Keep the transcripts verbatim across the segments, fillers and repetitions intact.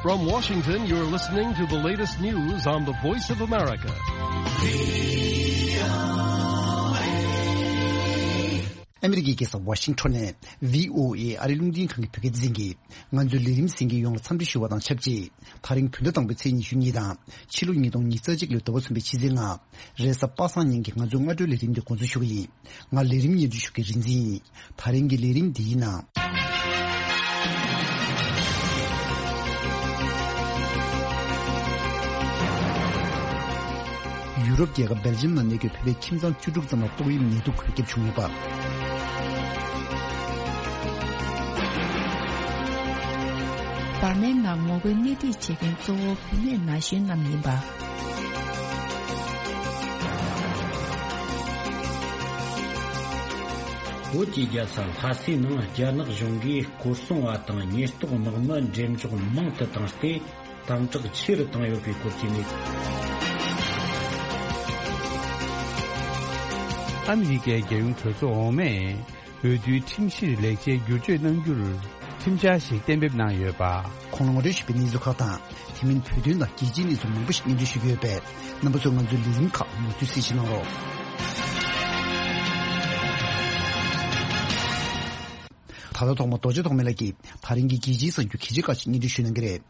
From Washington, you're listening to the latest news on the Voice of America. ཨ་མི་རི་ཀའི་རྒྱལ་ས་ཝ་ཤིང་ཊོན་ནས་བྷི་ཨོ་ཨེ་ཨ་རིའི་རླུང་འཕྲིན་ཁང་གི་བོད་སྐད་སྡེ་ཚན་གྱིས་ང་ཚོའི་ལས་རིམ་གསན་མཁན་ཡོངས་ལ་འཚམས་འདྲི་ཞུ་བ་དང་ཆབས་ཅིག་དེ་རིང་བོད་ཟླ་དང་པོའི་ཚེས་ཉི་ཤུ་གཉིས་དང་ཕྱི་ལོ་ཉིས་སྟོང་ཉི་ཤུ་རྩ་གཅིག་ལོའི་ཟླ་བ་གསུམ་པའི་ཕྱི་ཚེས་ལྔ། རེས་གཟའ་པ་སངས་ཉིན་གྱི་ང་ཚོའི་སྔ་དྲོའི་ལས་རིམ་འདི་འགོ་འཛུགས་ཞུ་གི་ཡིན། ང་ལས་རིམ་སྙན་སྒྲོན་ཞུ་མཁན་རིག་འཛིན་ཡིན། དེ་རིང་གི་ལས་རིམ་འདིའི་ནང་། ཡུ་རོབ་རྒྱལ་ཁབ་སྦེལ་ཇམ་ནང་གནས་སྡོད་བོད་པའི་ཁྱིམ་ཚང་བཅུ་དྲུག་ཙམ་ལ་ཏོག་དབྱིབས་ནད་དུག་འགོས་ཁྱབ་བྱུང་ཡོད་པ། འབར་མའི་ནང་ངོ་རྒོལ་སྣེ་ཁྲིད་བྱེད་མཁན་གཙོ་བོ་བུད་མེད་ན་གཞོན་རྣམས་ཡིན་པ། བོད་ཀྱི་རྒྱལ་ས་ལྷ་སའི་ནང་རྒྱ་ནག་གཞུང་གིས་སྐོར་སྲུང་བ་དང་ཉེན་རྟོག་དམག་མི་འགྲེམས་འཇོག་མང་དུ་བཏང་སྟེ། དམ་དྲག་ཆེ་རུ་བཏང་ཡོད་པའི་སྐོར་གྱི་གནས་ཚུལ། ཨ་མི་རི་ཀའི་རྒྱལ་ཡོངས་གྲོས་ཚོགས་འོག་མས་འོས་བསྡུའི་ཁྲིམས་གཞིར་ལེགས་ཆའི་བསྒྱུར་བཅོས་གནང་རྒྱུར་ཁྲིམས་འཆར་ཞིག་གཏན་འབེབས་གནང་ཡོད་པ། གོང་ལ་ངོ་སྤྲོད་ཞུས་པའི་གནས་ཚུལ་ཁག་དང་། དེ་མིན་བོད་དོན་དང་རྒྱལ་སྤྱིའི་གནས་ཚུལ་མང་པོ་ཞིག་སྙན་སྒྲོན་ཞུ་གི་ཡོད་པས། རྣམ་པ་ཚོས་ང་ཚོའི་ལས་རིམ་ཁག་མུ་མཐུད་གསན་བཞེས་གནང་རོགས། ད་ལྟ་ཐོག་མ་རྡོ་རྗེ་ཐོགས་མེད་ལགས་ཀྱིས་དེ་རིང་གི་རྒྱལ་སྤྱིའི་གསར་འགྱུར་གལ་ཆེ་ཁག་ཅིག་སྙན་སྒྲོན་ཞུ་གནང་གི་རེད།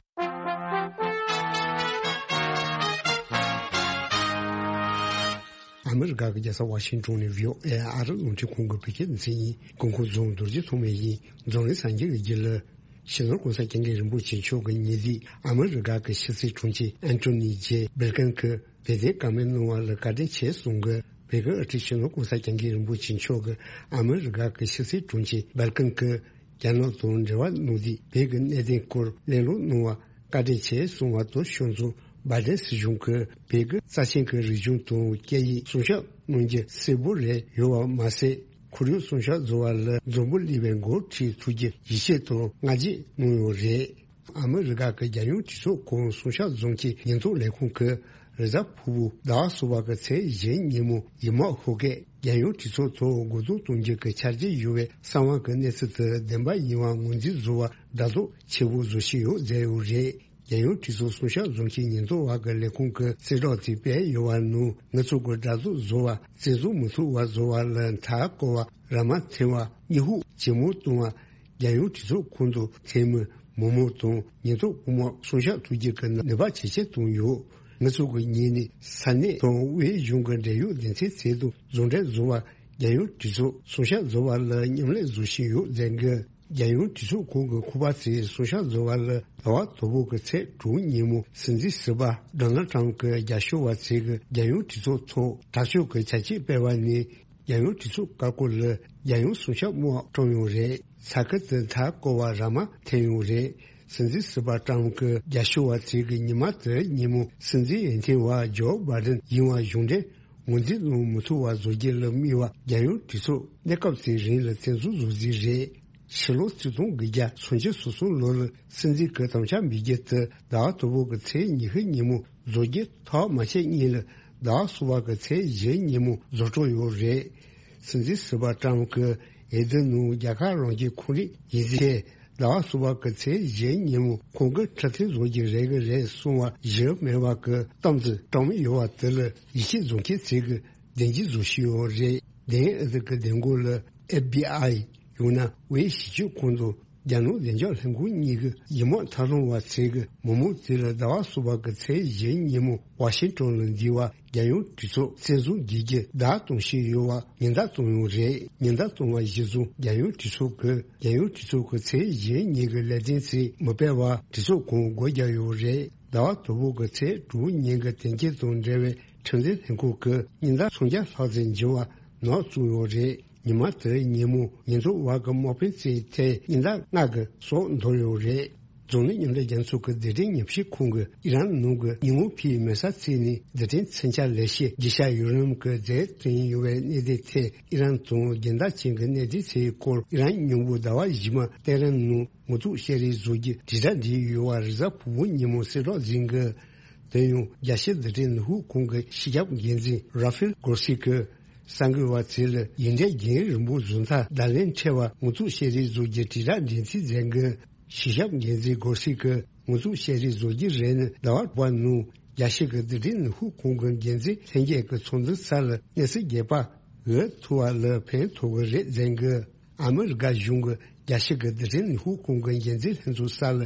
ཨ་མི་རི་ཀ་གི་རྒྱལ་ས་ཝ་ཤིང་ཊོན་ནས་བྷི་ཨོ་ཨེ་ཨ་རི་རླུང་འཕྲིན་ཁང་གི་བོད་སྐད་སྡེ་ཚན་ཡིན། གོང་འཁོད་རྫོང་རྡོ་རྗེ་ཐོགས་མེད་ཡིན། རྫོང་རིང་སངས་རྒྱས་ཀྱི་རྒྱུད་ལ། སྤྱི་ནོར་གོང་ས་སྐྱབས་མགོན་རིན་པོ་ཆེ་མཆོག་གི་ཉེ་གཟིགས་ཨ་མི་རི་ཀ་གི་ཕྱི་སྲིད་དྲུང་ཆེ་ཨན་ཐོ་ནི་ཇེ་སྦིར་ཀིན་གྱིས་བོད་དོན་བཀའ་མོལ་གནང་བ་ལ་བཀའ་དྲིན་ཆེ་གསུངས་ཀྱི། བོད་ཀྱི་དབུ་ཁྲིད་སྤྱི་ནོར་གོང་ས་སྐྱབས་མགོན་རིན་པོ་ཆེ་མཆོག་གིས་ཨ་མི་རི་ཀ་གི་ཕྱི་སྲིད་དྲུང་ཆེ་སྦིར་ཀིན་གྱིས་རྒྱ་ནག་དང་འབྲེལ་བ་གནང་དུས་བོད་ཀྱི་གནད་དོན་སྐོར་གླེང་སློང་གནང་བ་བཀའ་དྲིན་ཆེ་གསུངས་པ་དང་ཕྱོགས་མཚུངས་བྷའི་ཌེན་སྲིད་གཞུང་གིས་བོད་ཀྱི་རྩ་ཆེན་གྱི་རིག་གཞུང་དང་སྐད་ཡིག་སྲུང་སྐྱོབ་གནང་རྒྱུ་གསལ་པོ་རེད་ཡོད་པ་མ་ཟད། ཁོར་ཡུག་སྲུང་སྐྱོབ་བཟོ་བ་ལ་འཛམ་བུ་གླིང་བས་འགོ་ཁྲིད་ཐུབ་རྒྱུ་ཡིད་ཆེས་དང་བསྔགས་བརྗོད་གནང་ཡོད་རེད། ཨ་མི་རི་ཀ་གི་རྒྱལ་ཡོངས་གྲོས་ཚོགས་ཁང་སྲུང་སྐྱོབ་རྫོང་གི་ཉེན་རྟོག་ལས་ཁུངས་ཀྱིས་རེས་གཟའ་ཕུར་བུ་ཟླ་བ་གསུམ་པ་གི་ཚེས་བཞི་ཉིན་མོ་ཡི་མག་ཧོ་ཀས་རྒྱལ་ཡོངས་གྲོས་ཚོགས་ཐོག་རྒོལ་རྡུང་གཏོང་རྒྱུ་གི་འཆར་གཞི་ཡོད་པའི་གསང་བ་གི་གནས་ཚུལ་དེ་བདེན་པ་ཡིན་པ་ངོས་འཛིན་བཟོ་བར་ལྡབ་རྫོགས་ཆེ་པོ་བཟོ་བཞིན་ཡོད་ཟེར་ཡོད་རེད། རྒྱལ་ཡོངས་གྲོས་ཚོགས་སྲུང་སྐྱོབ་རྫོང་གི་ཉེན་རྟོག་པ་གི་ལས་ཁུངས་ཀྱི་གསལ་བསྒྲགས་དེ་སྤེལ་ཡོད་པ་ནང་ང་ཚོ་གི་ཟླ་གཟུགས་བཟོ་བ་བཙན་བཟུང་མི་ཐུབ་པ་བཟོ་བ་ལ་མཐའ་བསྐོར་བ་ར་མ་འཐེན་པ་སྨྱོ་ཧུག་ཇེ་མང་གཏོང་བ་རྒྱལ་ཡོངས་གྲོས་ཚོགས་ཁོངས་སུ་འཐུས་མི་མི་མང་དང་ཉེན་རྟོག་དཔུང་དམག་སྲུང་སྐྱོབ་ཐུབ་རྒྱུ་གི་ནུས་པ་ཇེ་ཆེར་བཏང་ཡོད། ང་ཚོ་གི་ངོས་ནས་ས་གནས་དང་དབུས་གཞུང་གི་འབྲེལ་ཡོད་སྡེ་ཚན་ཚད་དུ་ཟུང་འབྲེལ་བཟོ་བ་རྒྱལ་ཡོངས་གྲོས་ཚོགས་སྲུང་སྐྱོབ་བཟོ་བ་ལ་མཉམ་ལས་བཟོ་བཞིན་ཡོད་ཟེར་གི། རྒྱལ་ཡོངས་གྲོས་ཚོགས་ཁོངས་ཀྱི་ཁུག་པ་ཚོས་སྲུང་སྐྱོབ་བཟོ་བ་ལ་ཟླ་བ་དང་པོ་གི་ཚེས་དྲུག་ཉིན་མོ་སྲིད་འཛིན་ཟུར་པ་ཌོ་ནལ་ཊམ་གྱི་རྒྱབ་སྐྱོར་བ་ཚོས་ཀྱི་རྒྱལ་ཡོངས་གྲོས་ཚོགས་ཐོག་དྲག་སྤྱོད་ཀྱི་བྱ་སྤྱོད་སྤེལ་བ་ནས་རྒྱལ་ཡོངས་གྲོས་ཚོགས་ཀ་ཀོ་ལ་རྒྱལ་ཡོངས་སྲུང་སྐྱོབ་དམག་བཀྲམ་ཡོད་རེད། ས་ཁུལ་དུ་མཐའ་བསྐོར་བ་ར་མ་འཐེན་ཡོད་རེད། སྲིད་འཛིན་ཟུར་པ་ཊམ་གྱི་རྒྱབ་སྐྱོར་བ་ཚོས་ཀྱི་ཉི་མ་དེའི་ཉིན་མོ་སྲིད་འཛིན་འོས་ཐོན་པ་ཇོ་བྷའི་ཌེན་ཡིན་པ་གཞུང་འབྲེལ་ངོས་འཛིན་གནང་མི་ཐུབ་པ་བཟོ་རྒྱུ་ལ་དམིགས་པ་རྒྱལ་ཡོངས་གྲོས་ཚོགས་གནས་སྐབས་དེའི་རིང་ལ་བཙན་བཟུང་བཟོ་རྩིས་རེད། ཕྱི་ལོ་ཆིག་སྟོང་དགུ་བརྒྱ་སུམ་ཅུ་སོ་གསུམ་ལོ་ལ་སྲིད་འཛིན་གྱི་དམ་བཅའ་འབུལ་རྒྱུ་དེ་ཟླ་བ་དང་པོ་གི་ཚེས་ཉི་ཤུ་ཉིན་མོ་བཟོ་རྒྱུ་ཐག་མ་ཆོད་སྔོན་ལ་ཟླ་བ་གསུམ་པ་གི་ཚེས་བཞི་ཉིན་མོ་བཟོ་གྲབས་ཡོད་རེད། སྲིད་འཛིན་ཟུར་པ་ཊམ་གྱིས་འོས་བསྡུ་ནང་རྒྱལ་ཁབ་རང་སྐྱོང་ཁོར་ཡུག་ཡིན་ཚེ་ཟླ་བ་གསུམ་པ་གི་ཚེས་བཞི་ཉིན་མོ་ཁོང་གིས་འཕྲོད་བསྟེན་བཟོ་རྒྱུ་རེད་གི་རེད་གསུང་བ་གཞི་མེད་པ་གི་གཏམ་ཚིག་བཀྲམ་ཡོད་པ་དེ་ལ་ཡིད་ཆེས་བཟོ་མཁན་ཚོས་གི་བདེན་འཇགས་བཟོ་བཞིན་ཡོད་རེད། བདེན་ཨ་ཟི་གི་བདེན་སྐོར་ལ་ཨེཕ་བྷི་ཨའི་ཡང་ན་དབུས་ཞིབ་དཔྱོད་ཁང་དང་རྒྱ་ནག་བདེ་འཇགས་ལྷན་ཁང་གཉིས་ཀྱི་ཡི་མག་ཐབས་ལམ་པ་ཚོས་ཀྱི་མི་མང་དེ་ལ་ཟླ་བ་གསུམ་པ་གི་ཚེས་བཞི་ཉིན་མོ་ཝ་ཤིང་ཊོན་ལ་འདུས་པ་རྒྱལ་ཡོངས་གྲོས་ཚོགས་བཙན་བཟུང་བགྱིད་རྒྱུ་བརྡ་གཏོང་བཞིན་ཡོད་པ་ཉེན་བརྡ་བཏང་ཡོད་རེད། ཉེན་བརྡ་བཏང་བ་གཞིར་བཟུང་རྒྱལ་ཡོངས་གྲོས་ཚོགས་ཀྱིས་རྒྱལ་ཡོངས་གྲོས་ཚོགས་ཀྱི་ཚེས་བཞི་ཉིན་གྱི་ལས་དོན་ཚོ་མི་སྤེལ་བར་གྲོས་ཚོགས་ཁང་སྒོ་བརྒྱབ་ཡོད་རེད། ཟླ་བ་དང་པོ་གི་ཚེས་དྲུག་ཉིན་གྱི་དོན་རྐྱེན་དང་འབྲེལ་བའི་ཁྲིམས་འཛིན་ལྷན་ཁང་གིས་ཉེན་བརྡ་སུམ་བརྒྱ་ལྷག་ཙམ་འབྱོར་བ་ནག་བཙུགས་ཡོད་རེད། ཉི་མ་དེའི་ཉིན་མོ་ཉེན་རྟོག་པ་གི་དམག་དཔོན་ཚོས་ཐེངས་ཉེན་བརྡ་ལྔ་གི་སོགས་འདོར་ཡོད་རེད། འཛམ་གླིང་མཉམ་འབྲེལ་རྒྱལ་ཚོགས་ཀྱི་རྡུལ་ཕྲན་ཉམས་ཞིབ་ཁང་གིས་ཨི་རན་ནང་གི་ཉི་ཧོང་ཕིའི་མེ་ས་ཚིགས་ནས་རྡུལ་ཕྲན་མཚོན་ཆ་ལེ་ཤ་རྒྱུ་ཆ་ཡུ་རེ་ནམ་གྱི་རྫས་ཐོན་ཡོད་པའི་གནད་དོན་ཐད་ཨི་རན་དང་རྒྱལ་ཟླ་ཅན་གྱི་གནད་དོན་ཚོའི་སྐོར་ཨི་རན་མཉམ་འབྲེལ་ཟླ་བ་བཞི་མ་ཏེ་རན་ནང་ངོ་ཐུག་བཤད་རེས་བཟོ་རྒྱུ་དྲིལ་བསྒྲགས་བྱས་ཡོད་པ་རེས་གཟའ་ཕུར་བུ་ཉིན་མོ་གསལ་བསྒྲགས་ཟིན་གི། དེ་ཡང་རྒྱལ་སྤྱིའི་རྡུལ་ཕྲན་ནུས་ཤུགས་ཁང་གི་སྤྱི་ཁྱབ་འགན་འཛིན་ར་ཕེལ་གོར་སི་ཀིས་གསར་འགོད་པ་ཚོ་ལ་ཡིག་འབྲེལ་རྒྱུན་རིང་པོ་བཟོ་མཐའ་བརྡ་ལན་འཕྲོད་པ་ངོ་ཐུག་བཤད་རེས་བཟོ་རྒྱུ་དྲིལ་བསྒྲགས་འབྲེལ་མཐུད་མཛད་གི། སྤྱི་ཁྱབ་འགན་འཛིན་གོར་སི་ཀིས་ ངོ་བཙུགས་བཤད་རེས་བཟོ་རྒྱུ་རེད་ནི་ཟླ་བ་དྲུག་པ་ནང་རྒྱལ་སྤྱི་གི་རྡུལ་ཕྲན་ནུས་ཤུགས་ཁང་གི་འགན་འཛིན་ལྷན་རྒྱས་ཀྱི་ཚོགས་འདུ་སར་གནས་ཚུལ་རྒྱས་པ་འགོད་ཐུབ་པ་ལ་ཕན་ཐོགས་ཀྱི་རེད་མཛད་འགོད། ཨ་མི་རི་ཀ་གཞུང་གི་རྒྱལ་སྤྱི་གི་རྡུལ་ཕྲན་ནུས་ཤུགས་ཁང་གི་འགན་འཛིན་ལྷན་ཚོགས་སར་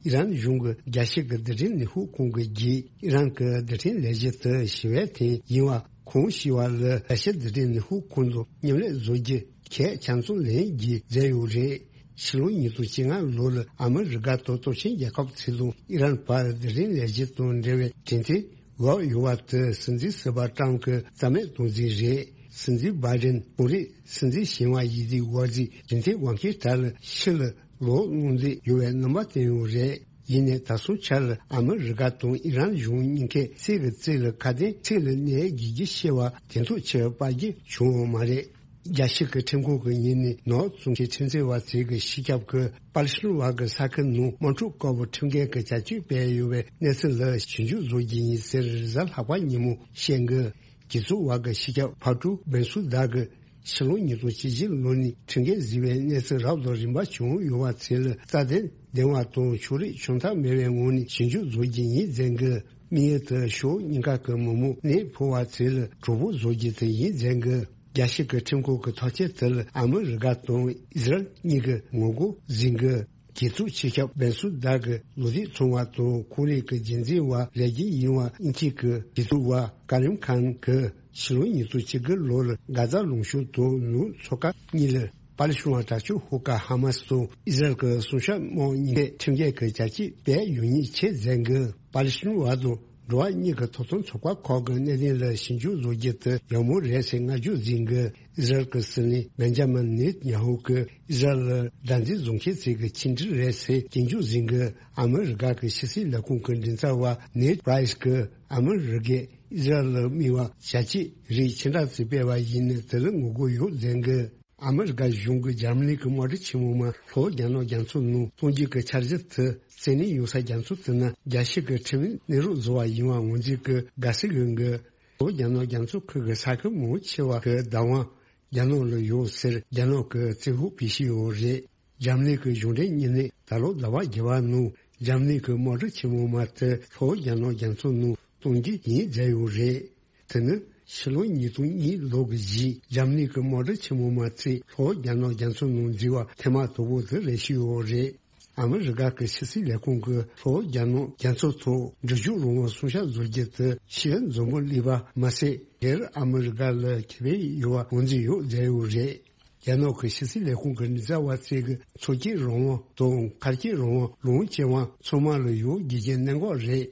ཨི་རན་གཞུང་གི་རྒྱལ་སྤྱི་གི་རྡུལ་ཕྲན་ནུས་ཤུགས་ཁང་གི་བརྒྱུད་ཨི་རན་གྱི་རྡུལ་ཕྲན་ལས་གཞི་དེ་ཞི་བའི་ཐད་ཡིན་པ་ཁོང་ཞུས་པ་ལ་རྒྱལ་སྤྱི་རྡུལ་ཕྲན་ནུས་ཤུགས་ཁང་དུ་མཉམ་ལས་བཟོ་རྒྱུ་གལ་ཆ་ཚང་ལེན་རྒྱུ་མཛད་ཡོད་རེད། ཕྱི་ལོ་ཉིས་སྟོང་བཅོ་ལྔ་ལོ་ལ་ཨ་མི་རི་ཀ་དང་སྟོབས་ཆེན་རྒྱལ་ཁབ་ཚོ་དང་ཨི་རན་བར་རྡུལ་ཕྲན་ལས་གཞི་དང་འབྲེལ་བའི་གྲོས་མཐུན་འགོད་ཡོད་པ་དེ་སྲིད་འཛིན་ཟུར་པ་ཀྲམ་གྱིས་རྩ་མེད་གཏོང་རྩིས་རེད། སྲིད་འཛིན་བྷའི་ཌེན་ཁོང་རང་སྲིད་འཛིན་གཞོན་པ་ཡིན་དུས་འགོ་འཛིན་གྲོས་མཐུན་དབང་སྐྱོན་དག་ལ་ཕྱི་ལ་ལོག་གནང་འདོད་ཡོད་པའི་རྣམ་པ་བསྟན་ཡོད་རེད། ཡིན་ནའི་ད་སོང་ཆ་ལ་ཨ་མི་རི་ཀ་དང་ཨི་རན་གཞུང་གཉིས་ཀས་སྲིད་ཀྱི་རྩེ་ལ་ཁ་གཏད་ཚིག་ལ་གནས་རྒྱུ་ཞེས་པ་དེ་ཐོག་ཆེ་བ་པ་རྒྱུ་བྱུང་ཡོད་མ་རེད། རྒྱལ་སྤྱི་གི་ཁྲིམས་ཁང་གི་ཉིན་ནས་ནོར་བཙོང་མཁན་ཁྲིམས་འཛིན་པ་ཚོས་གི་སྤྱི་ཁྱབ་ཀྱི་པ་ལི་སི་ཐན་བར་གྱི་ས་ཁུལ་ནང་དམག་འཁྲུག་སྐོར་བུ་ཁྲིམས་འགལ་གྱི་བྱ་སྤྱོད་སྤེལ་ཡོད་པའི་གནས་ཚུལ་ལ་ཞིབ་འཇུག་བཟོ་རྒྱུ་ཡིན་ཟེར་རེས་གཟའ་ལྷག་པ་ཉིན་མོ་བཤད་འགོད། གྲོས་ཚོགས་བར་གྱི་སྤྱི་ཁྱབ་ཕ་ཀྲུ་བན་སུ་དག་གིས་ཕྱི་ལོ་ཉིས་སྟོང་བཅུ་བཞི་ལོ་ནས་ཁྲིམས་འགལ་བཟོས་པའི་གནས་ཚུལ་རབ་དང་རིམ་པ་བྱུང་ཡོད་པ་ཚོ་ལ་རྩ་དོན་ལྡན་པ་དང་ཕྱོགས་རིས་བྱུང་ཐབས་མེད་པའི་ངང་ནས་ཞིབ་འཇུག་བཟོ་རྒྱུ་ཡིན་མཛད་འགོད། དམིགས་ཡུལ་དེ་ཕྱོགས་གཉིས་ཀ་གི་མི་མང་གནས་སྤོ་བ་ཚོ་ལ་གྲོགས་པོ་བཟོ་རྒྱུ་དེ་ཡིན་མཛད་འགོད། རྒྱལ་སྤྱི་གི་ཁྲིམས་ཁང་གི་ཐག་གཅོད་དེ་ལ་ཨ་མི་རི་ཀ་དང་ཨི་ཟི་རལ་གཉིས་ཀྱིས་ངོ་རྒོལ་བཟོས་འགོད། གྲོས་ཚོགས་སྤྱི་ཁྱབ་བན་སུ་དག་གིས་ལོ་རྒྱུས་ཚང་བ་དང་ཁོར་ཡུག་གི་རྒྱུན་འཛིན་པ་ལས་འགུལ་ཡིན་པ་དབྱིན་ཇི་གི་གྲོས་ཚོགས་པ་ཀ་རིམ་ཁཱན་གྱིས་ཕྱི་ལོ་ཉིས་སྟོང་བཅུ་དགུ་ལོ་ལ་གྷ་ཛ་ལུང་གཤོང་དང་ནུབ་མཚོ་ཁ་གཉིས་ལ་པ་ལི་སི་ཐན་དྲག་སྤྱོད་ཤོག་ཁག་ཧ་མ་སི་དང་ཨི་ཟི་རལ་གྱི་སྲུང་སྐྱོབ་དམག་གཉིས་ཀས་ཁྲིམས་འགལ་གྱི་བྱ་སྤྱོད་སྤེལ་ཡོད་ཉེན་ཆེ་མཛད་འགོད། པ་ལི་སི་ཐན་བ་དང་འགྲོ་བ་མིའི་ཐོབ་ཐང་ཚོགས་པ་ཁག་གི་གནད་དོན་ལ་ཞིབ་འཇུག་བཟོ་རྒྱུ་དེ་ཡག་མོ་རེད་ཟེར་བསྔགས་བརྗོད་བཟོས་འགོད། ཨི་ཟི་རལ་གྱི་སྲིད་བློན་བེན་ཇ་མིན་ནེ་ཐན་ཡ་ཧུ་གིས་ཨི་ཟི་རལ་ལ་དགྲར་འཛིན་བཟོ་མཁན་ཚོ་གི་ཆིག་སྒྲིལ་རེད་ཟེར་སྐྱོན་བརྗོད་བཟོས་འགོད། ཨ་མི་རི་ཀ་གི་ཕྱི་སྲིད་ལས་ཁུངས་ཀྱི་མགྲིན་ཚབ་པ་ནེད་པྲའི་སི་གིས་ཨ་མི་རི་ཀས་ཨི་ཟི་རལ་ལ་དམིགས་པ་བྱ་སྤྱོད་རིགས་ཆེ་དྲགས་ཤིག་སྤེལ་བ་ཡིན་ན་དེ་ལ་ངོ་རྒོལ་ཡོད་མཛད་འགོད། ཨ་མི་རི་ཀ་གཞུང་གིས་འཇར་མ་ནི་གི་དམག་གྲུ་ཆེན་མོ་མར་ལྷོ་རྒྱ་ནག་རྒྱ་མཚོ་ནང་གཏོང་རྒྱུ་གི་འཆར་གཞི་དེ་རྩིས་ལེན་ཡོང་ས་རྒྱ་མཚོ་དེ་ནི་རྒྱལ་སྤྱི་གི་ཁྲིམས་ལུགས་གནས་རོགས་བཟོ་བ་ཡིན་པ་ངོས་འཛིན་གྱི་དགའ་བསུ་ཡོད་འགོད། ལྷོ་རྒྱ་ནག་རྒྱ་མཚོ་ཁུལ་གྱི་ས་ཁུལ་མང་ཆེ་བ་གི་བདག་དབང་རྒྱ་ནག་ལ་ཡོད་ཟེར་རྒྱ་ནག་གི་རྩིས་ཕུགས་བེད་སྤྱོད་ཡོད་རེད། འཇར་མ་ནི་གི་གཞུང་འབྲེལ་གཉིས་ནས་ད་ལོ་ཟླ་བ་བརྒྱད་པ་ནང་འཇར་མ་ནི་གི་དམག་གྲུ་ཆེན་མོ་མ་དེ་ལྷོ་རྒྱ་ནག་རྒྱ་མཚོ་ནང་གཏོང་རྒྱུ་ཡིན་མཛད་ཡོད་རེད། དེ་ནི་ཕྱི་ལོ་ཉིས་སྟོང་གཉིས་ལོ་གི་རྗེས་འཇར་མ་ནི་གི་དམག་གྲུ་ཆེན་མོ་མ་ཚོས་ལྷོ་རྒྱ་ནག་རྒྱ་མཚོ་ནང་འཛུལ་བ་ཐེངས་མ་དང་པོ་དེ་རེད་ཞུས་ཡོད་རེད། ཨ་མི་རི་ཀ་གི་ཕྱི་སྲིད་ལས་ཁུངས་ཀྱིས་ལྷོ་རྒྱ་ནག་རྒྱ་མཚོ་ཐོག་འབྲུ་རྒྱུད་རང་དབང་སྲུང་སྐྱོབ་བཟོ་རྒྱུ་དེ་ཕྱིའི་འཛམ་བུ་གླིང་པ་མ་ཟད་སྒེར་ཨ་མི་རི་ཀ་ལ་ཁེ་ཕན་ཡོད་པ་ངོས་འཛིན་ཡོད་མཛད་ཡོད་རེད། རྒྱ་ནག་གི་ཕྱི་སྲིད་ལས་ཁུངས་ཀྱི་མགྲིན་ཚབ་པ་ཚོས་ཀྱི་མཚོ་སྐྱོད་རང་དབང་དང་མཁར་སྐྱོད་རང་དབང་ལོངས་སྤྱོད་དབང་ཚང་མ་ལ་ཡོད་དགོས་ཀྱི་གནད་འགག་རེད།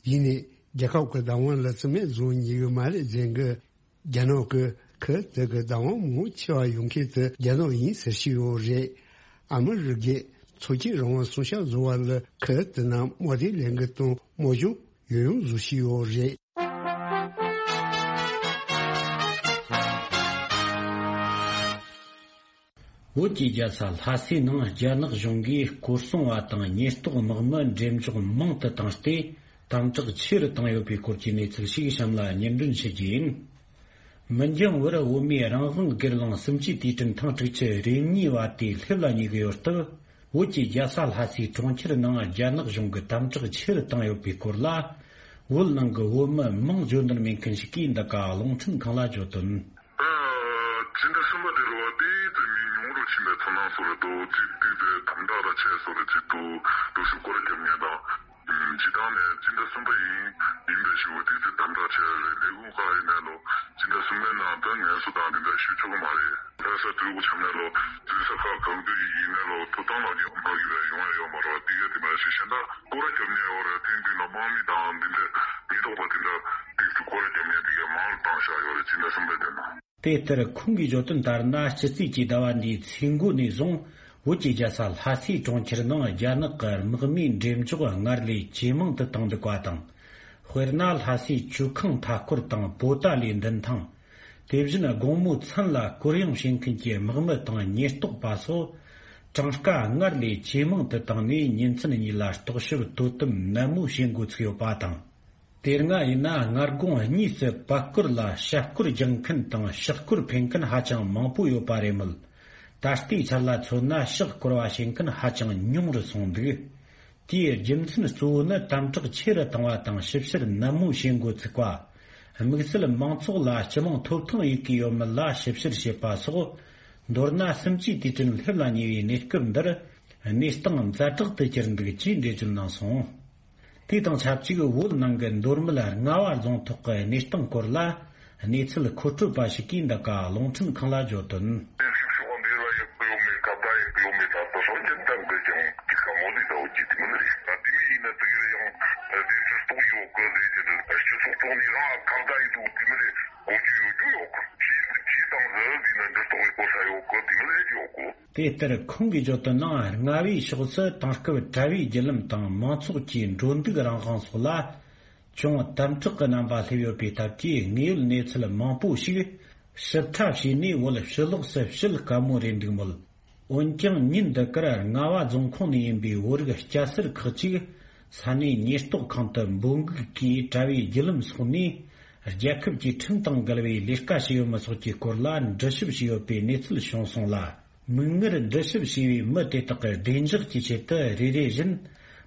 ཡིན་ནའི་རྒྱལ་ཁབ་ཀྱི་བདག་དབང་ལ་རྩིས་མེད་བཟོ་ཉེན་ཡོད་མ་རེད་ཟེར་གི། རྒྱ་ནག་གི་ཁུལ་དེ་གི་བདག་དབང་མང་ཆེ་བ་ཡོད་མཁན་དེ་རྒྱ་ནག་ཡིན་ཟེར་བཞིན་ཡོད་རེད། ཨ་མི་རི་ཀས་མཚོ་སྐྱོད་རང་དབང་སྲུང་སྐྱོབ་བཟོ་བ་ལ་ཁུལ་དེ་ནང་དམག་སྡེ་ལས་འགུལ་དང་དམག་སྦྱོང་ཡང་ཡང་བཟོ་བཞིན་ཡོད་རེད། བོད་ཀྱི་རྒྱལ་ས་ལྷ་སའི་ནང་རྒྱ་ནག་གཞུང་གིས་སྐོར་སྲུང་བ་དང་ཉེན་རྟོག་དམག་མི་འགྲེམས་འཇོག་མང་དུ་བཏང་སྟེ། དམ་དྲག་ཆེ་རུ་བཏང་ཡོད་པའི་སྐོར་གྱི་གནས་ཚུལ་ཞིག་གཤམ་ལ་སྙན་སྒྲོན་ཞུ་རྒྱུ་ཡིན། མི་འགྱང་བར་བོད་མིའི་རང་དབང་སྒེར་ལངས་གསུམ་བཅུའི་དུས་དྲན་ཐེངས་དྲུག་ཅུ་རེ་གཉིས་པ་དེ་སླེབས་ལ་ཉེ་གི་ཡོད་སྟབས། བོད་ཀྱི་རྒྱལ་ས་ལྷ་སའི་གྲོང་ཁྱེར་ནང་རྒྱ་ནག་གཞུང་གིས་དམ་དྲག་ཆེ་རུ་བཏང་ཡོད་པའི་སྐོར་ལ། བོད་ནང་གི་བོད་མི་མང་བརྗོད་འདོད་མེད་མཁན་ཞིག་གིས་འདི་ག་རླུང་འཕྲིན་ཁང་ལ་བརྗོད་དོན། ཨ། སྤྱི་ཟླ་གསུམ་པ་དེ་ལོ་བ་དེ་དེ་མི་ཉུང་རུ་ཕྱིན་པའི་ཚོར་སྣང་བཟོ་རེ་འདུག་གཅིག་བལྟས་པའི་དམ་དྲག་ལ་ཆེ་བཟོ་རེ་གཅིག་འདུག་འགྲོ་ཞུགས་སྐོར་རྒྱབ་མཁན་དང་། སྤྱི་བཏང་ནས་སྤྱི་ཟླ་གསུམ་པ་ཡིན་ཡིན་པའི་ཞུ་བ་དེ་ཚོས་དམ་དྲག་བྱས་རེད། ལས་ཁུངས་ཁག་ཡིན་ནའི་ལོ་སྤྱི་ཟླ་གསུམ་པའི་ནང་ད་ངལ་གསོ་དང་དེ་འདྲ་ཞུ་ཆོག་གི་མ་རེད། ལྷ་ས་དུས་འགོ་བྱམས་ནས་ལོ་འཛུལ་ས་ཁག་གང་དུ་ཡིན་ནའི་ལོ་ཐོབ་ཐང་ལག་འཁྱེར་མ་བརྒྱུད་པའི་ཡོང་ཡ་ཡོད་མ་རེད་པ། དེ་ག་དེ་མ་ཞིག་གཞན་དག་སྐོར་ར་རྒྱབ་ནས་ཡོད་རེད། ཐེངས་འདི་ལ་དམག་མི་དང་འདི་འདྲ་ཉེན་རྟོག་པ་དེ་འདྲ་དེ་ཚོ་སྐོར་ར་རྒྱབ་ནས་དེ་ག་མང་རུ་བཏང་བཞག་ཡོད་རེད། སྤྱི་ཟླ་གསུམ་པའི་དེ་ནང་། དེ་ལྟར་ཁོང་གིས་བརྗོད་དོན་ལྟར་ན། སྤྱི་ཚེས་ཀྱི་ཟླ་བ་འདིའི་ཚེས་འགོ་ནས་བཟུང་བོད་ཀྱི་རྒྱལ་ས་ལྷ་སའི་གྲོང་ཁྱེར་ནང་རྒྱ་ནག་གི་དམག་མིའི་འགྲེམས་འཇོག་སྔར་ལས་ཇེ་མང་དུ་བཏང་འདུག་པ་དང་། དཔེར་ན། ལྷ་སའི་ཇོ་ཁང་མཐའ་སྐོར་དང་པོ་ཏཱ་ལའི་མདུན་ཐང་། དེ་བཞིན་དགོང་མོའི་མཚན་ལ་སྐོར་གཡེང་བྱེད་མཁན་གྱི་དམག་མི་དང་ཉེན་རྟོག་པ་སོགས་གྲངས་ཀ་སྔར་ལས་ཇེ་མང་དུ་བཏང་ནས་ཉིན་མཚན་གཉིས་ལ་རྟོག་ཞིབ་དོ་དམ་ནན་མོ་བྱེད་འགོ་ཚུགས་ཡོད་པ་དང་། དེ་སྔ་ཡིན་ན་སྔ་དགོང་གཉིས་སུ་པར་སྐོར་ལ་ཤ་སྐོར་རྒྱག་མཁན་དང་ཤག་སྐོར་འཕེན་མཁན་ཧ་ཅང་མང་པོ་ཡོད་པ་རེད་མོད། ད་ལྟའི་ཆར་ལ་མཚོན་ན་ཤག་སྐོར་བ་བྱེད་མཁན་ཧ་ཅང་ཉུང་རུ་སོང་འདུག་དེའི་རྒྱུ་མཚན་གཙོ་བོ་ནི་དམ་དྲག་ཆེ་རུ་བཏང་བ་དང་ཞིབ་བཤེར་ནན་མོ་བྱེད་འགོ་ཚུགས་པ། དམིགས་བསལ་མང་ཚོགས་ལ་སྤྱི་དམངས་ཐོབ་ཐང་ཡོད་ཀྱི་ཡོད་མེད་ལ་ཞིབ་བཤེར་བྱེད་པ་སོགས། མདོར་ན་སུམ་ཅུའི་དུས་དྲན་སླེབས་ལ་ཉེ་བའི་གནས་སྐབས་འདིར། གནས་སྟངས་ཛ་དྲག་ཏུ་གྱུར་འདུག་ཅེས་འགྲེལ་བརྗོད་གནང་སོང་། དེ་དང་ཆབས་ཅིག་བོད་ནང་གི་མདོ་སྨད་རྔ་བ་རྫོང་ཐོག་གི་གནས་སྟངས་སྐོར་ལ། གནས་ཚུལ་མཁོ་སྤྲོད་པ་ཞིག་གིས་འདི་ག་རླུང་འཕྲིན་ཁང་ལ་བརྗོད་དོན། དེ་ཞིག་ཤོག་འདི་ལ་ཡག་པོ་ཡོད་མེད་ཁ་བརྡ་ཡག་པོ་ཡོད་མེད་ད་ལྟ་སོང་ཅན་ཏང་གི་ཀྱང་ཅི་ཁ་མོ་ལི་ད་འོ་ཅི་དེ་མིན་རེད། ད་དེ་མི་ཡིན་ན་དེ་གི་རེད་ཡང་དེ་ཚོ་རྟོགས་ཡོད་གི་རེད་དེ་རེད། སྤྱི་ཚོགས་ཐོག་ནས་རང་ཁ་བརྡ་ཡིན་འདུག་དེ་མི་རེད། གོ་རྒྱུ་ཡོད་རྒྱུ་ཡོད་གི་ཅི་ཅི་དང་ཟེར་དེ་ན་འདྲི་རྟོགས་ཡོད་གོ་ས་ཡོད་གི་དེ་མི་རེད་ཡོད་གི་དེ་ལྟར་ཁོང་གིས་བརྗོད་དོན་ནང་རྔ་བའི་ཕྱོགས་སུ་དེང་སྐབས་གྲྭ་བའི་བརྒྱུད་ལམ་དང་མང་ཚོགས་ཀྱི་འགྲོ་འདུག་རང་དབང་སོགས་ལ་ཅུང་དམ་དྲག་གི་རྣམ་པ་སླེབས་ཡོད་པའི་སྟབས་ཀྱིས་དངོས་ཡོད་གནས་ཚུལ་མང་པོ་ཞིག་ཞིབ་ཕྲ་བྱས་ནས་བོད་ཕྱི་ལོགས་སུ་བཤད་དཀའ་མོ་རེད་འདུག་མོད། འོན་ཀྱང་ཉིན་འདི་གར་རྔ་བ་རྫོང་ཁོངས་ནས་ཡིན་པའི་བོད་རིགས་སྐྱ་སེར་ཁག་ཅིག་ས་གནས་ཉེན་རྟོག་ཁང་དུ་འབོད་འགུག་གིས་གྲྭ་བའི་བརྒྱུད་ལམ་སོགས་ནས་རྒྱལ་ཁབ་ཀྱི་ཁྲིམས་དང་འགལ་བའི་ལས་ཀ་བྱས་ཡོད་མེད་སོགས་ཀྱི་སྐོར་ལ་འདྲི་ཞིབ་བྱས་ཡོད་པའི་གནས་ཚུལ་བྱུང་སོང་ལ། མིག་སྔར་འདྲི་ཞིབ་བྱས་པའི་མི་དེ་དག་གི་བདེ་འཇགས་ཀྱི་ཆེད་དུ་རེ་རེ་བཞིན་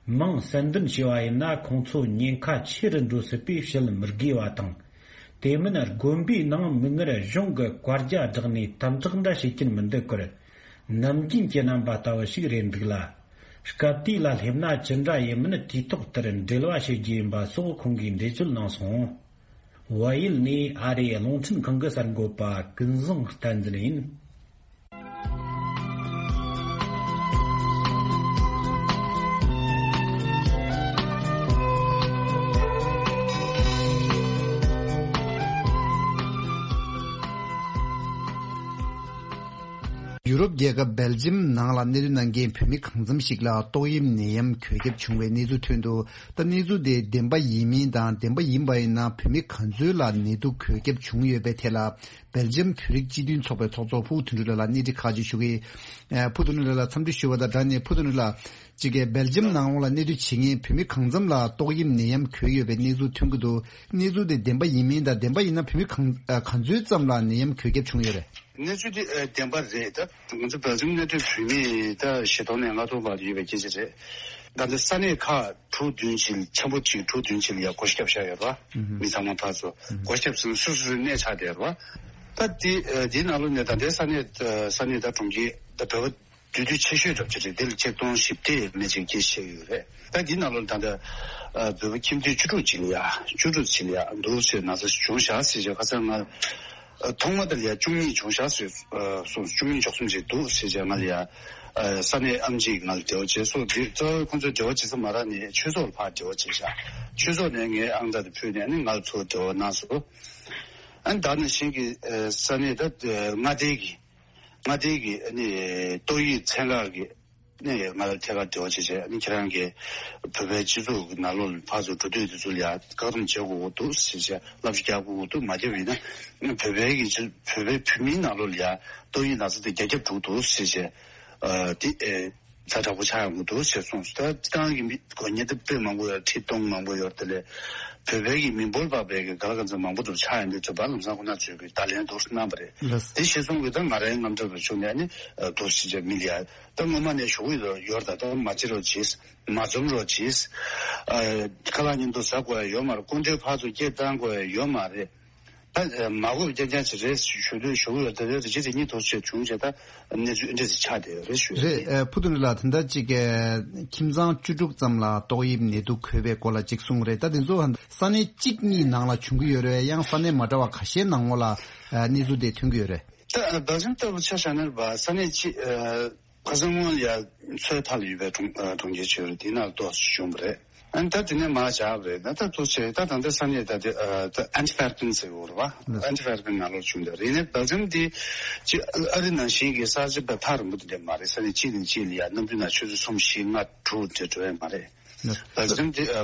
མིང་གསལ་འདོན་བྱས་པ་ཡིན་ན་ཁོང་ཚོ་ཉེན་ཁ་ཆེ་རུ་འགྲོ་སྲིད་པས་བཤད་མི་དགོས་པ་དང་། དེ་མིན་དགོན་པའི་ནང་མིག་སྔར་གཞུང་གི་བཀའ་རྒྱ་བསྒྲགས་ནས་དམ་དྲག་འདྲ་བྱེད་ཀྱིན་མི་འདུག་གར། ནམ་རྒྱུན་གྱི་རྣམ་པ་ལྟ་བུ་ཞིག་རེད་འདུག་ལ། སྐབས་དེ་ལ་སླེབས་ན་ཅི་འདྲ་ཡིན་མིན་དུས་ཐོག་ལྟར་འབྲེལ་བ་བྱེད་རྒྱུ་ཡིན་པ་སོགས་ཁོང་གིས་འགྲེལ་བརྗོད་གནང་སོང་། བལ་ཡུལ་ནས་ཨ་རིའི་རླུང་འཕྲིན་ཁང་གི་གསར་འགོད་པ་ཀུན་བཟང་བསྟན་འཛིན་ཡིན། ཡུ་རོབ་རྒྱལ་ཁབ་སྦེལ་ཇམ་ནང་ལ་གནས་སྡོད་གནང་མཁན་བོད་མི་གང་འཚམ་ཞིག་ལ་ཏོག་དབྱིབས་ནད་ཡམས་འགོས་ཁྱབ་བྱུང་བའི་གནས་ཚུལ་ཐོན་འདུག་ད་གནས་ཚུལ་དེ་བདེན་པ་ཡིན་མིན་དང་བདེན་པ་ཡིན་པ་ཡིན་ན་བོད་མི་ག་ཚོད་ལ་ནད་དུག་འགོས་ཁྱབ་བྱུང་ཡོད་པའི་ཐད་ལ། སྦེལ་ཇམ་བོད་རིགས་སྤྱི་མཐུན་ཚོགས་པའི་ཚོགས་གཙོ་ཕུ་བོ་དོན་གྲུབ་ལགས་ལ་གནས་འདྲི་ཁག་ཅིག་ཞུ་གི། ཨ། ཕུ་བོ་དོན་གྲུབ་ལགས་ལ་འཚམས་འདྲི་ཞུ་བ་དང་སྦྲགས་ནས་ཕུ་བོ་དོན་གྲུབ་ལགས་ཅིག་གིས་སྦེལ་ཇམ་ནང་ལོགས་ལ་གནས་སྡོད་བྱེད་མཁན་བོད་མི་གང་འཚམ་ལ་ཏོག་དབྱིབས་ནད་ཡམས་འགོས་ཡོད་པའི་གནས་ཚུལ་ཐོན་གྱི་འདུག་གནས་ཚུལ་དེ་བདེན་པ་ཡིན་མིན་དང་བདེན་པ་ཡིན་ན་བོད་མི་གང་ཨ་ག་ཚོད་ཙམ་ལ་ནད་ཡམས་འགོས་ཁྱབ་བྱུང་ཡོད་རེད། གནས་ཚུལ་དེ་ཨ་བདེན་པ་རེད། ད་ང་ཚོ་སྦེལ་ཇམ་གནས་སྡོད་བོད་མི་ད་བཞི་སྟོང་ནས་ལྔ་སྟོང་བར་ཡོད་པའི་སྐད་ཆ་རེད། ད་ལྟ་ས་གནས་ཁག་དྲུག་བདུན་ཅིག་ཆེན་པོ་གཅིག་དྲུག་བདུན་ཅིག་ལ་ཡ་བགོ་བཤའ་བཞག་ཡོད་རེད་བ། ཨུ་ཧུ། མི་ཚང་མ་ཕར་ཚུར་ཨུ་ཧུ། བགོ་བཤའ་ཟིན་སོ་སོ་སོའི་གནས་ཆགས་བསྡད་ཡོད་རེད་བ། ད་དེ་ཨ་དེའི་ནང་ལོགས་ནས་ད་ལྟའི་ས་གནས་ཨ་ས་གནས་ད་གྲོང་ཁྱེར་ད་བོད་པ་འདུས་སྡོད་ཆེ་ཤོས་འདྲ་པོ་ཅིག་རེད། དེ་ལ་ཆིག་སྟོང་བཞི་བརྒྱ་མན་ཆད་སྐད་ཆ་བཤད་ཡོད་རེད། ད་དེའི་ནང་ལོགས་ད་ལྟ་ཨ་བོད་པ་ཁྱིམ་སྡེ་བཅུ་དྲུག་ཅིག་ལ་ཡ་བཅུ་དྲུག་ཅིག་ལ་ཡ་འདུག་ཟེར་ན་ཚ་བྱུང་བཞག་ཟེར་བྱས་ཁ་སང་ང་ཨ་ཐོག་མ་དེ་ལ་ཡ་བཅུ་གཉིས་བྱུང་བཞག་ཟེར་ཨ་སོང་། བཅུ་གཉིས་བཅུ་གསུམ་ཅིག་འདུག་ཟེར་བྱས་ང་ལ་ཡ་ཨ་ས་གནས་ཨེམ་ཆི་ང་ལ་འབྲེལ་བ་བྱས་སོང་། དེ་རྩ་བའི་ཁོང་ཚོས་འབྲེལ་བ་བྱེད་ས་མ་རག་ནས་ཆོས་ཚོགས་ལ་ཕར་འབྲེལ་བ་བྱས་བཞག་ཆོས་ཚོགས་ནས་ངའི་ཨང་གྲངས་དེ་ཕུལ་ནས་ཨ་ནི་ང་ལ་ཚུར་འབྲེལ་བ་གནང་སོང་། ཨ་ནི་ད་ནང་བཞིན་གྱི་ཨ་ས་གནས་ད་ཨ་མངའ་སྡེ་གི་མངའ་སྡེ་གི་ཨ་ནི་ཏོག་དབྱིབས་ཚན་ཁག་གི་ཨ་ནི་ང་ལ་ཐད་ཀར་འབྲེལ་བ་བྱས་བྱས། ཨ་ནི་ཁྱེད་རང་གིས་བོད་པའི་སྤྱི་ཚོགས་ཀྱི་ནང་ལོགས་ལ་ཕར་ཚུར་འགྲོ་སྡོད་དེ་ཚོ་ལ་ཡ་བཀག་སྡོམ་བྱེད་དགོས་ཀྱི་འདུག་ཟེར་བྱས། བསླབ་བྱ་རྒྱག་དགོས་ཀྱི་འདུག་མ་བརྒྱབ་ཡིན་ན་བོད་པའི་གི་སྤྱི་བོད་པའི་བོད་མིའི་ནང་ལོགས་ལ་ཡ་ཏོག་དབྱིབས་ན་ཚ་དེ་རྒྱ་ཁྱབ་འགྲོ་གི་འདུག་ཟེར་བྱས། ཨ་དེ་ཨེ་ཛ་དྲག་པོ་ཆགས་ཡོང་གི་འདུག་ཞེས་གསུངས་སོང་། ད་ཏང་གི་མི་གོ་ཉེ་དུ་དཔེ་མང་པོ་ཡོད། ཁྲི་སྟོང་མང་པོ་ཡོད། དེ་ལས་བོད་པའི་གི་མི་འབོར་འབབ་པའི་གི་ག་ལ་ག་ཚོད་མང་པོ་འདུག་ཆགས་ཡོང་དུས་ཚོད་པ་ལམ་སང་ཁོ་ན་ཚོས་གི་བརྡ་ལན་འདུག་གནང་བ་རེད། ལགས། དེ་ཞེས་གསུངས་གི་ད་ང་རའི་དངངས་འཚབ་རེ་བྱུང་ནས་ནི་འདུག་ཞེས་བྱས་མི་ལ་ཡ་ད་སྔོན་མ་ནས་ཞུ་གི་ཡོད་ད། ད་མ་བྱེད་རོགས་གྱིས། མ་འཛོམས་རོགས་གྱིས། ཨ་ཁ་ལག་མཉམ་དུ་ཟ་དགོས་ཡ་ཡོད་མ་རེད། སྐུ་མགྲོན་ཕར་ཚུར་སྐད་བཏང་དགོས་ཡ་ཡོད་མ་རེད། ད་མ་གོ་རྐྱང་རྐྱང་ཅིག་རེད་ཞུ་དུས་ཞུ་གི་ཡོད། དེ་རེད་རེ་ཅི་རེ་གཉིས་ཐོག་ཆེད་བྱུང་བྱས་ད་གནས་ཚུལ་འདྲ་ཞིག་ཆགས་བསྡད་ཡོད་རེད་ཞུ་རེད། ཨ་ཕུ་ཐུ་ནུ་ལགས། དེ་འདྲ་ཅིག་གི་ཁྱིམ་ཚང་བཅུ་དྲུག་ཙམ་ལ་ཏོག་དབྱིབས་ནད་དུག་འགོས་པའི་སྐོར་ལ་ཅིག་གསུངས་རེད། ད་དེ་ཚོ་ས་གནས་གཅིག་གཉིས་ནང་ལ་བྱུང་གི་ཡོད་རེད། ཡང་ས་གནས་མ་འདྲ་བ་ཁ་ཤས་ནང་ལོགས་ལ་གནས་ཚུལ་དེ་ཐོན་གྱི་ཡོད་རེད། ད་སྦེལ་ཇམ་ལྟ་བུ་ཆ་བཞག་ན་རེད་པ། ས་གནས་གཅིག་ཨ། ཁ་སང་སྔོན་ལ་ཡ་མཚོའི་མཐའ་ལ་ཡོད་པའི་གྲོང་ཨ་གྲོང་ཁྱེར་ཅིག་ཡོད་རེད། དེ་ནང་ལ་ཏོག་ཙམ་བྱུང་བ་རེད། ཨ་ནི་ད་དེ་ནས་མར་བཞག་པ་རེད། ད་ད་ཏོག་ཙམ་ད་ད་ལྟ་ས་གནས་ད་དེ་ཨ་ད་ཨན་ཊི་ཕེར་ཕིན་ཟེར་གྱི་ཡོད་རེད་པ། ཨན་ཊི་ཕེར་ཕིན་ནང་ལོགས་བྱུང་བསྡད་རེད། ཡིན་ནའི་སྦེལ་ཇམ་འདི་ཅི་ཨ་རི་ནང་བཞིན་གྱི་གསར་བརྗེ་པ་ཐག་རིང་པོ་དེ་འདྲ་མ་རེད། ས་གནས་གཅིག་ནས་གཅིག་ལ་ཡ་གནམ་གྲུ་ནང་ཆུ་ཚོད་གསུམ་བཞི་ལྔ་དྲུག་འདྲ་འགྲོ་ཡ་མ་རེད། སྦེལ་ཇམ་འདི་ཨ་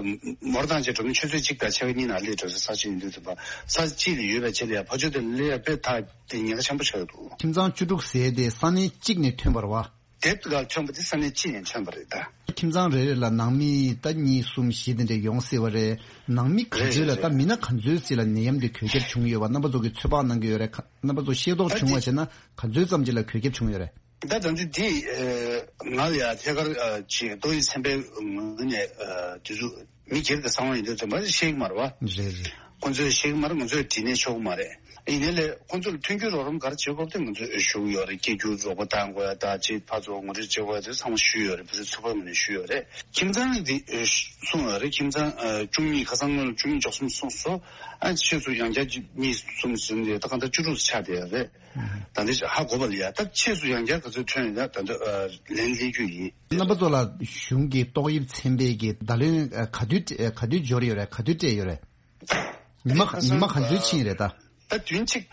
མོ་ཊ་དང་བཅས་འགྲོ་ན་ཆུ་ཚོད་གཅིག་དང་ཕྱེད་ཀ་གཉིས་ནང་སླེབས་འགྲོ་ས་ས་ཆ་ཡིན་དུས་ཙམ་པ་ས་གཅིག་ལ་ཡོད་པའི་ཆ་ལ་ཡ་ཕར་ཕྱོགས་དེ་ལ་སླེབས་ཡ་དཔེ་ཐག་དེ་ཉེན་ཁ་ཆེན་པོ་ཆགས་ཀྱི་འདུག་ཁྱིམ་ཚང་བཅུ་དྲུག་ཟེར་དེ་ས་གནས་གཅིག་ནས་ཐོན་པ་རེད་པ། དེབ་ཀྱི་སྒང་ཐོན་པ་དེ་ས་གནས་གཅིག་ནས་ཐོན་པ་རེད་ད། ཁྱིམ་ཚང་རེ་རེ་ལ་ནང་མི་ད་གཉིས་གསུམ་བཞི་དེ་འདྲ་ཡོང་སྲིད་པ་རེད། ནང་མི་ག་ཚོད་ལ་རེད་རེད་ད་མི་སྣ་ག་ཚོད་ཅིག་ལ་ནད་ཡམས་དེ་འགོས་ཁྱབ་བྱུང་ཡོད་པ་རྣམ་པ་ཚོ་གིས་ཚོད་དཔག་གནང་གི་ཡོད་རེད། ཁ་རྣམ་པ་ཚོ་ཤེས་རྟོགས་ད་བྱུང་བ་དེ་བྱས་ན་ག་ཚོད་ཙམ་ཅིག་ལ་འགོས་ཁྱབ་བྱུང་ཡོད་རེད། ད་ད་འདི་འདི་ཨེ་ ང་ལ་ཡ་ཐད་ཀར་ཅིག་ཏོག་དབྱིབས་ཚན་པའི་ངོས་ནས་དེ་ཚོ་མི་སྒེར་གྱི་གསང་བ་ཡིན་དུས་ཙམ་པ་ཤེས་ཀྱི་མ་རེད་བ། རེད་རེད། ཁོང་ཚོས་ཤེས་ཀྱི་མ་རེད། ང་ཚོས་དྲིས་ནས་ཆོག་གི་མ་རེད། ཡིན་ནའི་ལས་ཁོང་ཚོར་མཐུན་འགྱུར་རོགས་རམ་ག་རེ་བྱེད་དགོས་དེ་ང་ཚོས་ཞུ་གི་ཡོད་རེད། སྐྱེ་རྒྱུ་རོགས་པ་བཏང་དགོས་ཡ་ད་ཅིག་ཕར་ཚུར་ངོ་སྤྲོད་བྱེད་དགོས་ཡ་དེ་ཚང་མ་ཞུས་ཡོད་རེད། བུ་རུ་ཚོ་པ་ངོས་ནས་ཞུས་ཡོད་རེད། ཁྱིམ་ཚང་འདི་གསུངས་ཡོད་རེད། ཁྱིམ་ཚང་བཅུ་གཉིས་ཁ་སང་སྔོན་ལ་བཅུ་གཉིས་བཅུ་གསུམ་གསུངས་སོང་། ཨ་ཆེད་དུ་ཡང་བསྐྱར་གཉིས་གསུམ་ཟིན་ཏེ་ད་གང་ལྟར་བཅུ་དྲུག་ཆགས་བསྡད་ཡོད་རེད། ད་འདི་ཧ་གོ་བ་ལ་ཡ་ད་ཆེད་དུ་ཡང་བསྐྱར་ག་ཚོད་ཐོན་ཡོད་ན་ད་འདི་ལན་སླེབས་རྒྱུ་ཡིན། རྣམ་པ་ཚོ་ལ་གཞུང་གི་ཏོག་དབྱིབས་ཚན་པའི་གི་བརྡ་ལན་ག་དུས་ག་དུས་འབྱོར་ཡོད་རེད། ག་དུས་སྤྲད་ཡོད་རེད། ཉི་མ་ཉི་མ་ག་ཚོད་ཕྱིན་རེད་ད། ད་བདུན་གཅིག་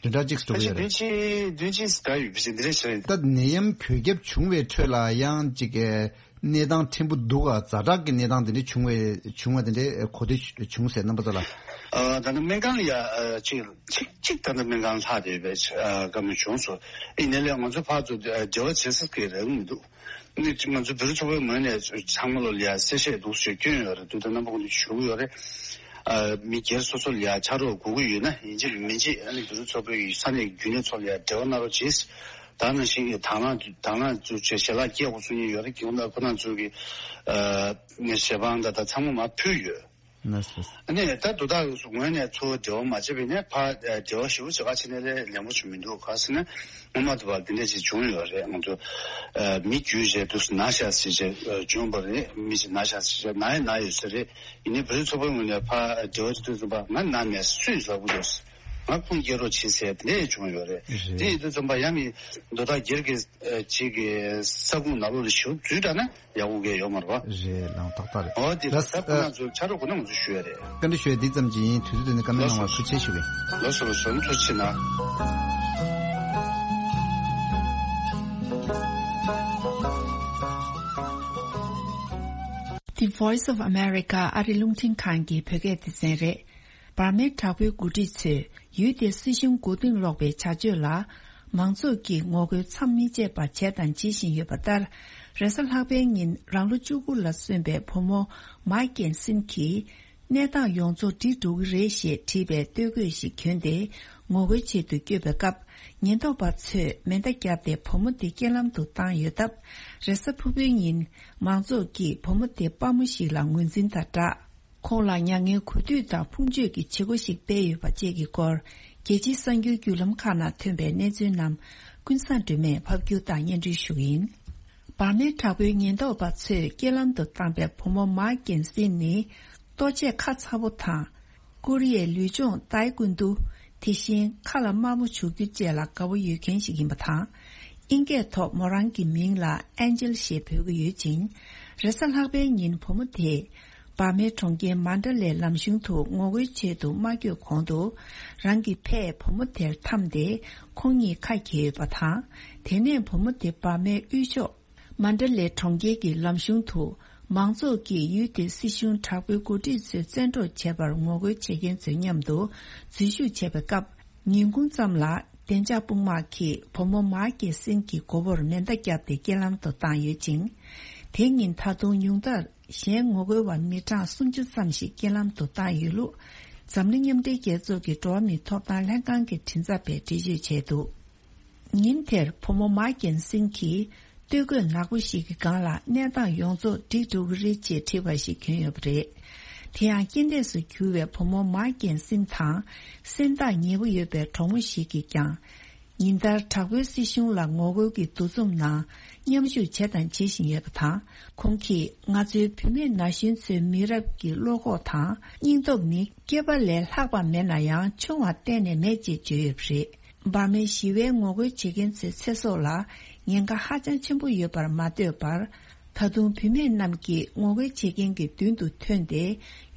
བདུན་ཕྲག་གཅིག་འགྲོ་གི་ཡོད་རེད། བདུན་གཅིག་བདུན་གཅིག་ད་ཡོད་པ་ཞིག་འདི་རེད་ཤག་ད་ནད་ཡམས་བོད་ཁྱབ་བྱུང་བའི་ཁྲོད་ལ་ཡང་ཅིག་གནས་སྟངས་ཕྲན་བུ་འདུག་ག་ཛ་དྲག་གི་གནས་སྟངས་དེ་འདྲ་བྱུང་བའི་བྱུང་བ་དེ་འདྲའི་གོ་ཐོས་བྱུང་ཟེར་རྣམ་པ་ཚོ་ལ། ད་ནི་སྨན་ཁང་ལ་ཡ་ཅིག་ཅིག་ཅིག་ད་ནི་སྨན་ཁང་ལྷག་བསྡད་པའི་བཀའ་མོལ་བྱུང་སོང་། ཡིན་ནའི་ལས་ང་ཚོ་ཕར་ཚུར་འབྲེལ་བ་བྱེད་ས་གི་རེ་བ་མི་འདུག་ནི་ང་ཚོ་བུ་རུ་ཚོ་པའི་ངོས་ནས་ཚང་མ་ལོ་ལ་ཡ་གསལ་བཤད་འདུག་ཞེས་བསྐྱོན་ཡོད་རེད། དུས་དང་རྣམ་པ་ཀུན་ཏུ་ཞུ་གི་ཡོད་རེད། ཨ་མི་སྒེར་སོ་སོ་ལ་ཡ་ཕྱག་རོགས་དགོས་ཀྱི་ཡོད་ན་ཡིན་གཅིག་མིན་གཅིག་ཨ་ནི་བུ་རུ་ཚོ་པའི་ས་གནས་རྒྱུན་ལས་ཚོ་ལ་ཡ་འབྲེལ་བ་གནང་རོགས་གྱིས། ད་ནང་བཞིན་གྱི་དང་བླངས་དང་བླངས་ཚུལ་བྱས་ཞལ་ལག་སྐྱེལ་དགོས་ཚུལ་གཉིས་ཡོད་རེད། ཁྱེད་རང་ཁོ་ན་ཚོ་གི་ཨ་ནི་ཞལ་འཕངས་དང་ད་ཚང་མ་མར་ཕུལ་ཡོད། ལགས་སོ། ཨ་ནི་ད་དོ་བདག་ངོས་ནས་ཚུར་འབྲེལ་བ་མ་བྱས་པ་ཡིན་ན་ཕར་འབྲེལ་བ་ཞེ་པོ་ཅིག་ག་བྱས་ནས་ལས་ལན་པོ་ཅིག་མི་འདུག་ག་ཟེར་ན་སྔོན་མ་དུ་བ་འདི་འདྲ་ཅིག་བྱུང་ཡོད་རེད། ང་ཚོ་མི་རྒྱུས་བྱས་དུས་སུ་ན་ཤ་ཟེར་བྱས་བྱུང་བ་རེད། མི་ཅིག་ན་ཤ་ཟེར་བྱས་ན་ཡ་ན་ཡོད་ས་རེད། ཡིན་ནའི་བུ་རུ་ཚོ་པའི་ངོས་ནས་ཕར་འབྲེལ་བ་ཅིག་དུས་སུ་ཕར་ང་ན་མེད་སུས་ཟ་བུ་འདུག་ང་ཁུངས་སྐྱེལ་རོགས་བྱེད་ཟེར་དེ་འདྲ་བྱུང་ཡོད་རེད། རེད། དེ་ཡིན་དུས་ཙམ་པ་ཡང་མི་དོ་བདག་སྒེར་གྱི་ཅིག་གི་ས་ཁུངས་ནང་ལོགས་ལ་ཞུགས་ཚུལ་འདྲ་ན། ཡག་པོ་གས་ཡོད་མ་རེད་པ། རེད་ལགས་ཏག་ཏག་རེད། འོ་དེ་ལགས་ད་ཁོ་ན་ཚོ་ཆ་རོགས་དགོས་ན་ང་ཚོ་ཞུ་ཡ་རེད། བཀའ་འདྲི་ཞུ་ཡ་འདི་ཙམ་གྱིས་ཡིན། དུས་ཚོད་དེ་ནི་བཀའ་མོལ་གནང་བར་ཐུགས་རྗེ་ཆེ་ཞུ་གི། ལགས་སོ་ལགས་སོ་ཐུགས་རྗེ་ཆེ་གནང་། The Voice of America ཨ་རི་རླུང་འཕྲིན་ཁང་གི་བོད་སྐད་སྡེ་ཚན་རེད། འབར་མའི་དྲག་པོའི་འགོ་ཁྲིད་ཚོས་ཡུལ་དེའི་སྲིད་གཞུང་མགོ་རྟིང་སློག་པའི་བྱ་སྤྱོད་ལ་མང་ཚོགས་ཀྱིས་ངོ་རྒོལ་མཚམས་མི་ཆད་པར་བྱས་དང་བྱེད་བཞིན་ཡོད་པ་ལྟར། རེས་གཟའ་ལྷག་པའི་ཉིན་རང་ལོ་བཅུ་དགུ་ལ་སོན་པའི་བུ་མོ་མཱ་ཀེན་སིན་གྱིས་གནས་སྟངས་ཡོངས་རྫོགས་འགྲིག་འགྲོ་གི་རེད་ཞེས་བྲིས་པའི་སྟོད་གོས་ཤིག་གྱོན་ཏེ་ངོ་རྒོལ་ཆེད་དུ་བསྐྱོད་པའི་སྐབས། ཉེན་རྟོག་པ་ཚོས་མེ་མདའ་བརྒྱབ་སྟེ་བུ་མོ་དེ་རྐྱེན་ལམ་དུ་བཏང་ཡོད་སྟབས། རེས་གཟའ་ཕུར་བུའི་ཉིན་མང་ཚོགས་ཀྱིས་བུ་མོ་དེ་དཔའ་མོ་ཞིག་ལ་ངོས་འཛིན་དང་སྦྲགས། ཁོང་ལ་མྱ་ངན་གུས་འདུད་དང་ཕུང་མཆོད་ཀྱི་བྱེད་སྒོ་ཞིག་སྤེལ་ཡོད་པ་བཅས་ཀྱི་སྐོར། རྒྱལ་སྤྱིའི་གསར་འགྱུར་བརྒྱུད་ལམ་ཁག་ནང་ཐོན་པའི་གནས་ཚུལ་རྣམས་ཀུན་བཟང་སྒྲོལ་མས་ཕབ་སྒྱུར་དང་སྙན་སྒྲོན་ཞུ་གི་ཡིན། འབར་མའི་དྲག་པོའི་ཉེན་རྟོག་པ་ཚོས་རྐྱེན་ལམ་དུ་བཏང་པའི་བུ་མོ་མཱ་ཀེན་སིན་ནི། ལྟོ་ཆས་ཁ་ཚ་པོ་དང་། ཀོ་རི་ཡའི་ལུས་སྦྱོང་ཏའེ་ཀུན་ཏུ། དེ་བཞིན་ཁ་ལ་དམར་མོ་བྱུག་རྒྱུ་བཅས་ལ་དགའ་པོ་ཡོད་མཁན་ཞིག་ཡིན་པ་དང་། དབྱིན་སྐད་ཐོག་མོ་རང་གི་མིང་ལ་ཨན་ཇེལ་ཞེས་འབོད་ཀྱི་ཡོད་ཅིང་། རེས་གཟའ་ལྷག་པའི་ཉིན་བུ་མོ་དེས། འབར་མའི་གྲོང་ཁྱེར་མན་ཌ་ལའི་ལམ་གཞུང་དུ་ངོ་རྒོལ་ཆེད་དུ་མ་བསྐྱོད་གོང་དུ། རང་གི་ཕས་བུ་མོ་དེར་འཐམས་ཏེ། ཁོང་གཉིས་ཁ་གྱེས་ཡོད་པ་དང་། དེ་ནས་བུ་མོ་དེ་འབར་མའི་དབུས་ཕྱོགས། མན་ཌ་ལའི་གྲོང་ཁྱེར་གྱི་ལམ་གཞུང་དུ། མང་ཚོགས་ཀྱིས་ཡུལ་དེའི་སྲིད་གཞུང་དྲག་པོའི་འགོ་ཁྲིད་ཚོའི་བཙན་འཕྲོག་བྱས་པར་ངོ་རྒོལ་བྱེད་མཁན་ཚོའི་མཉམ་དུ་འཛུལ་ཞུགས་བྱས་པའི་སྐབས། ཉིན་གུང་ཙམ་ལ་བདེ་འཇགས་དཔུང་དམག་གིས་བུ་མོ་མཱ་ཀེ་སིན་གྱི་མགོ་བོར་མེ་མདའ་བརྒྱབ་སྟེ་རྐྱེན་ལམ་དུ་བཏང་ཡོད་ཅིང་། དེ་ཉིན་ད་དུང་ཉུང་མཐར་གཞན་ངོ་རྒོལ་བ་མི་གྲངས་སུམ་ཅུ་ཙམ་ཞིག་རྐྱེན་ལམ་དུ་བཏང་ཡོད་ལུགས། འཛམ་གླིང་མཉམ་འབྲེལ་རྒྱལ་ཚོགས་ཀྱི་འགྲོ་བ་མིའི་ཐོབ་ཐང་ལྷན་ཁང་གི་མགྲིན་ཚབ་པས་འགྲེལ་བརྗོད་བྱས་འདུག་ཉིན་དེར་བུ་མོ་མཱ་ཀེན་སིན་གྱིས་སྟོད་གོས་ནག་པོ་ཞིག་གི་སྒང་ལ་གནས་སྟངས་ཡོངས་རྫོགས་འགྲིག་འགྲོ་གི་རེད་ཅེས་བྲིས་པ་ཞིག་གྱོན་ཡོད་པ་རེད། དེ་ཡང་རྐྱེན་འདས་སུ་གྱུར་བའི་བུ་མོ་མཱ་ཀེན་སིན་དང་སེམས་ཐག་ཉེ་པོ་ཡོད་པའི་གྲོགས་མོ་ཞིག་གིས་ཀྱང་། ཉིན་ལྟར་དྲག་པོའི་སྲིད་གཞུང་ལ་ངོ་རྒོལ་གྱི་འདུ་འཛོམས་ནང་མཉམ་ཞུགས་བྱས་དང་བྱེད་བཞིན་ཡོད་པ་དང་། ཁོང་གིས་ང་ཚོའི་བུད་མེད་ན་གཞོན་ཚོའི་མི་རབས་ཀྱི་བློ་ཁོག་དང་སྙིང་སྟོབས་ནི་སྐྱེས་པ་ལས་ལྷག་པ་མེད་ན་ཡང་ཆུང་བ་གཏན་ནས་མེད་ཅེས་བརྗོད་ཡོད་པ་རེད། འབར་མའི་ཞི་བའི་ངོ་རྒོལ་བྱེད་མཁན་ཚོའི་ཚེ་སྲོག་ལ་ཉེན་ཁ་ཧ་ཅང་ཆེན་པོ་ཡོད་པར་མ་ལྟོས་པར། ད་དུང་བུད་མེད་རྣམས་ཀྱིས་ངོ་རྒོལ་བྱེད་མཁན་གྱི་མདུན་དུ་ཐོན་ཏེ།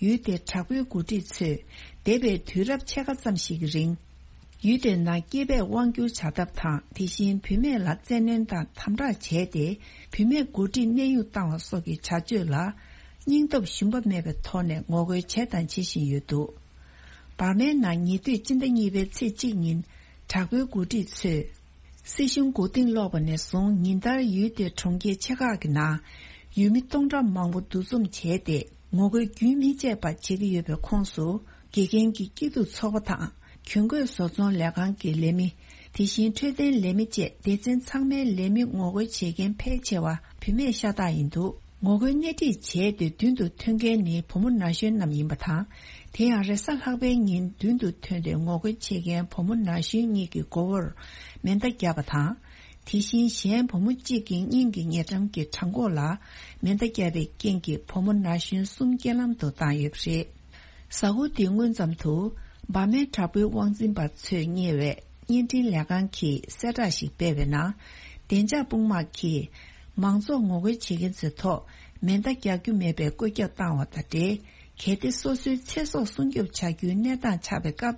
ཡུལ་དེའི་དྲག་པོའི་འགོ་ཁྲིད་ཚོས་འདས་པའི་དུས་རབས་ཕྱེད་ཀ་ཙམ་ཞིག་གི་རིང་། ཡུལ་དེའི་ནང་སྐྱེས་པས་དབང་བསྒྱུར་བྱ་ཐབས་དང་། དེ་བཞིན་བུད་མེད་ལ་བཙན་གནོན་དང་དམ་དྲག་བྱས་ཏེ། བུད་མེད་འགོ་ཁྲིད་གནས་དབྱུང་བཏང་བ་སོགས་ཀྱི་བྱ་སྤྱོད་ལ། སྙིང་སྟོབས་ཞུམ་པ་མེད་པའི་ཐོག་ནས་ངོ་རྒོལ་བྱས་དང་བྱེད་བཞིན་ཡོད་འདུག་འབར་མའི་ནང་ཉེ་དུས་སྤྱི་ཟླ་གཉིས་པའི་ཚེས་གཅིག་ཉིན་དྲག་པོའི་འགོ་ཁྲིད་ཚོས། སྲིད་གཞུང་མགོ་རྟིང་སློག་པ་ནས་བཟུང་ཉིན་ལྟར་ཡུལ་དེའི་གྲོང་ཁྱེར་ཆེ་ཁག་གི་ནང་ཡུལ་མི་སྟོང་ཕྲག་མང་པོ་འདུ་འཛོམས་བྱས་ཏེ། ངོ་རྒོལ་རྒྱུན་མི་ཆད་པ་བྱེད་ཀྱི་ཡོད་པའི་ཁོངས་སུ། དགེ་རྒན་གྱི་སྐྱིད་སྡུག་ཚོགས་པ་དང་། གྱོན་གོས་བཟོ་ཚོང་ལས་ཁང་གི་ལས་མི། དེ་བཞིན་འཕྲོད་བསྟེན་ལས་མི་བཅས་སྡེ་ཚན་ཚང་མའི་ལས་མི་ངོ་རྒོལ་བྱེད་མཁན་ཕལ་ཆེ་བ་བུད་མེད་ཤ་སྟག་ཡིན་འདུག་ངོ་རྒོལ་སྣེ་ཁྲིད་བྱས་ཏེ་མདུན་དུ་ཐོན་མཁན་ནི་བུ་མོ་ན་གཞོན་རྣམས་ཡིན་པ་དང་། དེ་ཡང་རེས་གཟའ་ལྷག་པའི་ཉིན་མདུན་དུ་ཐོན་ཏེ་ངོ་རྒོལ་བྱེད་མཁན་བུ་མོ་ན་གཞོན་གཉིས་ཀྱི་མགོ་བོར་མེ་མདའ་བརྒྱབ་པ་དང་། དེ་བཞིན་གཞན་བུ་མོ་གཅིག་གི་སྙིང་གི་ཉེ་འགྲམ་གྱི་བྲང་ཁོག་ལ་མེ་མདའ་བརྒྱབ་པའི་རྐྱེན་གྱིས་བུ་མོ་ན་གཞོན་གསུམ་རྐྱེན་ལམ་དུ་བཏང་ཡོད་པ་རེད། གཟའ་འཁོར་འདིའི་སྔོན་ཙམ་དུ། འབར་མའི་དྲག་པོའི་དབང་འཛིན་པ་ཚོས་གཉེར་བའི་བརྙན་འཕྲིན་ལས་ཁང་གིས་གསལ་བསྒྲགས་ཤིག་སྤེལ་བའི་ནང་། བདེ་འཇགས་དཔུང་དམག་གིས་མང་ཚོགས་ངོ་རྒོལ་བྱེད་མཁན་ཚོའི་ཐོག་མེ་མདའ་རྒྱག་རྒྱུ་མེད་པའི་བཀོད་ཁྱབ་བཏང་བ་དང་འབྲེལ། གལ་ཏེ་སོ་སོའི་ཚེ་སྲོག་སྲུང་སྐྱོབ་བྱ་རྒྱུའི་གནས་སྟངས་ཆགས་པའི་སྐབས།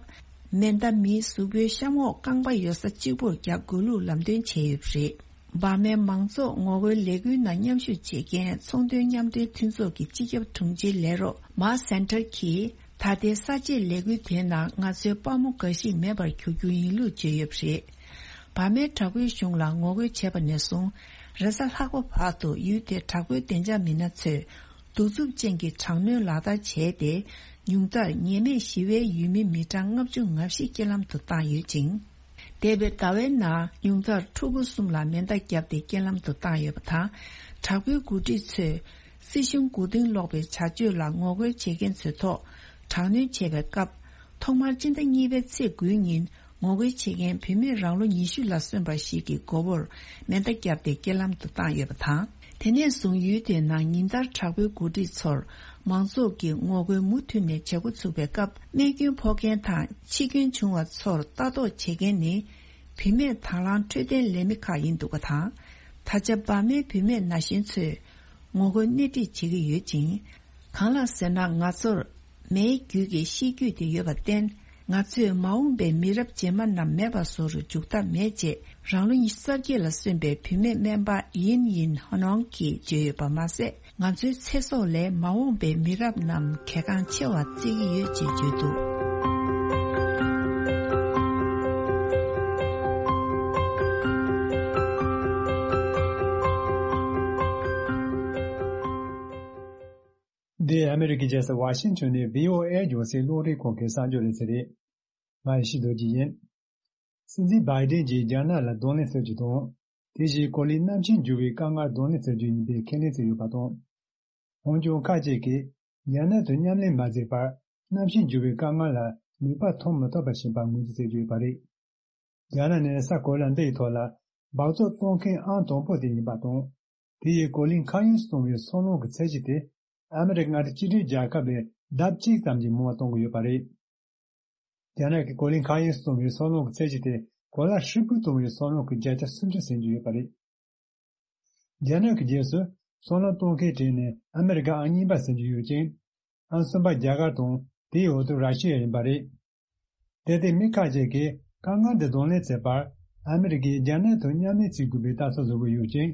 མེ་མདའ་མིའི་གཟུགས་པོའི་གཤམ་འོག་རྐང་པ་ཡོད་ས་གཅིག་པུར་རྒྱག་དགོས་ལུགས་ལམ་སྟོན་བྱས་ཡོད་པ་རེད། འབར་མའི་མང་ཚོགས་ངོ་རྒོལ་ལས་འགུལ་ནང་མཉམ་ཞུགས་བྱེད་མཁན་ཚོང་དོན་མཉམ་འབྲེལ་མཐུན་ཚོགས་ཀྱི་སྤྱི་ཁྱབ་དྲུང་ཆེའི་ལས་རོགས་མཱ་སན་ཐར་གྱིས། ད་ལྟའི་གསར་བརྗེའི་ལས་འགུལ་དེའི་ནང་ང་ཚོའི་དཔའ་མོ་འགའ་ཞིག་མེད་པར་གྱུར་རྒྱུ་ཡིན་ལུགས་བརྗོད་ཡོད་པ་རེད། འབར་མའི་དྲག་པོའི་གཞུང་ལ་ངོ་རྒོལ་བྱས་པ་ནས་བཟུང་། རེས་གཟའ་ལྷག་པ་བར་དུ་ཡུལ་དེའི་དྲག་པོའི་བདེ་འཇགས་མི་སྣ་ཚོས་གདུག་རྩུབ་ཅན་གྱི་དྲག་གནོན་ལག་བསྟར་བྱས་ཏེ། ཉུང་མཐར་ཉེས་མེད་ཞི་བའི་ཡུལ་མི་མི་གྲངས་ལྔ་བཅུ་ང་བཞི་རྐྱེན་ལམ་དུ་བཏང་ཡོད་ཅིང་། འདས་པའི་ཟླ་བའི་ནང་ཉུང་མཐར་ཕྲུ་གུ་གསུམ་ལ་མེ་མདའ་བརྒྱབ་སྟེ་རྐྱེན་ལམ་དུ་བཏང་ཡོད་པ་དང་། དྲག་པོའི་འགོ་ཁྲིད་ཚོས་སྲིད་གཞུང་མགོ་རྟིང་སློག་པའི་བྱ་སྤྱོད་ལ་ངོ་རྒོལ་བྱེད་མཁན་ཚོའི་ཐོག་དྲག་གནོན་བྱས་པའི་སྐབས། ཐོག་མར་སྤྱི་ཟླ་གཉིས་པའི་ཚེས་དགུའི་ཉིན་ངོ་རྒོལ་བྱེད་མཁན་བུད་མེད་རང་ལོ་ཉི་ཤུ་ལ་སོན་པ་ཞིག་གི་མགོ་བོར་མེ་མདའ་བརྒྱབ་སྟེ་རྐྱེན་ལམ་དུ་བཏང་ཡོད་པ་དང་། དེ་ནས་བཟུང་ཡུལ་དེའི་ནང་ཉིན་ལྟར་དྲག་པོའི་འགོ་ཁྲིད་ཚོར་མང་ཚོགས་ཀྱིས་ངོ་རྒོལ་མུ་མཐུད་ནས་བྱེད་འགོ་ཚུགས་པའི་སྐབས། རྨས་སྐྱོན་ཕོག་མཁན་དང་འཆི་སྐྱོན་བྱུང་བ་ཚོར་ལྟ་རྟོག་བྱེད་མཁན་ནི་བུད་མེད་དང་བླངས་འཕྲོད་བསྟེན་ལས་མི་ཁག་ཡིན་འདུག་པ་དང་། ད་ཆ་འབར་མའི་བུད་མེད་ན་གཞོན་ཚོས་ངོ་རྒོལ་སྣེ་ཁྲིད་བྱེད་ཀྱི་ཡོད་ཅིང་། གང་ལགས་ཟེར་ན། ང་ཚོར་མེའི་རྒྱུད་ཀྱི་གཤིས་རྒྱུད་དེ་ཡོད་པར་བརྟེན། ང་ཚོས་མ་འོངས་པའི་མི་རབས་རྗེས་མ་རྣམས་མེད་པ་བཟོ་རུ་འཇུག་ཐབས་མེད་ཅེས། རང་ལོ་ཉི་ཤུ་རྩ་བརྒྱད་ལ་སོན་པའི་བུད་མེད་སྨན་པ་ཡིན་ཡིན་ཧ་ནོང་གིས་བརྗོད་ཡོད་པ་མ་ཟད། ང་ཚོའི་ཚེ་སྲོག་ལས་མ་འོངས་པའི་མི་རབས་རྣམས་གལ་འགངས་ཆེ་བ་བརྩི་གི་ཡོད་ཅེས་བརྗོད་འདུག་འདི་ཨ་མེ་རི་ཀའི་རྒྱལ་ས་ཝ་ཤིང་ཊོན་ནས་བྷི་ཨོ་ཨེ་རྒྱང་སྲིང་རླུང་འཕྲིན་ཁང་གི་གསར་འགྱུར་ལེ་ཚན་རེད། ང་ཡེ་ཤེས་རྡོ་རྗེ་ཡིན། སྲིད་འཛིན་བྷའི་ཌེན་གྱིས་རྒྱ་ནག་ལ་གདོང་ལེན་བྱེད་རྒྱུ་དང་། དེ་བཞིན་གོ་ལའི་གནམ་གཤིས་འགྱུར་བའི་དཀའ་ངལ་གདོང་ལེན་བྱེད་རྒྱུ་ཡིན་པའི་ཁས་ལེན་བྱས་ཡོད་པ་དང་། འོན་ཀྱང་ཁ་ཅིག་གིས་རྒྱ་ནག་དང་མཉམ་ལས་མ་བྱས་པར་གནམ་གཤིས་འགྱུར་བའི་དཀའ་ངལ་ལ་ནུས་པ་ཐོན་མི་ཐུབ་པ་བྱེད་པར་ངོས་འཛིན་བྱེད་ཀྱི་ཡོད་པ་རེད། རྒྱ་ནག་ནི་ས་གོ་ལ་འདི་ཡི་ཐོག་ལ་སྦགས་བཙོག་གཏོང་མཁན་ཨང་དང་པོ་དེ་ཡིན་པ་དང་། དེ་ཡིས་གོ་ལའི་མཁའ་དབྱིངས་སུ་གཏོང་བའི་སོལ་རླུང་གི་ཚད་གཞི་དེ་ཨ་མི་རི་ཀ་མངའ་སྡེ་གཅིག་སྒྲིལ་རྒྱལ་ཁབ་ལས་ལྡབ་གཅིག་ཙམ་གྱིས་མང་བ་གཏོང་གི་ཡོད་པ་རེད། རྒྱ་ནག་གི་གོ་ལའི་མཁའ་དབྱིངས་སུ་གཏོང་བའི་སོལ་རླུང་གི་ཚད་གཞི་དེ་གོ་ལ་ཧྲིལ་པོར་གཏོང་བའི་སོལ་རླུང་གི་བརྒྱ་ཆ་སུམ་ཅུ་ཟིན་གྱི་ཡོད་པ་རེད། རྒྱ་ནག་གི་རྗེས་སུ་སོལ་རླུང་གཏོང་མཁན་གྲས་ནི་ཨ་མི་རི་ཀ་ཨང་གཉིས་པ་ཟིན་གྱི་ཡོད་ཅིང་། ཨང་གསུམ་པ་རྒྱ་གར་དང་དེའི་འོག་ཏུ་ར་ཤི་ཡ་ཡིན་པ་རེད། དེ་ལྟའི་མི་ཁ་ཅིག་གིས་དཀའ་ངལ་འདི་གདོང་ལེན་བྱེད་པར་ཨ་མི་རི་ཀས་རྒྱ་ནག་དང་མཉམ་ལས་བྱེད་དགོས་པའི་ལྟ་ཚུལ་བཟོ་གི་ཡོད་ཅིང་།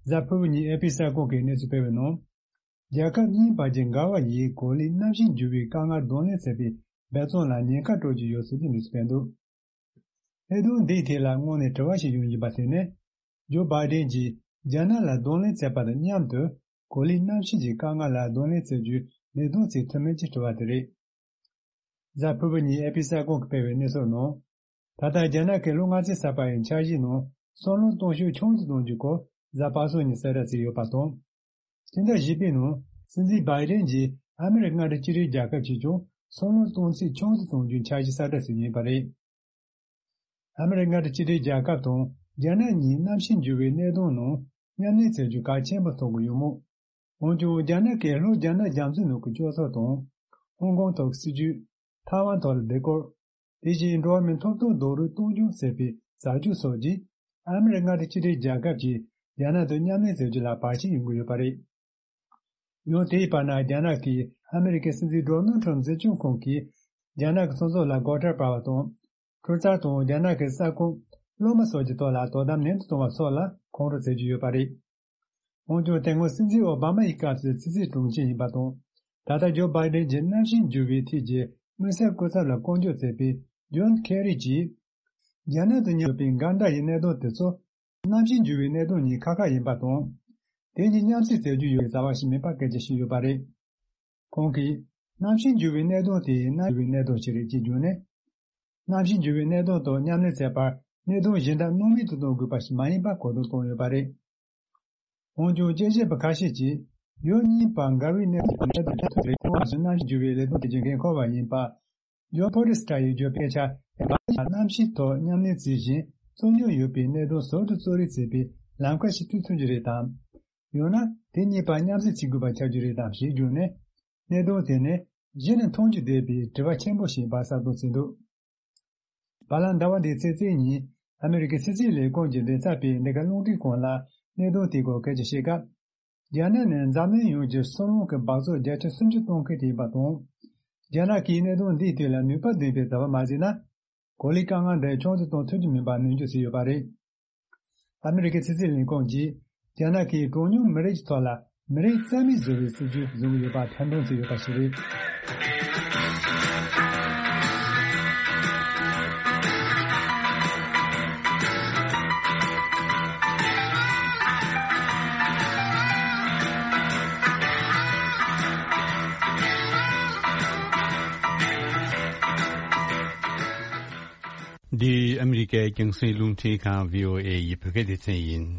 གཟའ་ཕུར་བུ་ཉིན་ཨེ་པི་གསར་ཁང་གིས་གནས་ཚུལ་སྤེལ་བའི་ནང་། རྒྱལ་ཁབ་གཉིས་བར་གྱི་འགལ་བ་ཡིས་གོ་ལའི་གནམ་གཤིས་འགྱུར་བའི་དཀའ་ངལ་གདོང་ལེན་བྱེད་པའི་འབད་བརྩོན་ལ་ཉེན་ཁ་སྤྲོད་ཀྱི་ཡོད་ཚུལ་གྱི་གནས་ཚུལ་སྤེལ་འདུག་ལྷག་དོན་འདིའི་ཐད་ལ་སྔོན་ནས་དྲི་བ་ཞིག་ཡོང་བཞིན་པ་དེ་ནི། ཇོ་བྷའི་ཌེན་གྱིས་རྒྱ་ནག་ལ་གདོང་ལེན་བྱས་པ་དང་མཉམ་དུ་གོ་ལའི་གནམ་གཤིས་ཀྱི་དཀའ་ངལ་ལ་གདོང་ལེན་བྱེད་རྒྱུའི་ལས་དོན་ཚིག་ཐུབ་མིན་གྱི་དྲི་བ་དེ་རེད། གཟའ་ཕུར་བུ་ཉིན་ཨེ་པི་གསར་ཁང་གིས་སྤེལ་བའི་གནས་ཚུལ་ནང་། ད་ལྟ་རྒྱ་ནག་གིས་ལོ་ལྔ་བཅུ་ཚར་བ་ཡི་འཆར་གཞིའི་ནང་སོལ་རླུང་གཏོང་ཤུགས་ཆུང་དུ་གཏོང་རྒྱུའི་སྐོར་གཟའ་པ་སངས་ཉིན་གསལ་བསྒྲགས་བྱས་ཡོད་པ་དང་། སྤྱི་ཟླ་བཞི་པའི་ནང་སྲིད་འཛིན་བྷའི་ཌེན་གྱིས་ཨ་མི་རི་ཀ་མངའ་སྡེ་གཅིག་སྒྲིལ་རྒྱལ་ཁབ་ཀྱིས་ཀྱང་སོལ་རླུང་གཏོང་ཚད་ཆུང་དུ་གཏོང་རྒྱུའི་འཆར་གཞི་གསལ་བསྒྲགས་བྱས་ཡོད་པ་རེད། ཨ་མི་རི་ཀ་མངའ་སྡེ་གཅིག་སྒྲིལ་རྒྱལ་ཁབ་དང་རྒྱ་ནག་གཉིས་གནམ་གཤིས་འགྱུར་བའི་གནད་དོན་ནང་མཉམ་ལས་བྱེད་རྒྱུ་གལ་ཆེན་པོ་མཐོང་གི་ཡོད་མོད། འོན་ཀྱང་རྒྱ་ནག་གིས་ལྷོ་རྒྱ་ནག་རྒྱ་མཚོའི་ནང་གི་སྐྱོ་ཚོར་དང་། ཧོང་ཀོང་ཐོག་སྲིད་ཇུས། ཐའེ་ཝན་ཐོག་ལ་ལྡིང་སྐོར། དེ་བཞིན་འགྲོ་བ་མིའི་ཐོབ་ཐང་རྡོག་རོལ་གཏོང་རྒྱུ་ཟེར་བའི་ཟ་རྒྱུ་སོགས་ཀྱིས་ཨ་མི་རི་ཀ་མངའ་སྡེ་གཅིག་སྒྲིལ་རྒྱལ་ཁབ་ཀྱིས་རྒྱ་ནག་དང་མཉམ་ལས་བྱེད་རྒྱུ་ལ་བར་ཆད་ཡོང་གི་ཡོད་པ་རེད། ཡང་དེའི་བར་ན་རྒྱ་ནག་གིས་ཨ་མི་རི་ཀའི་སྲིད་འཛིན་ཌོ་ནལ་ཊམ་འཛིན་སྐྱོང་ཁང་གིས་རྒྱ་ནག་གི་སོང་ཚོགས་ལ་སྒོ་ཁྲལ་སྤར་བ་དང་། ཁྲུ་ཚར་དང་རྒྱ་ནག་གི་ས་ཁོངས་སློབ་མ་སོགས་ཀྱི་ཐོག་ལ་དོ་དམ་ནན་དུ་གཏོང་བ་སོགས་ལ་ཁོང་ཁྲོ་བྱེད་ཀྱི་ཡོད་པ་རེད། འོན་ཀྱང་དེ་སྔོན་སྲིད་འཛིན་ཨོ་བྷ་མ་ཡི་སྐབས་སུ་ཕྱི་སྲིད་དྲུང་ཆེ་ཡིན་པ་དང་། ད་ལྟ་ཇོ་བྷའི་ཌེན་གྱི་གནམ་གཤིས་འགྱུར་བའི་ཐད་ཀྱི་དམིགས་བསལ་སྐུ་ཚབ་ལ་བསྐོ་འཇོག་མཛད་པའི་ཇོན་ཁེ་རི་གྱིས། རྒྱ་ནག་དང་མཉམ་ཡོད་པའི་འགལ་ཟླ་ཡི་གནད་དོན་དེ་ཚོ་གནམ་གཤིས་འགྱུར་བའི་གནད་དོན་གཉིས་ཁ་ཁ་ཡིན་པ་དང་། དེ་གཉིས་མཉམ་བསྲེས་མཛད་རྒྱུ་ཡོད་པའི་རྩ་བ་ཞིག་མིན་པ་སྐད་ཆ་བཤད་ཡོད་པ་རེད། ཁོང་གིས། གནམ་གཤིས་འགྱུར་བའི་གནད་དོན་དེ་གནམ་འགྱུར་བའི་གནད་དོན་ཞིག་རེད་ཅེས་བརྗོད་ནས། གནམ་གཤིས་འགྱུར་བའི་གནད་དོན་ཐོག་མཉམ་ལས་བྱེད་པར་ གནད་དོན་གཞན་དག་སྣང་མེད་དུ་གཏོང་དགོས་པ་ཞིག་མ་ཡིན་པ་གོ་བསྡུར་བཏང་ཡོད་པ་རེད། འོན་ཀྱང་དཔྱད་ཞིབ་པ་ཁ་ཤས་ཀྱིས་ཡུལ་གཉིས་བར་འགལ་བའི་གནད་དོན་གནད་དོན་ཐོག་རེ་ཁོང་ཞིག་གནམ་གཤིས་འགྱུར་བའི་ལས་དོན་དེ་བྱེད་མཁན་ཁོ་བ་ཡིན་པ། ཡོ་ཕོ་རི་སི་ཀྲ་ཡིས་བརྗོད་པའི་ཆ་གནམ་གཤིས་ཐོག་མཉམ་ལས་བྱེད་བཞིན་རྩོད་རྙོག་ཡོད་པའི་གནད་དོན་ཟུར་དུ་གཙོ་རིག་བྱེད་པའི་ལམ་ཁ་ཞིག་བཏོད་ཐུབ་ཀྱི་རེད་དམ། ཡང་ན་དེ་གཉིས་བར་མཉམ་བསྲེས་བྱེད་དགོས་པ་ཆགས་རྒྱུ་རེད་དམ་ཞེས་བརྗོད་ནས། གནད་དོན་དེ་ནི་གཞི་ནས་མཐོང་རྒྱུ་བསྡད་པའི་དྲི་བ་ཆེན་པོ་ཞིག་ཡིན་པ་གསལ་སྟོན་བྱས་འདུག་བར་ལམ་ཟླ་བ་འདིའི་ཚེས་བརྩི་ཉིན་ཨ་མི་རི་ཀའི་ཕྱི་སྲིད་ལས་ཁུངས་ཀྱི་མགྲིན་ཚབ་པས་འདི་ག་རླུང་འཕྲིན་ཁང་ལ་གནད་དོན་དེའི་སྐོར་སྐད་ཆ་བཤད་སྐབས། རྒྱ་ནག་ནི་འཛམ་གླིང་ཡོངས་ཀྱི་སོལ་རླུང་གི་འབག་བཙོག་བརྒྱ་ཆ་སུམ་ཅུ་གཏོང་མཁན་དེ་ཡིན་པ་དང་། རྒྱ་ནག་གིས་གནད་དོན་འདིའི་ཐད་ལ་ནུས་པ་ལྡན་པའི་བྱ་བ་མ་བྱས་ན། གོ་ལའི་དཀའ་ངལ་འདི་ཆུང་དུ་གཏོང་ཐུབ་ཀྱི་མིན་པ་ནན་བརྗོད་བྱས་ཡོད་པ་རེད། ཨ་མི་རི་ཀའི་ཕྱི་སྲིད་ལས་ཁུངས་ཀྱིས་རྒྱ་ནག་གིས་གྲངས་ཉུང་མི་རིགས་ཀྱི་ཐོག་ལ་མི་རིགས་རྩ་མེད་བཟོ་བའི་སྲིད་ཇུས་བཟུང་གི་ཡོད་པ་ཐེར་འདོན་བྱས་ཡོད་པ་ཞིག་རེད། འདི་ཨ་མི་རི་ཀའི་རྒྱང་སྲིང་རླུང་འཕྲིན་ཁང་བྷི་ཨོ་ཨེ་ཡི་བོད་སྐད་སྡེ་ཚན་ཡིན།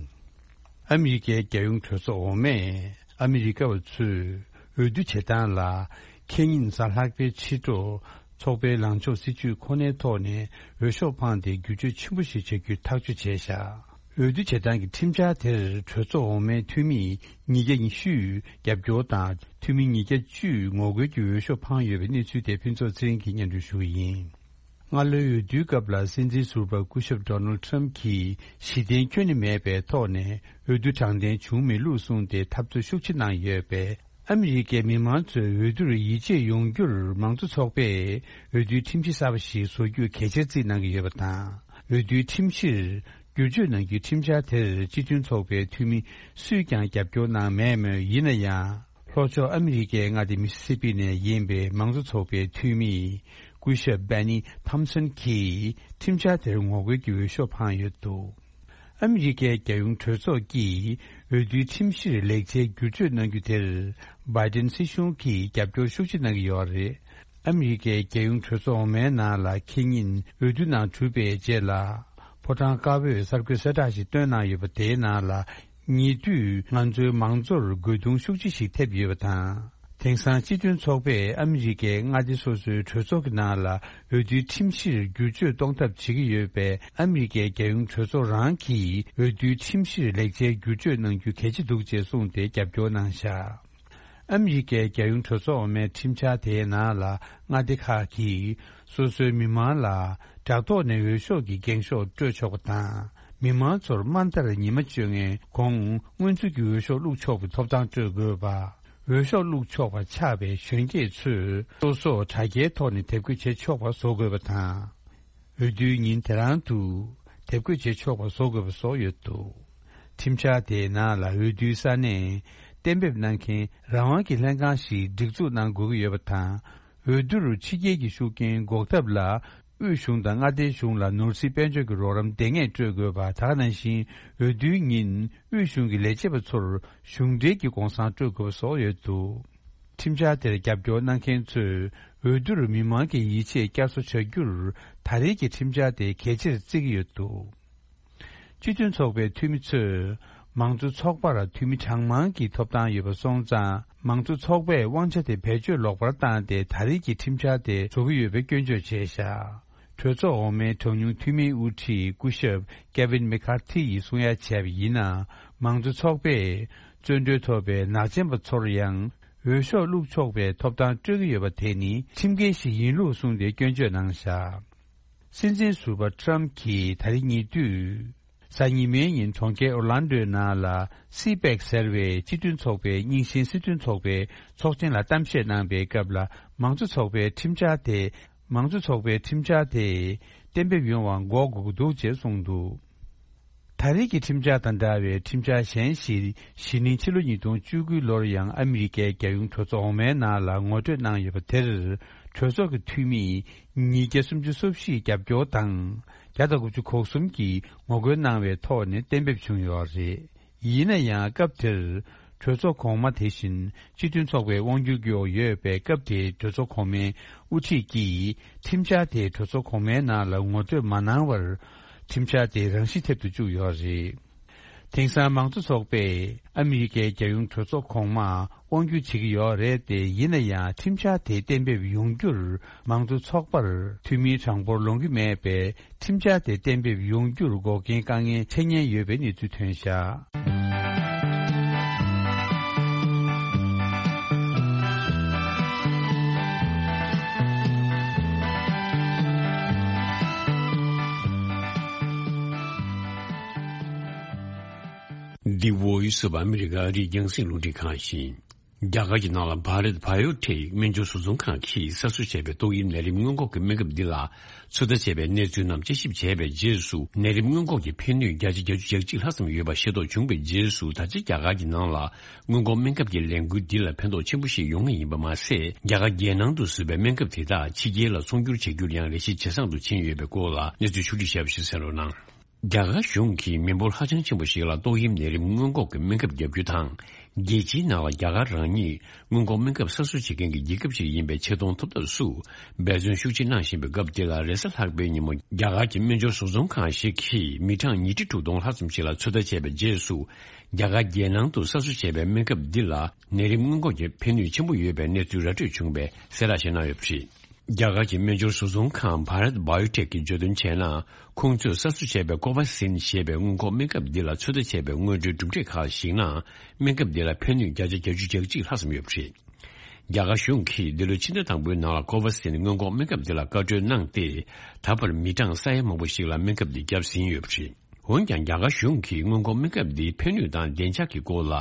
ཨ་མི་རི་ཀའི་རྒྱལ་ཡོངས་གྲོས་ཚོགས་འོག་མས་ཨ་མི་རི་ཀ་བ་ཚོས་འོས་བསྡུ་བྱེད་སྟངས་ལ་ཁེ་ཉིན་གཟའ་ལྷག་པའི་ཕྱི་དྲོ་ཚོགས་པའི་ལངས་ཕྱོགས་སྲིད་ཇུས་ཁོ་ནའི་ཐོག་ནས་འོས་ཤོག་འཕངས་ཏེ་བསྒྱུར་བཅོས་ཆེན་པོ་ཞིག་བྱ་རྒྱུ་ཐག་གཅོད་བྱས་བཞག་འོས་བསྡུ་བྱེད་སྟངས་ཀྱི་ཁྲིམས་འཆར་དེར་གྲོས་ཚོགས་འོག་མའི་འཐུས་མི་ཉིས་བརྒྱ་ཉི་ཤུས་རྒྱབ་སྐྱོར་དང་འཐུས་མི་ཉིས་བརྒྱ་བཅུས་ངོ་རྒོལ་གྱི་འོས་ཤོག་འཕངས་ཡོད་པའི་གནས་ཚུལ་དེ་ཕུན་ཚོགས་ཚེ་རིང་གིས་སྙན་སྒྲོན་ཞུ་གི་ཡིན། སྔ་ལོའི་འོས་བསྡུའི་སྐབས་ལ་སྲིད་འཛིན་ཟུར་པ་སྐུ་ཞབས་ཌོ་ནལ་ཌི་ཊརམ་གྱིས་གཞི་རྟེན་ཁྱོན་ནས་མེད་པའི་ཐོག་ནས་འོས་བསྡུ་དྲང་བདེན་བྱུང་མེད་ལུགས་གསུངས་ཏེ་འཐབ་རྩོད་ཤུགས་ཆེ་གནང་ཡོད་པས། ཨ་མི་རི་ཀའི་མི་མང་ཚོས་འོས་བསྡུར་ཡིད་ཆེས་ཡོང་རྒྱུར་མང་གཙོ་ཚོགས་པས་འོས་བསྡུའི་ཁྲིམས་གཞི་གསར་པ་ཞིག་བཟོ་རྒྱུ་གལ་ཆེར་བརྩིས་གནང་གི་ཡོད་པ་དང་། འོས་བསྡུའི་ཁྲིམས་གཞིར་བསྒྱུར་བཅོས་གནང་རྒྱུའི་ཁྲིམས་འཆར་དེར་སྤྱི་མཐུན་ཚོགས་པའི་འཐུས་མི་སུས་ཀྱང་རྒྱབ་སྐྱོར་གནང་མེད་མོད། ཡིན་ན་ཡང་། ལྷོ་ཕྱོགས་ཨ་མི་རི་ཀའི་མངའ་སྡེ་མི་སི་སི་པི་ནས་ཡིན་པའི་མང་གཙོ་ཚོགས་པའི་འཐུས་མི་སྐུ་ཞབས་སྦེ་ནི་ཐོམ་སོན་གྱིས་ཁྲིམས་འཆར་དེར་ངོ་རྒོལ་གྱི་འོས་ཤོག་འཕངས་ཡོད་འདུག་ཨ་མི་རི་ཀའི་རྒྱལ་ཡོངས་གྲོས་ཚོགས་ཀྱིས་འོས་བསྡུའི་ཁྲིམས་གཞིར་ལེགས་ཆའི་བསྒྱུར་བཅོས་གནང་རྒྱུ་དེར་བྷའི་ཏིན་སྲིད་གཞུང་གིས་རྒྱབ་སྐྱོར་ཤུགས་ཆེ་གནང་གི་ཡོད་རེད། ཨ་མི་རི་ཀའི་རྒྱལ་ཡོངས་གྲོས་ཚོགས་འོག་མའི་ནང་ལ་ཁེ་ཉིན་འོས་བསྡུ་ནང་གྲུབ་པའི་རྗེས་ལ། ཕོ་བྲང་དཀར་པོས་གསར་འགོད་གསལ་བསྒྲགས་ཤིག་བཏོན་གནང་ཡོད་པ། དེའི་ནང་ལ། ཉེ་དུས་ང་ཚོའི་མང་གཙོར་རྒོལ་རྡུང་ཤུགས་ཆེ་ཞིག་ཐེབས་ཡོད་པ་དང་། དེང་སང་སྤྱི་མཐུན་ཚོགས་པས་ཨ་མི་རི་ཀའི་མངའ་སྡེ་སོ་སོའི་གྲོས་ཚོགས་ཀྱི་ནང་ལ་འོས་བསྡུའི་ཁྲིམས་གཞིར་བསྒྱུར་བཅོས་གཏོང་ཐབས་བྱེད་ཀྱི་ཡོད་པས། ཨ་མི་རི་ཀའི་རྒྱལ་ཡོངས་གྲོས་ཚོགས་རང་གིས་འོས་བསྡུའི་ཁྲིམས་གཞིར་ལེགས་ཆའི་བསྒྱུར་བཅོས་གནང་རྒྱུ་གལ་ཆེ་འདུག་ཅེས་གསུངས་ཏེ་རྒྱབ་སྐྱོར་གནང་བཞག་ཨ་མི་རི་ཀའི་རྒྱལ་ཡོངས་གྲོས་ཚོགས་འོག་མའི་ཁྲིམས་འཆར་དེའི་ནང་ལ། མངའ་སྡེ་ཁག་གིས་སོ་སོའི་མི་མང་ལ་དྲ་ཐོག་ནས་འོས་ཤོག་གི་འགེངས་ཤོག་སྤྲོད་ཆོག་པ་དང་། མི་མང་ཚོར་དམའ་མཐར་ཉི་མ་བཅོ་ལྔའི་གོང་སྔོན་ཚུད་ཀྱི་འོས་ཤོག་བླུགས་ཆོག་པའི་ཐོབ་ཐང་སྤྲོད་དགོས་པ། འོས་ཤོག་བླུགས་ཆོག་པ་ཆགས་པའི་གཞོན་སྐྱེས་ཚོས་སོ་སོ་དྲ་རྒྱའི་ཐོག་ནས་དེབ་འགོད་བྱེད་ཆོག་པ་བཟོ་དགོས་པ་དང་། འོས་བསྡུའི་ཉིན་དེ་རང་དུ་དེབ་འགོད་བྱེད་ཆོག་པ་བཟོ་དགོས་པ་སོགས་ཡོད་འདུག་ཁྲིམས་འཆར་དེའི་ནང་ལ་འོས་བསྡུའི་ས་གནས་གཏན་འབེབས་གནང་མཁན་རང་དབང་གི་ལྷན་ཁང་ཞིག་སྒྲིག་འཛུགས་གནང་དགོས་ཀྱི་ཡོད་པ་དང་། འོས་བསྡུར་ཕྱི་རྒྱལ་གྱི་ཤུགས་རྐྱེན་འགོག་ཐབས་ལ་དབུས་གཞུང་དང་མངའ་སྡེའི་གཞུང་ལ་ནོར་སྲིད་དཔལ་འབྱོར་གྱི་རོགས་རམ་འདེང་ངེས་སྤྲོད་དགོས་པ། དེ་ག་ནང་བཞིན་འོས་བསྡུའི་ཉིན་དབུས་གཞུང་གི་ལས་བྱེད་པ་ཚོར་གཞུང་འབྲེལ་གྱི་གུང་སེང་སྤྲོད་དགོས་པ་སོགས་ཡོད་འདུག་ཁྲིམས་འཆར་དེར་རྒྱབ་སྐྱོར་གནང་མཁན་ཚོས་འོས་བསྡུར་མི་མང་གི་ཡིད་ཆེས་བསྐྱར་གསོ་བྱ་རྒྱུར་ད་རེས་ཀྱི་ཁྲིམས་འཆར་དེ་གལ་ཆེར་བརྩི་གི་ཡོད་འདུག་སྤྱི་མཐུན་ཚོགས་པའི་འཐུས་མི་ཚོས་མང་གཙོ་ཚོགས་པར་འཐུས་མི་གྲངས་མང་གི་ཐོབ་ཐང་ཡོད་པ་སོང་ཙང་། མང་གཙོ་ཚོགས་པས་དབང་ཆ་དེ་བེད་སྤྱོད་ལོག་པར་བཏང་སྟེ་ད་རེས་ཀྱི་ཁྲིམས་འཆར་དེ་བཟོ་གི་ཡོད་པའི་སྐྱོན་བརྗོད་བྱས་བཞག་གྲོས་ཚོགས་འོག་མའི་གྲངས་ཉུང་འཐུས་མིའི་དབུ་ཁྲིད་སྐུ་ཞབས་ཀེ་ཝིན་མེ་ཁར་ཐི་ཡིས་གསུང་ཡ་བྱས་པ་ཡིན་ན། མང་གཙོ་ཚོགས་པས་བཙོན་གྲོལ་ཐོབ་པའི་ནག་ཅན་པ་ཚོར་ཡང་འོས་ཤོག་བླུགས་ཆོག་པའི་ཐོབ་ཐང་སྤྲོད་ཀྱི་ཡོད་པ་དེ་ནི་ཁྲིམས་འགལ་ཞིག་ཡིན་ལུགས་གསུངས་ཏེ་སྐྱོན་བརྗོད་གནང་བཞག་སྲིད་འཛིན་ཟུར་པ་ཊརམ་གྱིས་ད་རེས་ཉེ་དུས་གཟའ་ཉི་མའི་ཉིན་གྲོང་ཁྱེར་ཨོར་ལན་ཌོའི་ནང་ལ་སི་པེག་ཟེར་བའི་སྤྱི་མཐུན་ཚོགས་པའི་རྙིང་ཞེན་སྲིད་དོན་ཚོགས་པའི་ཚོགས་ཆེན་ལ་གཏམ་བཤད་གནང་པའི་སྐབས་ལ། མང་གཙོ་ཚོགས་པའི་ཁྲིམས་འཆར་དེ། མང་གཙོ་ཚོགས་པའི་ཁྲིམས་འཆར་དེ་གཏན་འབེབས་ཡོང་བར་འགོག་དགོས་ཀྱི་འདུག་ཅེས་གསུངས་འདུག་ད་རེས་ཀྱི་ཁྲིམས་འཆར་དང་འདྲ་བའི་ཁྲིམས་འཆར་གཞན་ཞིག་གཞེས་ནིང་ཕྱི་ལོ་ཉིས་སྟོང་བཅུ་དགུའི་ལོར་ཡང་ཨ་མི་རི་ཀའི་རྒྱལ་ཡོངས་གྲོས་ཚོགས་འོག་མའི་ནང་ལ་ངོ་སྤྲོད་གནང་ཡོད་པ་དེར་གྲོས་ཚོགས་ཀྱི་འཐུས་མི་ཉིས་བརྒྱ་སུམ་ཅུ་སོ་བཞིས་རྒྱབ་སྐྱོར་དང་བརྒྱ་དང་དགུ་བཅུ་གོ་གསུམ་གྱིས་ངོ་རྒོལ་གནང་བའི་ཐོག་ནས་གཏན་འབེབས་བྱུང་ཡོད་རེད། ཡིན་ན་ཡང་སྐབས་དེར་གྲོས་ཚོགས་གོང་མ་དེ་བཞིན་སྤྱི་མཐུན་ཚོགས་པའི་དབང་སྒྱུར་གྱི་འོག་ཡོད་པའི་སྐབས་དེའི་གྲོས་ཚོགས་གོང་མའི་དབུ་ཁྲིད་ཀྱིས་ཁྲིམས་འཆར་དེ་གྲོས་ཚོགས་གོང་མའི་ནང་ལ་ངོ་སྤྲོད་མ་གནང་བར། ཁྲིམས་འཆར་དེ་རང་ཞིག་ཐེབས་དུ་བཅུག་ཡོད་རེད། དེང་སང་མང་གཙོ་ཚོགས་པས་ཨ་མི་རི་ཀའི་རྒྱལ་ཡོངས་གྲོས་ཚོགས་གོང་མར་དབང་སྒྱུར་བྱེད་ཀྱི་ཡོད་རེད་དེ། ཡིན་ན་ཡང་ཁྲིམས་འཆར་དེ་གཏན་འབེབས་ཡོང་རྒྱུར་མང་གཙོ་ཚོགས་པར་འཐུས་མིའི་གྲངས་འབོར་ལོངས་ཀྱི་མེད་པས། ཁྲིམས་འཆར་དེ་གཏན་འབེབས་ཡོང་རྒྱུར་འགོག་རྐྱེན་དཀའ་ངལ་འཕྲད་ཉེན་ཡོད་པའི་གནས་ཚུལ་ཐོན་བཞག། The Voice of America ཨ་རིའི་རྒྱང་སྲིང་རླུང་འཕྲིན་ཁང་ཡིན། རྒྱ་གར་གྱི་ནང་ལ་བྷ་རད་བྷ་ཡོ་ཊེག་སྨན་སྦྱོར་བཟོ་ཚོང་ཁང་གིས་གསར་བཟོ་བྱས་པའི་ཏོག་དབྱིབས་ནད་རིམས་སྔོན་འགོག་གི་སྨན་ཁབ་འདི་ལ་ཚོད་ལྟ་བྱས་པའི་གནས་ཚུལ་རྣམས་དཔྱད་ཞིབ་བྱས་པའི་རྗེས་སུ། ནད་རིམས་སྔོན་འགོག་གི་ཕན་ནུས་བརྒྱ་ཆ་བརྒྱད་ཅུ་གྱ་གཅིག་ལྷག་ཙམ་ཡོད་པ་ཤེས་རྟོགས་བྱུང་བའི་རྗེས་སུ། ད་ཆ་རྒྱ་གར་གྱི་ནང་ལ་སྔོན་འགོག་སྨན་ཁབ་ཀྱི་ལས་འགུལ་འདི་ལ་ཕན་ཐོགས་ཆེན་པོ་ཞིག་ཡོང་ངེས་ཡིན་པ་མ་ཟད། རྒྱ་གར་རྒྱལ་ནང་དུ་བཟོས་པའི་སྨན་ཁབ་དེ་དག་ཕྱི་རྒྱལ་ལ་ཚོང་སྒྱུར་བྱ་རྒྱུར་ཡང་ལས་གཞི་ཇེ་བཟང་དུ་ཕྱིན་ཡོད་པའི་སྐོར་ལ་གནས་ཚུལ་ཕྱོགས་བསྒྲིགས་བྱས་པ་ཞིག་གསན་རོགས་གནང་། རྒྱ་གར་གཞུང་གིས་མི་འབོར་ཧ་ཅང་ཆེན་པོ་ཞིག་ལ་ཏོག་དབྱིབས་ནད་རིམས་སྔོན་འགོག་གི་སྨན་ཁབ་བརྒྱབ་རྒྱུ་དང་། རྒྱལ་སྤྱིའི་ནང་ལ་རྒྱ་གར་རང་ཉིད་སྔོན་འགོག་སྨན་ཁབ་གསར་བཟོ་བྱེད་མཁན་གྱི་རྒྱལ་ཁབ་ཅིག་ཡིན་པའི་ཆེ་མཐོང་ཐོབ་ཐབས་སུ་འབད་བརྩོན་ཤུགས་ཆེ་གནང་བཞིན་པའི་སྐབས་འདི་ལ། རེས་གཟའ་ལྷག་པའི་ཉིན་མོ་རྒྱ་གར་གྱི་སྨན་སྦྱོར་བཟོ་ཚོང་ཁང་ཞིག་གིས་མི་གྲངས་ཉིས་ཁྲི་དྲུག་སྟོང་ལྷག་ཙམ་ཞིག་ལ་ཚོད་ལྟ་བྱས་པའི་རྗེས་སུ། རྒྱ་གར་རྒྱལ་ནང་དུ་གསར་བཟོ་བྱས་པའི་སྨན་ཁབ་འདི་ལ་ནད་རིམས་སྔོན་འགོག་གི་ཕན་ནུས་ཆེན་པོ་ཡོད་པའི་གནས་ཚུལ་ར་སྤྲོད་བྱུང་བས་གསལ་བསྒྲགས་ཤིག་གནང་ཡོད་པ་རེད། རྒྱ་གར་གྱི་སྨན་སྦྱོར་བཟོ་ཚོང་ཁང་བྷ་རད་བྷ་ཡོ་ཊེག་གིས་བརྗོད་དོན་བྱས་ན། ཁོང་ཚོས་གསར་བཟོ་བྱས་པའི་ཀོ་ཝ་སིན་ཞེས་པའི་སྔོན་འགོག་སྨན་ཁབ་འདི་ལ་ཚོད་ལྟ་བྱས་པའི་སྔོན་འགྲོའི་གྲུབ་འབྲས་ཁག་ལ་གཞིགས་ན། སྨན་ཁབ་འདི་ལ་ཕན་ནུས་བརྒྱ་ཆ་བརྒྱད་ཅུ་གྱ་གཅིག་ལྷག་ཙམ་ཡོད་པ་རེད། རྒྱ་གར་གཞུང་གིས་འདི་ལོའི་ཕྱི་ཟླ་དང་པོའི་ནང་ལ་ཀོ་ཝ་སིན་སྔོན་འགོག་སྨན་ཁབ་འདི་ལ་བཀའ་འཁྲོལ་གནང་སྟེ། ད་བར་མི་གྲངས་ས་ཡ་མང་པོ་ཞིག་ལ་སྨན་ཁབ་འདི་བརྒྱབ་ཟིན་ཡོད་པ་རེད། འོན་ཀྱང་། རྒྱ་གར་གཞུང་གིས་སྔོན་འགོག་སྨན་ཁབ་འདིའི་ཕན་ནུས་དང་བདེ་འཇགས་ཀྱི་སྐོར་ལ་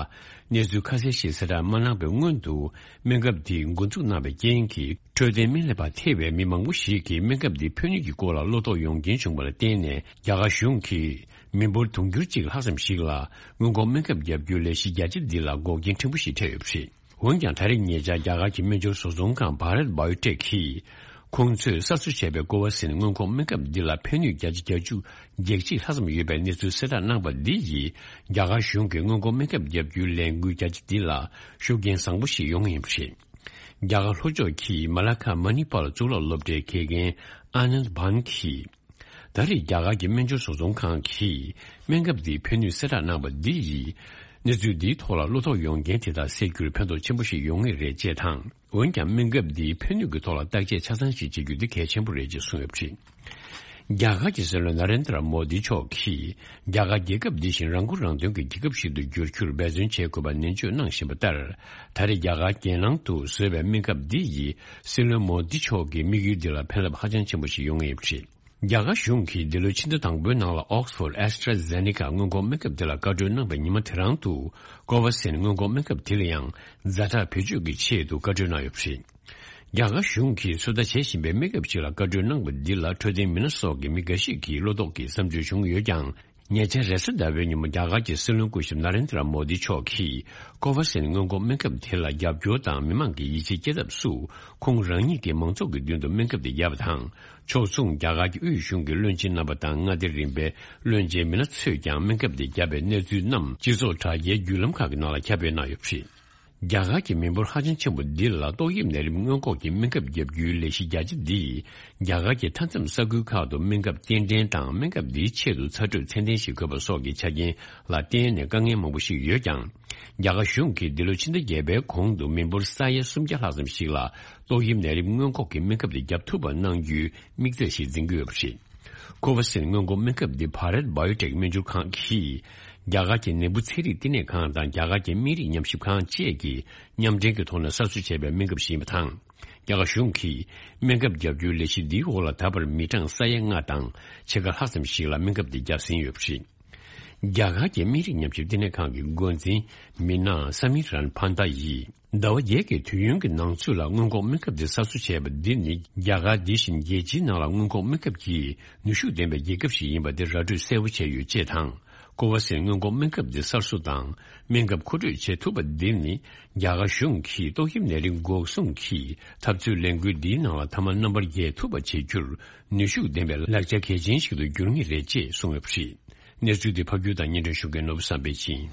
གནས་ཚུལ་ཁ་གསལ་ཞིག་གསལ་བསྒྲགས་མ་གནང་བའི་སྔོན་དུ། སྨན་ཁབ་འདི་འགོ་འཛུགས་གནང་བའི་རྐྱེན་གྱིས། འཕྲོད་བསྟེན་སྨན་ལས་པ་ཐེ་བའི་མི་མང་པོ་ཞིག་གིས་སྨན་ཁབ་འདིའི་ཕན་ནུས་ཀྱི་སྐོར་ལ་བློ་དོགས་ཡོང་རྐྱེན་བྱུང་བ་ལ་བརྟེན་ནས། རྒྱ་གར་གཞུང་གིས་མི་འབོར་དུང་ཕྱུར་གཅིག་ལྷག་ཙམ་ཞིག་ལ་སྔོན་འགོག་སྨན་ཁབ་བརྒྱབ་རྒྱུའི་ལས་གཞི་རྒྱ་ཆེ་འདི་ལ་འགོག་རྐྱེན་ཕྲན་བུ་ཞིག་འཕྲད་ཡོད་པ་རེད། འོན་ཀྱང་། ད་རེས་ཉེ་ཆར་རྒྱ་གར་གྱི་སྨན་སྦྱོར་བཟོ་ཚོང་ཁང་བྷ་རད་བྷ་ཡོ་ཊེག་གིས། ཁོང་ཚོས་གསར་བཟོ་བྱས་པའི་ཀོ་ཝ་སིན་སྔོན་འགོག་སྨན་ཁབ་འདི་ལ་ཕན་ནུས་བརྒྱ་ཆ་བརྒྱད་ཅུ་གྱ་གཅིག་ལྷག་ཙམ་ཡོད་པའི་གནས་ཚུལ་གསལ་བསྒྲགས་གནང་བ་འདི་ཡིས། རྒྱ་གར་གཞུང་གིས་སྔོན་འགོག་སྨན་ཁབ་བརྒྱབ་རྒྱུའི་ལས་འགུལ་རྒྱ་ཆེ་འདི་ལ་ཤུགས་རྐྱེན་བཟང་པོ་ཞིག་ཡོང་ངེས་ཡིན་པ་རེད། རྒྱ་གར་ལྷོ་ཕྱོགས་ཀྱི་མ་ལ་ཁ་མ་ནི་པཱལ་གཙུག་ལག་སློབ་གྲྭའི་དགེ་རྒན་ཨ་ནནྡ་བྷན་གྱིས། ད་རེས་རྒྱ་གར་གྱི་སྨན་སྦྱོར་བཟོ་ཚོང་ཁང་གིས་སྨན་ཁབ་འདིའི་ཕན་ནུས་གསལ་བསྒྲགས་གནང་བ་འདི་ཡིས། གནས་ཚུལ་འདིའི་ཐོག་ལ་བློ་དོགས་ཡོང་མཁན་དེ་དག་སེལ་རྒྱུར་ཕན་ཐོགས་ཆེན་པོ་ཞིག་ཡོང་ངེས་རེད་ཅེས་དང་། འོན་ཀྱང་། སྨན་ཁབ་འདིའི་ཕན་ནུས་ཀྱི་ཐོག་ལ་བརྟག་དཔྱད་ཆ་ཚང་ཞིག་བྱེད་རྒྱུ་འདི་གལ་ཆེན་པོ་རེད་ཅེས་གསུངས་ཡོད་པ་རེད། རྒྱ་གར་གྱི་སྲིད་བློན་ན་རེན་དྲ་མོ་དི་མཆོག་གིས། རྒྱ་གར་རྒྱལ་ཁབ་འདི་བཞིན་རང་མགོ་རང་ཐོན་གྱི་རྒྱལ་ཁབ་ཞིག་ཏུ་འགྱུར་རྒྱུར་འབད་བརྩོན་བྱེད་དགོས་པ་ནན་བརྗོད་གནང་བཞིན་པ་ལྟར། ད་རེས་རྒྱ་གར་རྒྱལ་ནང་དུ་བཟོས་པའི་སྨན་ཁབ་འདི་ཡིས་སྲིད་བློན་མོ་དི་མཆོག་གི་དམིགས་ཡུལ་འདི་ལ་ཕན་རླབས་ཧ་ཅང་ཆེན་པོ་ཞིག་ཡོང་ངེས་ཡིན་པ་རེད། རྒྱ་གར་གཞུང་གིས་འདི་ལོའི་ཕྱི་ཟླ་དང་པོའི་ནང་ལ་Oxford AstraZeneca སྔོན་འགོག་སྨན་ཁབ་དེ་ལ་བཀའ་འཁྲོལ་གནང་བའི་ཉི་མ་དེ་རང་དུ། ཀོ་ཝ་སིན་སྔོན་འགོག་སྨན་ཁབ་དེ་ལ་ཡང་ཛ་དྲག་བེད་སྤྱོད་ཀྱི་ཆེད་དུ་བཀའ་འཁྲོལ་གནང་ཡོད་པ་རེད། རྒྱ་གར་གཞུང་གིས་ཚོད་ལྟ་བྱེད་བཞིན་པའི་སྨན་ཁབ་ཅིག་ལ་བཀའ་འཁྲོལ་གནང་བ་འདི་ལ་འཕྲོད་བསྟེན་མི་སྣ་སོགས་ཀྱི་མི་འགའ་ཞིག་གིས་བློ་དོགས་ཀྱི་བསམ་ཚུལ་བྱུང་ཡོད་ཀྱང་། ཉེ་ཆར་རེས་གཟའ་ཟླ་བའི་ཉིན་མོ་རྒྱ་གར་གྱི་སྲིད་བློན་སྐུ་ཞབས་ན་རེན་དྲ་མོ་དི་མཆོག་གིས་ཀོ་ཝ་སིན་སྔོན་འགོག་སྨན་ཁབ་དེ་ལ་རྒྱབ་སྐྱོར་དང་མི་མང་གིས་ཡིད་ཆེས་སྐྱེ་ཐབས་སུ། ཁོང་རང་ཉིད་ཀྱིས་མང་ཚོགས་ཀྱི་མདུན་དུ་སྨན་ཁབ་དེ་བརྒྱབ་པ་དང་། ཕྱོགས་མཚུངས་རྒྱ་གར་གྱི་དབུས་གཞུང་གི་བློན་ཆེན་རྣམ་པ་དང་མངའ་སྡེ་རིམ་པའི་བློན་ཆེན་མི་སྣ་ཚོས་ཀྱང་སྨན་ཁབ་དེ་བརྒྱབ་པའི་གནས་ཚུལ་རྣམས་སྤྱི་ཚོགས་དྲ་རྒྱའི་བརྒྱུད་ལམ་ཁག་གི་ནང་ལ་ཁྱབ་སྤེལ་གནང་ཡོད་པ་རེད། རྒྱ་གར་གྱི་མི་འབོར་ཧ་ཅང་ཆེན་པོ་འདི་ལ་ཏོག་དབྱིབས་ནད་རིམས་སྔོན་འགོག་གི་སྨན་ཁབ་བརྒྱབ་རྒྱུའི་ལས་གཞི་རྒྱ་ཆེ་འདིས། རྒྱ་གར་གྱི་མཐའ་མཚམས་ས་ཁུལ་ཁག་ཏུ་སྨན་ཁབ་སྐྱེལ་འདྲེན་དང་སྨན་ཁབ་འདིའི་ཆེད་དུ་ཚ་དྲོད་ཚད་ལྡན་ཞིག་དགོས་པ་སོགས་ཀྱི་ཆ་རྐྱེན་ལ་བརྟེན་ནས་དཀའ་ངལ་མང་པོ་ཞིག་ཡོད་ཀྱང་། རྒྱ་གར་གཞུང་གིས་འདི་ལོའི་ཕྱི་ཟླ་བརྒྱད་པའི་གོང་དུ་མི་འབོར་ས་ཡ་སུམ་བརྒྱ་ལྷག་ཙམ་ཞིག་ལ་ཏོག་དབྱིབས་ནད་རིམས་སྔོན་འགོག་གི་སྨན་ཁབ་དེ་བརྒྱབ་ཐུབ་པ་གནང་རྒྱུའི་དམིགས་ཚད་ཞིག་འཛིན་གྱི་ཡོད་པ་རེད། ཀོ་ཝ་སིན་སྔོན་འགོག་སྨན་ཁབ་འདི་བྷ་རད་བྷ་ཡོ་ཊེག་སྨན་སྦྱོར་ཁང་གིས། རྒྱ་གར་གྱི་ནད་འབུ་ཚན་རིག་བསྟི་གནས་ཁང་དང་རྒྱ་གར་གྱི་སྨན་རིགས་ཉམས་ཞིབ་ཁང་བཅས་ཀྱིས་མཉམ་འབྲེལ་གྱི་ཐོག་ནས་གསར་བཟོ་བྱས་པའི་སྨན་ཁབ་ཞིག་ཡིན་པ་དང་། རྒྱ་གར་གཞུང་གིས་སྨན་ཁབ་བརྒྱབ་རྒྱུའི་ལས་གཞི་འདིའི་འོག་ལ་ད་བར་མི་གྲངས་ས་ཡ་ལྔ་དང་ཕྱེད་ཀ་ལྷག་ཙམ་ཞིག་ལ་སྨན་ཁབ་འདི་བརྒྱབ་ཟིན་ཡོད་པ་རེད། རྒྱ་གར་གྱི་སྨན་རིགས་ཉམས་ཞིབ་བསྟི་གནས་ཁང་གི་འགོ་འཛིན་མི་ན་ས་མི་རན་ཕན་ཏ་ཡིས། ཟླ་བ་བརྒྱད་ཀྱི་དུས་ཡུན་གྱི་ནང་ཚུད་ལ་སྔོན་འགོག་སྨན་ཁབ་འདི་གསར་བཟོ་བྱས་པ་འདི་ནི། རྒྱ་གར་འདི་བཞིན་རྒྱལ་སྤྱིའི་ནང་ལ་སྔོན་འགོག་སྨན་ཁབ་ཀྱི་ནུས་ཤུགས་ལྡན་པའི་རྒྱལ་ཁབ་ཞིག་ཡིན་པ་འདི་ར་སྤྲོད་གསལ་པོ་བྱས་ཡོད་ཅེས་དང་། ཀོ་ཝ་སིན་སྔོན་འགོག་སྨན་ཁབ་འདི་གསར་བཟོ་དང་སྨན་ཁབ་མཁོ་སྤྲོད་བྱེད་ཐུབ་པ་འདི་ནི། རྒྱ་གར་གཞུང་གིས་ཏོག་དབྱིབས་ནད་རིགས་འགོག་སྲུང་གི་འཐབ་རྩོད་ལས་འགུལ་འདིའི་ནང་ལ་མཐའ་མ་རྣམ་པར་རྒྱལ་ཐུབ་པ་བྱེད་རྒྱུར་ནུས་ཤུགས་ལྡན་པའི་ལག་ཆ་གལ་ཆེན་ཞིག་ཏུ་འགྱུར་ངེས་རེད་ཅེས་གསུངས་ཡོད་པ་རེད། གནས་ཚུལ་འདི་ཕབ་སྒྱུར་དང་སྙན་སྒྲོན་ཞུ་མཁན་ནོར་བུ་བསམ་འཕེལ་ཡིན།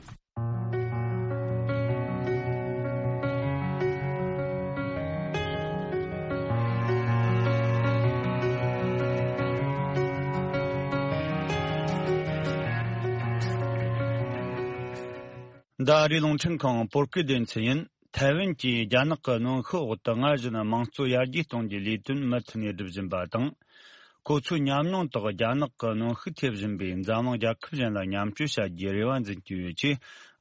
འདི་ཨ་རིའི་རླུང་འཕྲིན་ཁང་བོད་སྐད་སྡེ་ཚན་ཡིན། ཐའེ་ཝན་གྱིས་རྒྱ་ནག་གི་གནོན་ཤུགས་འོག་ཏུ་སྔར་བཞིན་དམངས་གཙོ་ཡར་རྒྱས་གཏོང་རྒྱུའི་ལས་དོན་མུ་མཐུད་ནས་སྒྲུབ་བཞིན་པ་དང་། ཁོ་ཚོའི་ཉམས་མྱོང་དག་རྒྱ་ནག་གི་གནོན་ཤུགས་ཐེབས་བཞིན་པའི་འཛམ་གླིང་རྒྱལ་ཁབ་གཞན་ལ་མཉམ་སྤྱོད་བྱ་རྒྱུའི་རེ་བ་འཛིན་གྱི་ཡོད་ཅེས་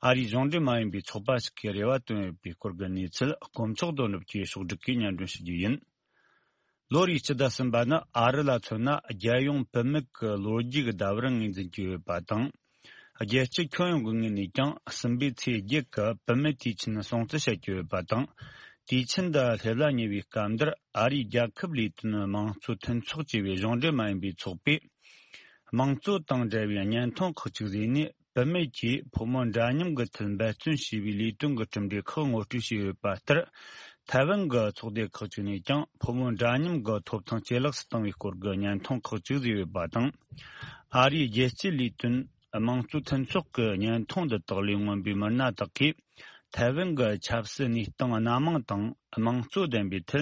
ཨ་རིའི་གཞུང་འབྲེལ་མ་ཡིན་པའི་ཚོགས་པ་ཞིག་གིས་རེ་བ་བཏོན་ཡོད་པའི་སྐོར་གྱི་གནས་ཚུལ། དཀོན་མཆོག་དོན་གྲུབ་ཀྱིས་ཕྱོགས་སྒྲིག་གིས་སྙན་སྒྲོན་ཞུ་རྒྱུ་ཡིན། ལོ་རེའི་སྤྱི་ཟླ་གསུམ་པ་ནི་ཨ་རི་ལ་མཚོན་ན་རྒྱལ་ཡོངས་བུད་མེད་ཀྱི་ལོ་རྒྱུས་ཀྱི་ཟླ་བར་ངོས་འཛིན་གྱི་ཡོད་པ་དང་། རྒྱལ་སྤྱི་ཁྱོན་ཡོངས་ཀྱི་ངོས་ནས་ཀྱང་གསུམ་པའི་ཚེས་བརྒྱད་ཀྱི་བུད་མེད་དུས་ཆེན་སྲུང་བརྩི་བྱེད་ཀྱི་ཡོད་པ་དང་། དུས་ཆེན་འདི་སླེབས་ལ་ཉེ་བའི་སྐབས་འདིར་ཨ་རིའི་རྒྱལ་ཁབ་ལས་དོན་དམངས་གཙོ་མཐུན་ཚོགས་ཅེས་པའི་གཞུང་འབྲེལ་མ་ཡིན་པའི་ཚོགས་པས། དམངས་གཙོ་དང་འབྲེལ་བའི་བརྙན་ཐུང་ཁག་ཅིག་བཟོས་ནས། བུད་མེད་ཀྱིས་ཕོ་མོ་འདྲ་མཉམ་གྱི་ཐད་འབད་བརྩོན་བྱས་པའི་ལས་དོན་གྱི་གྲུབ་འབྲས་ཁག་ངོ་སྤྲོད་བྱས་ཡོད་པ་ལྟར། ཐའེ་ཝན་གྱི་ཚོགས་སྡེ་ཁག་ཅིག་ནས་ཀྱང་ཕོ་མོ་འདྲ་མཉམ་གྱི་ཐོབ་ཐང་ཇེ་ལེགས་སུ་བཏང་བའི་སྐོར་གྱི་བརྙན་ཐུང་ཁག་ཅིག་བཟོས་ཡོད་པ་དང་། ཨ་རིའི་རྒྱལ་སྤྱིའི་ལས་དོན་དམངས་གཙོ་མཐུན་ཚོགས་ཀྱི་བརྙན་ཐུང་འདི་དག་ལས་མངོན་པའི་མི་སྣ་དག་གིས་ཐའེ་ཝན་གྱི་ཆབ་སྲིད་གནས་སྟངས་སྣ་མང་དང་དམངས་གཙོ་ལྡན་པའི་ཐད་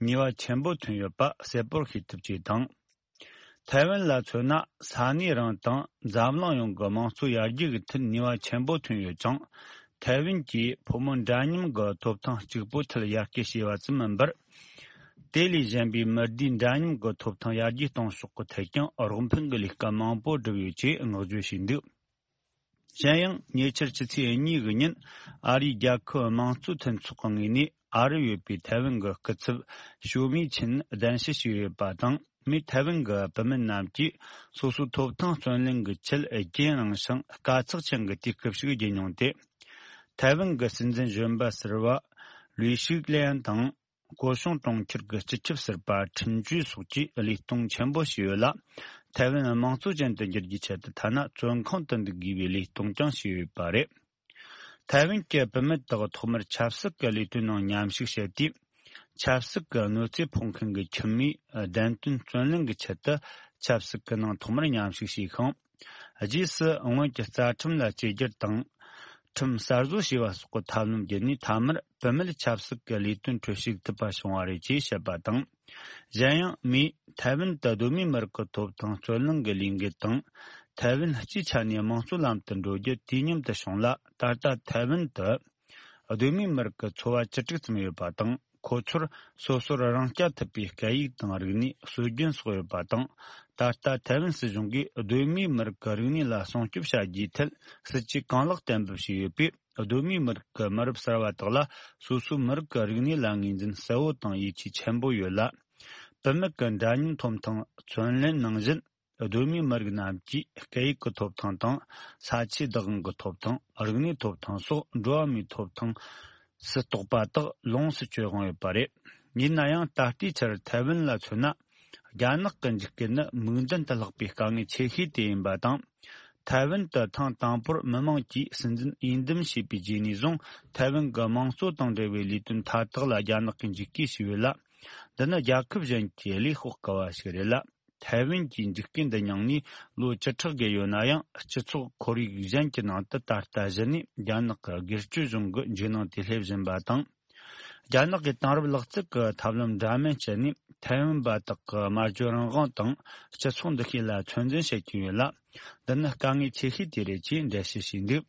ནུས་པ་ཆེན་པོ་ཐོན་ཡོད་པ་གསལ་པོར་ཤེས་ཐུབ་ཅེས་དང་། ཐའེ་ཝན་ལ་མཚོན་ན་ས་གནས་རང་དང་འཛམ་གླིང་ཡོངས་ཀྱི་དམངས་གཙོ་ཡར་རྒྱས་ཀྱི་ཐད་ནུས་པ་ཆེན་པོ་ཐོན་ཡོད་ཅིང་། ཐའེ་ཝན་གྱིས་ཕོ་མོ་འདྲ་མཉམ་གྱི་ཐོབ་ཐང་གཅིག་པུའི་ཐད་ཡར་སྐུལ་བྱས་པ་ཙམ་མིན་པར། དེ་ལས་གཞན་པའི་མི་སྡེ་འདྲ་མཉམ་གྱི་ཐོབ་ཐང་ཡར་རྒྱས་གཏོང་ཕྱོགས་ཀྱི་ཐད་ཀྱང་རོགས་ཕན་གྱི་ལས་ཀ་མང་པོ་བསྒྲུབས་ཡོད་ཅེས་བསྔགས་བརྗོད་བྱས་འདུག་གཞན་ཡང་ཉེ་ཆར་ཕྱི་ཚེས་གཉིས་ཀྱི་ཉིན་ཨ་རིའི་རྒྱལ་ཁབ་དམངས་གཙོ་མཐུན་ཚོགས་ཀྱི་ངོས་ནས་ཨ་རིར་ཡོད་པའི་ཐའེ་ཝན་གྱི་སྐུ་ཚབ་ཞོ་མི་ཆིན་གདན་ཞུ་བྱས་ཡོད་པ་དང་། མིས་ཐའེ་ཝན་གྱི་བུད་མེད་རྣམས་ཀྱིས་སོ་སོའི་ཐོབ་ཐང་བརྩོན་ལེན་གྱི་ཆེད་རྒྱུན་རིང་ཞིང་དཀའ་ཚེགས་ཅན་གྱི་དུས་སྐབས་ཤིག་བརྒྱུད་མྱོང་སྟེ། ཐའེ་ཝན་གྱི་སྲིད་འཛིན་གཞོན་པ་ཟུར་པ་ལུའི་ཤུག་ལན་དང་། སྐོ་ཤོང་གྲོང་ཁྱེར་གྱི་སྤྱི་ཁྱབ་ཟུར་པ་ཁྲིན་ཅུའེ་སོགས་ཀྱིས་བློས་གཏོང་ཆེན་པོ་བྱས་ཡོད་ལ། ཐའེ་ཝན་དམངས་གཙོ་ཅན་དུ་འགྱུར་རྒྱུའི་ཆེད་དུ་ཐ་ན་བཙོན་ཁང་དུ་འདུག་དགོས་པའི་བློས་གཏོང་ཀྱང་བྱས་ཡོད་པ་རེད། ཐའེ་ཝན་གྱི་བུད་མེད་དག་ཐོག་མར་ཆབ་སྲིད་ཀྱི་ལས་དོན་ནང་མཉམ་ཞུགས་བྱས་ཏེ། ཆབ་སྲིད་ཀྱི་གནོད་འཚེ་ཕོག་མཁན་གྱི་ཁྱིམ་མིའི་བདེན་དོན་བརྩོན་ལེན་གྱི་ཆེད་དུ་ཆབ་སྲིད་ཀྱི་ནང་ཐོག་མར་མཉམ་ཞུགས་བྱས་ཤིང་། རྗེས་སུ་སྔོན་གྱི་རྩ་ཁྲིམས་ལ་བཅོས་བསྒྱུར་དང་། ཁྲིམས་གསར་བཟོ་བྱས་པ་སོགས་ཀྱི་ཐབས་ལམ་བརྒྱུད་ནས་མཐའ་མར་བུད་མེད་ཆབ་སྲིད་ཀྱི་ལས་དོན་ཁྲོད་ཞུགས་ཐུབ་པ་བྱུང་བ་རེད་ཅེས་བཤད་པ་དང་། གཞན་ཡང་མིས་ཐའེ་ཝན་དུ་གདོད་མའི་མི་རིགས་ཀྱི་ཐོབ་ཐང་རྩོད་གླེང་གི་ལས་འགུལ་དང་། ཐའེ་ཝན་སྤྱིའི་ཆ་ནས་དམངས་གཙོའི་ལམ་དུ་འགྲོ་རྒྱུ་དུས་མཉམ་དུ་བྱུང་ལ། ད་ལྟ་ཐའེ་ཝན་དུ་གདོད་མའི་མི་རིགས་ཀྱི་ཚོ་བ་བཅུ་དྲུག་ཙམ་ཡོད་པ་དང་། ཁོ་ཚོར་སོ་སོར་རང་སྐྱོང་ཐུབ་པའི་སྐད་ཡིག་དང་རིག་གནས། སྲོལ་རྒྱུན་སོགས་ཡོད་པ་དང་། ད་ལྟ་ཐའེ་ཝན་སྲིད་གཞུང་གིས་གདོད་མའི་མི་རིགས་ཀྱི་རིག་གནས་ལ་སྲུང་སྐྱོབ་བྱ་རྒྱུའི་ཐད་སྲིད་ཇུས་གང་ལེགས་གཏན་འབེབས་བྱས་ཡོད་པས། གདོད་མའི་མི་རིགས་ཀྱི་མི་རབས་གསར་བ་དག་ལ་སོ་སོའི་མི་རིགས་ཀྱི་རིག་གནས་ལ་ངོས་འཛིན་གསལ་བོ་དང་ཡིད་ཆེས་ཆེན་པོ་ཡོད་ལ། བུད་མེད་ཀྱི་འདྲ་མཉམ་ཐོབ་ཐང་བརྩོན་ལེན་ནང་བཞིན། གདོད་མའི་མི་རིགས་རྣམས་ཀྱིས་སྐད་ཡིག་གི་ཐོབ་ཐང་དང་། ས་ཆའི་བདག་དབང་གི་ཐོབ་ཐང་། རིག་གནས་ཐོབ་ཐང་སོགས་འགྲོ་བ་མིའི་ཐོབ་ཐང་སུ་གཏོགས་པ་དག་ལོངས་སུ་སྤྱོད་དབང་ཡོད་པ་རེད། ཡིན་ན་ཡང་ད་ལྟའི་ཆར་ཐའེ་ཝན་ལ་མཚོན་ན། རྒྱ་ནག་གི་འཇིགས་སྐུལ་ནི་མིག་མདུན་དུ་ལྷགས་པའི་དཀའ་ངལ་ཆེ་ཤོས་དེ་ཡིན་པ་དང་། ཐའེ་ཝན་དུ་ཐེངས་དང་པོར་མི་མང་གིས་སྲིད་འཛིན་འོས་འདེམས་བྱས་པའི་རྗེས་ནས་བཟུང་། ཐའེ་ཝན་གྱི་དམངས་གཙོ་དང་འབྲེལ་བའི་ལས་དོན་མཐའ་དག་ལ་རྒྱ་ནག་གིས་འཇིགས་སྐུལ་བྱས་ཡོད་ལ། འདི་ནི་རྒྱལ་ཁབ་གཞན་གྱིས་ལས་དཔོག་དཀའ་བ་ཞིག་རེད་ལ། ཐའེ་ཝན་གྱི་འཇིགས་སྐུལ་འདི་མྱངས་ནས་ལོ་བཅུ་ཕྲག་བརྒལ་ཡོད་ན་ཡང་། སྤྱི་ཚོགས་ཁོར་ཡུག་གཞན་གྱི་ནང་དུ་ད་ལྟ་གཞི་ནས་རྒྱ་ནག་གི་སྒེར་གཅོད་གཞུང་གི་འཇིགས་སྣང་དེ་སླེབས་བཞིན་པ་དང་། རྒྱ་ནག་གིས་དེང་རབས་ལག་རྩལ་གྱི་ཐབས་ལམ་འདྲ་མིན་སྤྱད་ནས་ཐའེ་ཝན་པ་དག་གི་སྨྲ་བརྗོད་རང་དབང་དང་སྤྱི་ཚོགས་འདུ་ཤེས་ལ་ཚོད་འཛིན་བྱེད་ཀྱིན་ཡོད་ལ། འདི་ནི་དཀའ་ངལ་ཆེ་ཤོས་དེ་རེད་ཅེས་འགྲེལ་བཤད་བྱས་འདུག་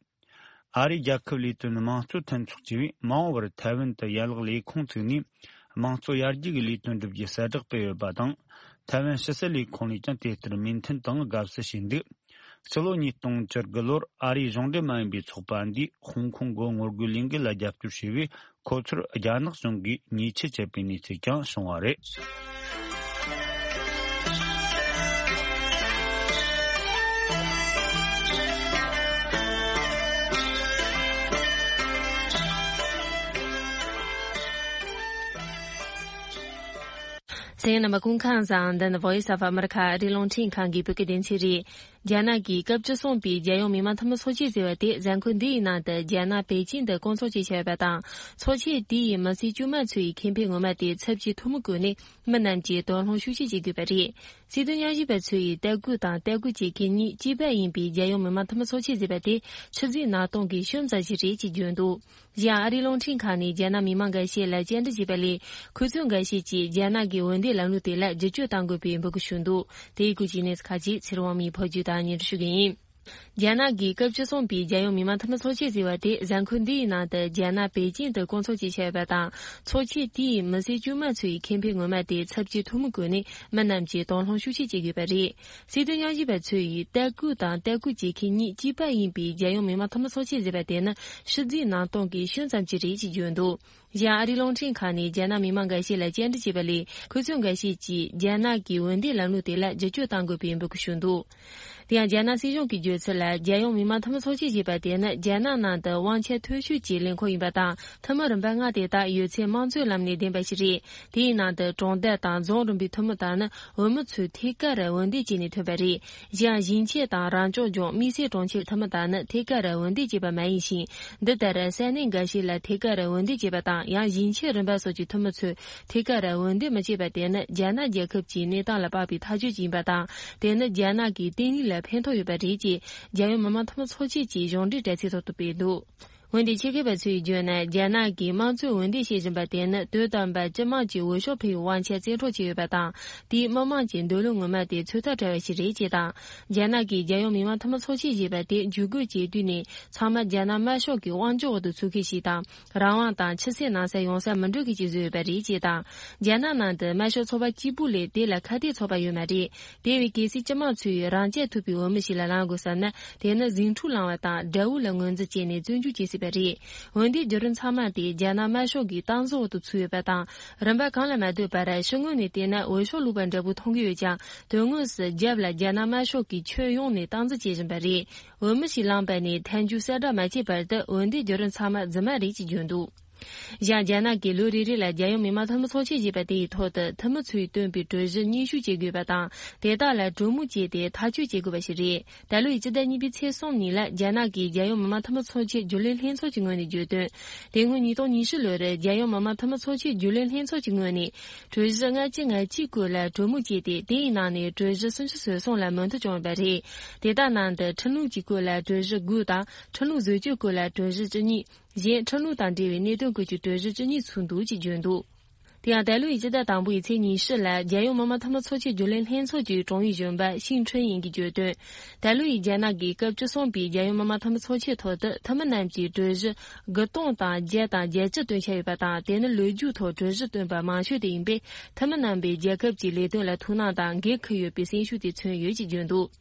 ཨ་རིའི་རྒྱལ་ཁབ་ལས་དོན་དམངས་གཙོ་མཐུན་ཚོགས་ཅེས་པས་མ་འོངས་པར་ཐའེ་ཝན་དུ་ཡན་ལག་ལས་ཁུངས་བཙུགས་ནས་དམངས་གཙོ་ཡར་རྒྱས་ཀྱི་ལས་དོན་བསྒྲུབ་རྒྱུའི་གསལ་བསྒྲགས་སྤེལ་ཡོད་པ་དང་། ཐའེ་ཝན་ཕྱི་སྲིད་ལས་ཁུངས་ནས་ཀྱང་དེ་ལྟར་མོས་མཐུན་དང་དགའ་བསུ་བྱས་འདུག་ཕྱི་ལོ་ཉིས་སྟོང་བཅུ་དགུ་ལོར་ཨ་རིའི་གཞུང་འབྲེལ་མ་ཡིན་པའི་ཚོགས་པ་འདིས་ཧོང་ཀོང་གི་ངོ་རྒོལ་ལས་འགུལ་ལ་རྒྱབ་སྐྱོར་བྱས་པས། ཁོ་ཚོར་རྒྱ་ནག་གཞུང་གིས་ཉེས་ཆད་བཅད་པའི་གནས་ཚུལ་ཀྱང་བྱུང་བ་རེད། གསན་མཁན་རྣམ་པ་སྐུ་ཁམས་བཟང་། འདི་ནི་Voice of America ཨ་རིའི་རླུང་འཕྲིན་ཁང་གི་བོད་སྐད་སྡེ་ཚན་རེད། རྒྱ་ནག་གིས་སྐབས་བཅུ་གསུམ་པའི་རྒྱལ་ཡོངས་མི་དམངས་འཐུས་མི་ཚོགས་ཆེན་ཟེར་བ་དེ་གཟའ་འཁོར་འདི་ཡི་ནང་དུ་རྒྱ་ནག་པེ་ཅིང་དུ་སྐོང་ཚོགས་བྱས་བཞག་ཡོད་པ་དང་། ཚོགས་ཆེན་དེ་ཡི་མི་སེར་དཀྱུས་མ་ཚོ་ཡི་ཁེ་ཕན་ངོ་མ་དེ་ཚབས་ཆེའི་ཐུན་མོང་སྒོ་ནས་མི་རྣམས་ཀྱིས་དོ་སྣང་ཤུགས་ཆེ་བྱེད་དགོས་པ་རེད། སྲིད་དོན་དབྱེ་ཞིབ་པ་ཚོ་ཡིས་ལྟ་སྐུལ་དང་ལྟ་སྐུལ་བཅས་གལ་གནད་གཅིག་པ་ཡིན་པའི་རྒྱལ་ཡོངས་མི་དམངས་འཐུས་མི་ཚོགས་ཆེན་ཟེར་བ་དེ་ཆུ་ཚོད་ནང་གཏོང་གི་ཤུལ་ཙམ་ཞིག་རེད་ཅེས་བརྗོད་འདུག་གཞན་ཨ་རིའི་རླུང་འཕྲིན་ཁང་ནས་རྒྱ་ནག་མི་མང་འགའ་ཤས་ལ་བཅར་འདྲི་བྱས་པ་ལས། ཁོ་ཚོས་འགའ་ཤས་ཀྱིས་རྒྱ་ནག་གི་འོས་འདེམས་ལམ་ལུགས་དེ་ལ་བསྒྱུར་བཅོས་གཏང་དགོས་པའི་འབོད་སྐུལ་ཞུས་འདུག་དེའི་སྐོར་གྱི་གནས་ཚུལ་ཁག་ཅིག་ཚེ་རིང་དབང་མོས་ཕབ་སྒྱུར་དང་སྙན་སྒྲོན་ཞུ་གི་ཡིན། རྒྱ་ནག་གི་སྐབས་བཅུ་གསུམ་པའི་རྒྱལ་ཡོངས་མི་དམངས་འཐུས་མི་ཚོགས་ཆེན་ཟེར་བ་དེ་གཟའ་འཁོར་འདིའི་ནང་དུ་རྒྱ་ནག་པེ་ཅིང་དུ་སྐོང་ཚོགས་བྱས་བཞག་ཡོད་པ་དང་། ཚོགས་ཆེན་དེའི་མི་སེར་དཀྱུས་མ་ཚོའི་ཁེ་ཕན་ངོ་མ་དེ་ཚབས་ཆེའི་ཐུགས་སྨོན་བཀོད་ནས་མི་རྣམས་ཀྱིས་དོ་སྣང་ཤུགས་ཆེ་བྱེད་དགོས་པ་རེད། སྲིད་དོན་ཉམས་ཞིབ་པ་ཚོས་ཡིས་ལྟ་སྐུལ་དང་ལྟ་སྐུལ་བྱེད་མཁན་གཉིས་གཅིག་པ་ཡིན་པའི་རྒྱལ་ཡོངས་མི་དམངས་འཐུས་མི་ཚོགས་ཆེན་ཟེར་བ་དེ་ནི་ཕྱི་རྫས་ནང་སྟོང་གི་ཤུལ་ཙམ་ཅིག་རེད་ཅེས་བརྗོད་འདུག། གཞན་ཨ་རིའི་རླུང་འཕྲིན་ཁང་ནས་རྒྱ་ནག་མི་མང་འགའ་ཤས་ལ་བཅར་འདྲི་བྱས་པ་ལས། ཁོ་ཚོ་འགའ་ཤས་ཀྱིས་རྒྱ་ནག་གི་འོས་འདེམས་ལམ་ལུགས་དེ་ལ་བསྒྱུར་བཅོས་གཏང་དགོས་པའི་འབོད་སྐུལ་ཞུས་འདུག། དེ་ཡང་རྒྱ་ནག་སྲིད་གཞུང་གིས་བརྗོད་ཚུལ་ལ། རྒྱལ་ཡོངས་མི་དམངས་འཐུས་མི་ཚོགས་ཆེན་ཞེས་པ་དེ་ནི་རྒྱ་ནག་ནང་དུ་དབང་ཆ་མཐོ་ཤོས་ཀྱི་ལས་ཁུངས་ཡིན་པ་དང་། འཐུས་མི་རིམ་པ་ལྔ་དེ་དག་ཡོད་ཚད་དམངས་གཙོའི་ལམ་ནས་འདེམས་པ་ཞིག་རེད། དེའི་ནང་དུ་གྲོང་རྡལ་དང་རྫོང་རིམ་པའི་འཐུས་མི་དག་ནི་འོས་མི་ཚོས་ཐད་ཀར་འོས་འདེམས་བྱས་ནས་ཐོན་པ་རེད། གཞན་ཞིང་ཆེན་དང་རང་སྐྱོང་ལྗོངས་དམིགས་བསལ་གྲོང་ཁྱེར་འཐུས་མི་དག་ནི་ཐད་ཀར་འོས་འདེམས་བྱས་པ་མ་ཡིན་ཞིང་། འདི་ལྟར་ས་གནས་འགའ་ཤས་ལ་ཐད་ཀར་འོས་འདེམས་བྱས་པ་དང་། ཡང་ཞིང་ཆེན་རིམ་པ་སོགས་ཀྱི་འཐུས་མི་ཚོས་ཐད་ཀར་འོས་འདེམས་མི་བྱས་པ་དེ་ནི་རྒྱ་ནག་རྒྱལ་ཁབ་ཀྱི་གནས་སྟངས་ལ་དཔག་པའི་ཐག་གཅོད་ཅིག་ཡིན་པ་དང་། དེ་ནི་རྒྱ་ནག་གི་བརྟན་ལྷིང་ལ་ཕན་ཐོགས་ཡོད་པ་རེད་ཅེས་རྒྱལ་ཡོངས་མི་དམངས་འཐུས་མི་ཚོགས་ཆེན་གྱི་གཞུང་འབྲེལ་དྲ་ཚིགས་ཐོག་ཏུ་སྤེལ་འདུག། འོན་ཏེ་ཆེད་མཁས་པ་ཚོས་བརྗོད་ན། རྒྱ་ནག་གིས་དམངས་གཙོའི་འོས་འདེམས་བྱེད་བཞིན་པ་དེ་ནི་དུས་དམ་པ་སྤྱི་དམངས་ཀྱི་འོས་ཤོག་འཕེན་པའི་དབང་ཆ་བཙན་འཕྲོག་བྱས་ཡོད་པ་དང་། དེས་མི་དམངས་ཀྱི་འདོད་བློ་ངོ་མ་དེ་ཚོད་ལྟ་བྲལ་བ་ཞིག་རེད་ཅེས་དང་། རྒྱ་ནག་གིས་རྒྱལ་ཡོངས་མི་དམངས་འཐུས་མི་ཚོགས་ཆེན་ཞེས་པ་དེ་འཇུག་སྒོ་བྱེད་དུས་ནས་ཚང་མ་རྒྱ་ནག་དམར་ཤོག་གི་དབང་སྒྱུར་འོག་ཏུ་ཚུད་མཁན་ཞིག་དང་། རང་དབང་དང་ཕྱི་གསལ་ནང་གསལ་ཡོང་ས་མི་འགྲོ་མཁན་ཞིག་བཟོས་ཡོད་པ་རེད་ཅེས་དང་། རྒྱ་ནག་ནང་དུ་དམར་ཤོག་ཚོགས་པ་གཅིག་པུ་ལས་དེ་ལ་ཁ་གཏད་ཚོགས་པ་ཡོད་མ་རེད། དེ་བས་གལ་སྲིད་སྤྱི་དམངས་ཚོས་རང་གཅེས་ཐུབ་པའི་འོས་མི་ཞིག་ལ་ལངས་དགོས་བསམ་ན། དེ་ནི་ཟིང་འཁྲུག་ལངས་པ་དང་དགྲ་བོ་ལ་ངོས་འཛིན་བྱས་ནས་བཙོན་འཇུག་བྱེད་སྲིད་པ་རེད། འོན་ཏེ་བརྒྱུད་རིམ་ཚང་མ་དེ་རྒྱ་ནག་དམར་ཤོག་གི་སྟངས་འཛིན་འོག་ཏུ་ཚུད་ཡོད་པ་དང་། རིམ་པ་གང་ལ་མ་ལྟོས་པར་ཕྱི་ངོས་ནས་བལྟས་ན་འོས་ཤོག་བླུགས་པ་འདྲ་པོ་མཐོང་གི་ཡོད་ཀྱང་། དོན་དངོས་སུ་རྒྱབ་ལ་རྒྱ་ནག་དམར་ཤོག་གིས་ཁྱོན་ཡོངས་ནས་སྟངས་འཛིན་བྱེད་བཞིན་པ་རེད། འོས་མི་ཞིག་ལངས་པ་ནས་ཐལ་འགྱུར་གསལ་བསྒྲགས་མ་བྱས་བར་དུ་འོན་ཏེ་བརྒྱུད་རིམ་ཚང་མ་རྫུན་མ་རེད་ཅེས་བརྗོད་འདུག། གཞན་རྒྱ་ནག་གིས་ལོ་རེ་རེ་ལ་རྒྱལ་ཡོངས་མི་དམངས་འཐུས་མི་ཚོགས་ཆེན་ཞེས་པ་དེའི་ཐོག་ཏུ་འཐུས་མི་ཚོས་བཏོན་པའི་གྲོས་གཞི་སྙན་ཞུ་བྱེད་དགོས་པ་དང་། དེ་དག་ལ་གྲོས་མོལ་བྱས་ཏེ་ཐག་གཅོད་བྱེད་དགོས་པ་ཞིག་རེད། ད་ལོ་ཡི་སྤྱི་ཟླ་གཉིས་པའི་ཚེས་གསུམ་ཉིན་ལ་རྒྱ་ནག་གིས་རྒྱལ་ཡོངས་མི་དམངས་འཐུས་མི་ཚོགས་ཆེན་རྒྱུན་ལས་ལྷན་ཚོགས་ཀྱི་ངོས་ནས་བརྗོད་དོན། དེ་སྔོན་ཉིས་སྟོང་ཉི་ཤུ་ལོར་རྒྱལ་ཡོངས་མི་དམངས་འཐུས་མི་ཚོགས་ཆེན་རྒྱུན་ལས་ལྷན་ཚོགས་ཀྱི་ངོས་ནས་གྲོས་གཞི་ལྔ་བཅུ་ང་གཅིག་སྐོར་ལ་གྲོས་མོལ་བྱས་ཏེ། དེའི་ནང་ནས་གྲོས་གཞི་སུམ་ཅུ་སོ་གསུམ་ལ་མོས་མཐུན་བྱུང་ཡོད་པ་རེད། དེ་དག་ནང་དུ་ཁྲིམས་ལུགས་ཀྱི་སྐོར་ལ་གྲོས་གཞི་དགུ་དང་། ཁྲིམས་ལུགས་བཟོ་བཅོས་སྐོར་ལ་གྲོས་གཞི་བཅུ་གཉིས། གཞན་ཁྲིམས་ལུགས་དང་འབྲེལ་བའི་གནད་དོན་སྐོར་གྱི་གྲོས་གཞི་བཅུ་གཉིས་ཚུད་འདུག་ཅེས་བརྗོད་འདུག། དེ་ཡང་ད་ལོའི་སྤྱི་ཟླ་དང་པོའི་ཚེས་ཉི་ཤུ་ལ་རྒྱལ་ཡོངས་མི་དམངས་འཐུས་མི་ཚོགས་ཆེན་རྒྱུན་ལས་ལྷན་ཚོགས་ཀྱི་ཀྲུང་ཨུའི་གཞོན་པ་ཤིང་ཁྲོན་ཡིན་གྱིས་བརྗོད་དོན། ད་ལོ་ཡི་རྒྱ་ནག་གི་སྐབས་བཅུ་གསུམ་པའི་རྒྱལ་ཡོངས་མི་དམངས་འཐུས་མི་ཚོགས་ཆེན་ཐོག་ཏུ་འཐུས་མི་རྣམས་ཀྱིས་གྲོས་གཞི་དགུ་སྟོང་དང་བརྒྱ་དང་བརྒྱད་ཅུ་བཏོན་འཆར་ཡོད་པ་དང་། དེ་ནི་ལོ་རྒྱུས་ཐོག་གྲོས་གཞི་བཏོན་པ་མང་ཤོས་དེ་ཡིན་པས། འཐུས་མི་རྣམ་པས་རྒྱལ་ཁབ་ཀྱི་ལས་དོན་ལ་ཐུགས་སྣང་དང་འགན་འཁུར་ཡོད་པའི་སེམས་ཤུགས་དེ་མཚོན་ཡོད་ཅེས་བརྗོད་འདུག།